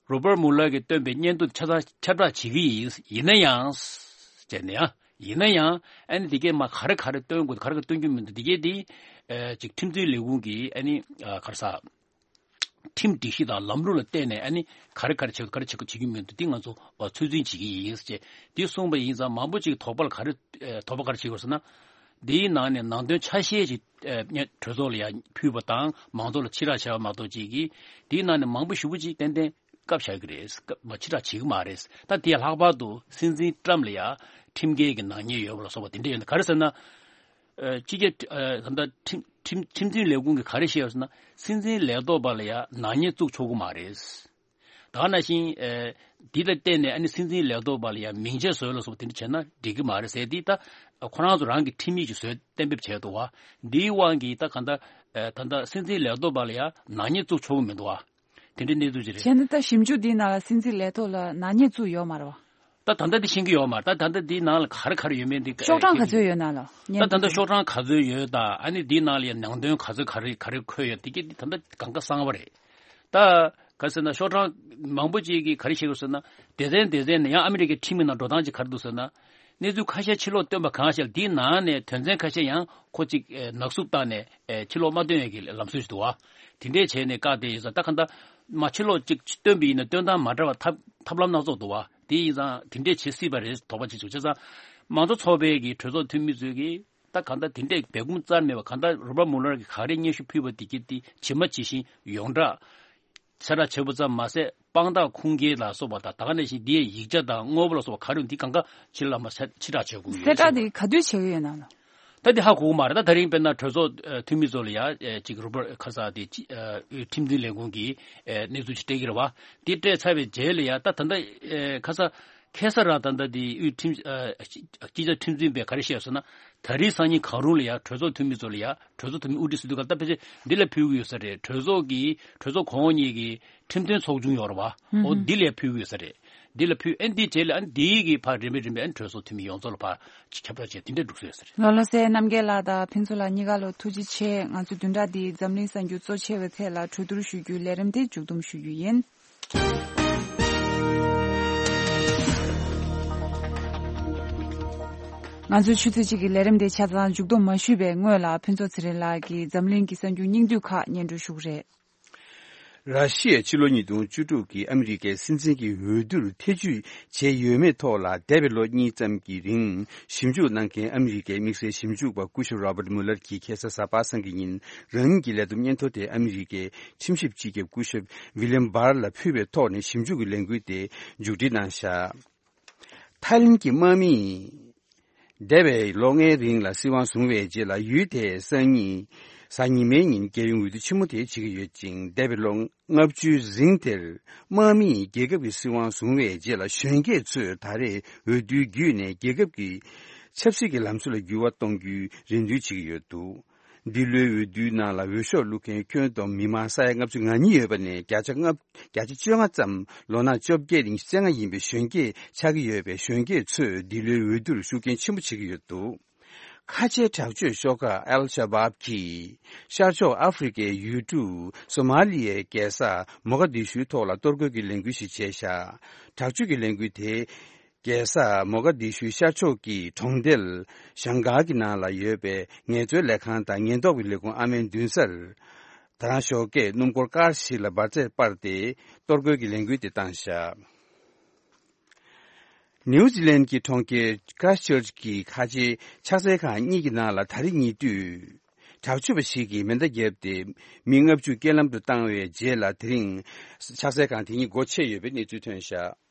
རོ་པར་མུ་ལར་གྱིས་བཏོན་པའི་སྙན་ཐོ་ཆ་ཚང་ཁྱབ་བསྒྲགས་བྱེད་ཀྱི་ཡིན། ཡིན་ན་ཡང་། བྱས་ནས་ཡང་། ཡིན་ན་ཡང་ཨ་ནི་དེ་གས་མ་ག་རེ་ག་རེ་སྟོན་དགོས་ག་རེ་ག་རེ་སྟོན་རྒྱུ་མི་འདུག་དེ་གས་དེ། ཨ་ཅིག་ཁྲིམས་འཛིན་ལས་ཁུངས་ཀྱིས་ཨ་ནི་ཨ་ག་རེ་ཟ། ཁྲིམས་སྒྲིག་གཞི་དང་ལམ་ལུགས་ལ་བརྟེན་ནས་ཨ་ནི་ག་རེ་ག་རེ་བྱེད་དགོས་ག་རེ་བྱེད་དགོས་བྱེད་རྒྱུ་མི་འདུག་དེ་ང་ཚོ་ཨ་ཚོད་འཛིན་བྱེད་ཀྱི་ཡིན་ཟེར་བྱས་དེ་གསུངས་པ་ཡིན་ཙང་མང་པོ་ཅིག་དོགས་པ་ལ་ག་རེ་ཨ་དོགས་པ་ག་རེ་བྱེད་དགོས་ཟེར་ན། འདིའི་ནང་ནས་ནང་དོན་ཆ་ཤས་ཅིག་ཨ་གྲོས་ཚོགས་ལ་ཡང་ཕུལ་བ་དང་མང་ཚོགས་ལ་ཕྱིར་བསྒྲགས་བྱས་པ་མ་གཏོགས་ཅིག་གིས་དེའི་ནང་ནས་མང་པོ་ཞེ་པོ་ཅིག་ཏན་ཏན་བཀག་བཞག་གི་རེད། བཀག་མ་ཕྱིར་བསྒྲགས་བྱེད་ཀྱི་མ་རེད། ད་དེ་ལྷག་པར་དུ་སྲིད་འཛིན་ཊམ་ལ་ཡང་ཁྲིམས་འགལ་གྱི་ནག་ཉེས་ཡོད་པ་ལ་སོགས་པ་དེ་འདྲ་ཡོད་ན་ག་རེ་ཟེར་ན། ཨ་སྤྱི་ཁྱབ་ཨ་ད་ལྟ་ཁྲིམས་ཁྲིམས་ཁྲིམས་འཛིན་ལས་ཁུངས་ཀྱིས་ག་རེ་བཤད་ཡོད་ཟེར་ན། སྲིད་འཛིན་ལས་ཐོག་པ་ལ་ཡང་ནག་ཉེས་བཙུགས་ཆོག་གི་མ་རེད། ད་ག་ནང་བཞིན་ཨ་འདི་ལ་བརྟེན་ནས་ཨ་ནི་སྲིད་འཛིན་ལས་ཐོག་པ་ལ་ཡང་མིང་ཆད་བཟོས་ལ་སོགས་པ་དེ་འདྲ་བྱས་ན་འགྲིག་གི་མ་རེད་ཟེར། འདི་ད་ཁོ་རང་ཚོ་རང་གི་ཁྲིམས་ཡིག་ཅིག་བཟོས་གཏན་འབེབས་བྱས་འདུག་བ། འདིའི་དབང་གིས་ད་ག་ད་ཨ་ད་ལྟ་སྲིད་འཛིན་ལས་ཐོག་པ་ལ་ཡང་ནག་ཉེས་བཙུགས་ཆོག་གི་མི་འདུག་བ། དེ་འདྲའི་གནས་ཚུལ་ཅིག་རེད། བྱས་ན་ད་ཞིབ་འཇུག་འདིའི་ནང་ལ་སྲིད་འཛིན་ལས་ཐོག་ལ་ནག་ཉེས་བཙུགས་ཡོད་མ་རེད་བ། ད་ད་ལྟ་འདི་ཤེས་ཀྱི་ཡོད་མ་རེད། ད་ད་ལྟ་འདིའི་ནང་ལ་ག་རེ་ག་རེ་ཡོད་མེད་འདི་ཤོག་གྲངས་ག་ཚོད་ཡོད་ན་ལ། ད་ད་ལྟ་ཤོག་གྲངས་ག་ཚོད་ཡོད་དང་ཨ་ནི་འདིའི་ནང་ལ་ཡང་ནང་དོན་ག་ཚོད་ག་རེ་ག་རེ་འཁོད་ཡོད་འདི་གི་འདི་ད་ལྟ་གང་ག་གསང་བ་རེད། ད་ག་ཟེར་ན་ཤོག་གྲངས་མང་པོ་ཅིག་གིས་ག་རེ་བཤད་ཀྱི་ཟེར་ན། སྡེ་ཚན་སྡེ་ཚན་ནས་ཡང་ཨ་མི་རི་ཀའི་ཁྲིམས་ཀྱི་ནང་འགྲོ་སྟངས་ཅིག་ག་རེ་འདུག་ཟེར་ན། གནས་ཚུལ་ཁ་ཤས་ཕྱིར་སློག་བཏོན་པ་གང་ཤེས་ལ་འདིའི་ནང་ནས་དོན་ཚན་ཁ་ཤས་ཡང་ཁོ་ཅིག་ཨེ་ནག་བསུབ་བཏང་ནས་ཨེ་ཕྱིར་སློག་མ་བཏོན་ཡས་ཀྱི་ལམ་སྲོལ་ཞིག་འདུག་བ། དེ་འདྲས་བྱས་ནས་བཀག་བསྡད་ཡོད་ས། ད་གང་ལྟར་མ་ཕྱིར་སློག་ཅིག་བཏོན་པ་ཡིན་ན་བཏོན་སྟངས་མ་འདྲ་བ་ཐབས་ཐབས་ལམ་སྣ་ཚོགས་འདུག་བ། དེ་ཡིན་ཙང་དེ་འདྲས་བྱེད་སྲིད་པ་རེད་དོགས་པ་ཅིག་བྱུང་། བྱས་ཙང་མང་གཙོ་ཚོགས་པའི་གི་གྲོས་ཚོགས་འཐུས་མི་ཚོས་གི་ད་གང་ལྟར་དེ་འདྲས་སྦས་སྐུང་རྩ་མེད་པ་གང་ལྟར་རོ་པར་མུ་ལར་གྱིས་ག་རེ་སྙན་ཞུ་ཕུལ་བ་དེ་གི་དེ་ཇི་མ་ཇི་བཞིན་ཡོངས་གྲགས་གསལ་བསྒྲགས་བྱས་པ་ཙམ་མ་ཟད་དཔང་རྟགས་ཁུངས་སྐྱེལ་ལ་སོགས་པ་དང་ད་ག་ནང་བཞིན་འདི་ཡི་ཡིག་ཆ་དང་དངོས་པོ་ལ་སོགས་པ་ག་རེ་ཡོད་འདི་གང་ག་ཕྱི་ལ་མ་ཕྱི་ཕྱིར་བསྒྲགས་བྱེད་དགོས་ཡོད་གསལ་བསྒྲགས་ཟེར། དེ་ག་དུས་བྱེད་ཀྱི་ཡོད་ན་ལ། ད་འདི་ཧ་གོ་གི་མ་རེད། ད་དེ་རིང་དཔེར་ན་གྲོས་ཚོགས་ཨ་འཐུས་མི་ཚོ་ལ་ཡ་ཨ་ཅིག་རོ་པར་ཁ་ས་དེ་ཅི་ཨ་ཁྲིམས་འཛིན་ལས་ཁུངས་ཀྱིས་ཨ་གནས་ཚུལ་ཅིག་སྤྲད་ཀྱི་རེད་བ། དེ་སྤྲད་ཚར་བའི་རྗེས་ལ་ཡ་ད་ད་ལྟ་ཨ་ཁ་ས་ཁ་སང་རང་ད་ལྟ་དེ་དབུས་ཁྲིམས་ཨ་སྤྱི་ཁྱབ་ཁྲིམས་འཛིན་པས་ག་རེ་བཤད་ཟེར་ན། ད་རེས་སང་ཉིན་གང་རུང་ལ་ཡ་གྲོས་ཚོགས་འཐུས་མི་ཚོ་ལ་ཡ་གྲོས་ཚོགས་འཐུས་མི་དབུ་ཁྲིད་ཟེར་དུས་ག་ད་ཕལ་ཆེར་འདི་ལ་ཕུལ་གྱི་ཡོད་ས་རེད། གྲོས་ཚོགས་ཀྱི་གྲོས་ཚོགས་གོང་འོག་གཉིས་ཀྱི་ཁྲིམས་དོན་ཚོགས་ཆུང་ཡོད་རེད་བ། ཨོ་འདི་ལ་ཕུལ་གྱི་ཡོད་ས་རེད། འདི་ལ་ཕུལ་ཨ་ནི་འདིའི་རྗེས་ལ་ཨ་ནི་འདིའི་གི་ཕར་རིམ་པས་རིམ་པས་ཨ་ནི་གྲོས་ཚོགས་འཐུས་མི་ཡོངས་རྫོགས་ལ་ཕར་ཁྱབ་བསྒྲགས་བྱས་དེ་འདྲས་འགྲོ་ས་ཡོད་ས་རེད། ལགས་ལགས་སེ། རྣམ་རྒྱལ་ལགས་དང་ཕུན་ཚོགས་ལགས་གཉིས་ཀ་ལ་ཐུགས་རྗེ་ཆེ། ང་ཚོའི་བདུན་ཕྲག་འདིའི་འཛམ་གླིང་གསར་འགྱུར་གཙོ་ཆེ་བའི་ཐད་ལ་གྲོས་བསྡུར་ཞུ་རྒྱུའི་ལས་རིམ་དེ་མཇུག་བསྡོམས་ཞུ་རྒྱུ་ཡིན། ང་ཚོའི་ཆུ་ཚོད་གཅིག་གི་ལས་རིམ་དེ་ཆ་ཚང་མཇུག་བསྡོམས་མ་ཞུས་པའི་སྔོན་ལ་ཕུན་ཚོགས་ཚེ་རིང་ལགས་ཀྱིས་འཛམ་གླིང་གི་གསར་འགྱུར་སྙིང་བསྡུས་ཁག་སྙན་སྒྲོན་ཞུ་གི་རེད། ར་ཤི་ཡས་ཕྱི་ལོ་ཉིས་སྟོང་བཅུ་དྲུག་གི་ཨ་མི་རི་ཀའི་སྲིད་འཛིན་གྱི་འོས་བསྡུར་ཐེ་བྱུས་བྱས་ཡོད་མེད་ཐོག་ལ་འདས་པའི་ལོ་གཉིས་ཙམ་གྱི་རིང་ཞིབ་འཇུག་གནང་མཁན་ཨ་མི་རི་ཀའི་དམིགས་བསལ་ཞིབ་འཇུག་པ་སྐུ་ཞབས་Robert Mueller་གྱིས་ཁ་སང་གཟའ་པ་སངས་ཀྱི་ཉིན་རང་ཉིད་ཀྱི་ལས་བསྡོམས་སྙན་ཐོ་དེ་ཨ་མི་རི་ཀའི་ཁྲིམས་ཞིབ་སྤྱི་ཁྱབ་སྐུ་ཞབས་William Barr་ལ་ཕུལ་བའི་ཐོག་ནས་ཞིབ་འཇུག་གི་ལས་འགུལ་དེ་མཇུག་སྒྲིལ་གནང་བཞག། ཐའི་ལེན་གྱི་དམག་མིས་འདས་པའི་ལོ་ལྔའི་རིང་ལ་སྲིད་དབང་བཟུང་བའི་རྗེས་ལ་ཡུལ་དེའི་སང་ཉིན་གཟའ་ཉི་མའི་ཉིན་རྒྱལ་ཡོངས་འོས་བསྡུ་ཆེན་མོ་དེ་བྱེད་ཀྱི་ཡོད་ཅིང་། འདས་པའི་ལོ་ལྔ་བཅུའི་རིང་དེར་དམག་མིས་རྒྱལ་ཁབ་ཀྱི་སྲིད་དབང་བཟུང་བའི་རྗེས་ལ་གཞོན་སྐྱེས་ཚོས་ད་རེས་འོས་བསྡུ་བརྒྱུད་ནས་རྒྱལ་ཁབ་ཀྱི་ཆབ་སྲིད་ཀྱི་ལམ་སྲོལ་ལ་འགྱུར་བ་གཏོང་རྒྱུའི་རེ་འདུན་བྱེད་ཀྱི་ཡོད་འདུག། འདི་ལོའི་འོས་བསྡུའི་ནང་ལ་འོས་ཤོག་བླུག་མཁན་ཁྱོན་བསྡོམས་མི་མང་ས་ཡ་ལྔ་བཅུ་ང་གཉིས་ཡོད་པ་ནས་བརྒྱ་ཆ་ལྔ་བརྒྱ་ཆ་བཅོ་ལྔ་ཙམ་ལོ་ན་བཅོ་བརྒྱད་རིང་བཅོ་ལྔ་ཡིན་པའི་གཞོན་སྐྱེས་ཆགས་ཀྱི་ཡོད་པས། གཞོན་སྐྱེས་ཚོས་འདི་ལོའི་འོས་བསྡུར་ཤུགས་རྐྱེན་ཆེན་པོ་བྱེད་ཀྱི་ཡོད་འདུག། ཁ་ཆེའི་དྲག་སྤྱོད་ཤོག་ཁག་ཨལ་ཤ་བཱབ་ཀྱིས་ཤར་ཕྱོགས་ཨ་ཧྥེ་རི་ཀའི་ཡུལ་གྲུ་སོ་མ་ལི་ཡའི་རྒྱལ་ས་མོ་ག་དི་ཤུའི་ཐོག་ལ་གཏོར་རྒོལ་གྱི་ལས་འགུལ་ཞིག་བྱས་བཞག། དྲག་སྤྱོད་ཀྱི་ལས་འགུལ་དེ་རྒྱལ་ས་མོ་ག་དི་ཤུའི་ཤར་ཕྱོགས་ཀྱི་གྲོང་རྡལ་ཞང་གྷ་གི་ནང་ལ་ཡོད་པའི་ངལ་རྩོལ་ལས་ཁང་དང་ཉེན་རྟོག་པའི་ལས་ཁུངས་ཨ་མའི་མདུན་སར། ད་རང་ཞོགས་ཀས་སྣུམ་འཁོར་ཀར་ཞིག་ལ་འབར་རྫས་སྤར་ཏེ་གཏོར་རྒོལ་གྱི་ལས་འགུལ་དེ་བཏང་བཞག། ནིའུ་ཛི་ལན་གྱི་གྲོང་ཁྱེར་ཁ་ར་སི་ཊི་ཆར་ཅི་གི་ཁ་ཆེའི་ཕྱག་འཚལ་ཁང་གཉིས་ཀྱི་ནང་ལ་ད་རེས་ཉེ་དུས་དྲག་སྤྱོད་པ་ཞིག་གིས་མེ་མདའ་བརྒྱབ་སྟེ་མི་ལྔ་བཅུ་རྐྱེན་ལམ་དུ་བཏང་བའི་རྗེས་ལ་དེ་རིང་ཕྱག་འཚལ་ཁང་དེ་ཉིད་སྒོ་ཕྱེ་ཡོད་པའི་གནས་ཚུལ་ཐོན་བཞག།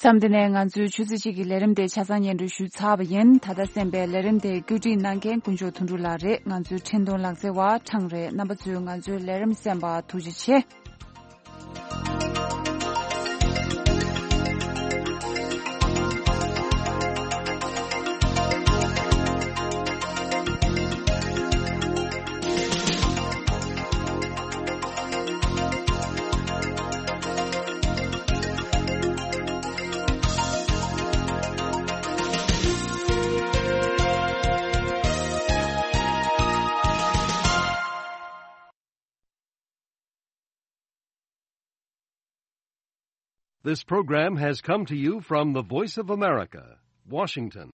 མཚམས་འདི་ནས་ང་ཚོའི་ཆུ་ཚོད་གཅིག་གི་ལས་རིམ་དེ་ཆ་ཚང་སྙན་སྒྲོན་ཞུས་ཚར་བ་ཡིན། ད་ལྟ་གསན་པའི་ལས་རིམ་དེ་བཀོད་སྒྲིག་གནང་མཁན་དཀོན་མཆོག་དོན་གྲུབ་ལགས་རེད། ང་ཚོའི་འཕྲིན་གཏོང་ལག་རྩལ་བ་ཁྲང་རེད། རྣམ་པ་ཚོས་ང་ཚོའི་ལས་རིམ་གསན་པར་ཐུགས་རྗེ་ཆེ། This program has come to you from the Voice of America, Washington.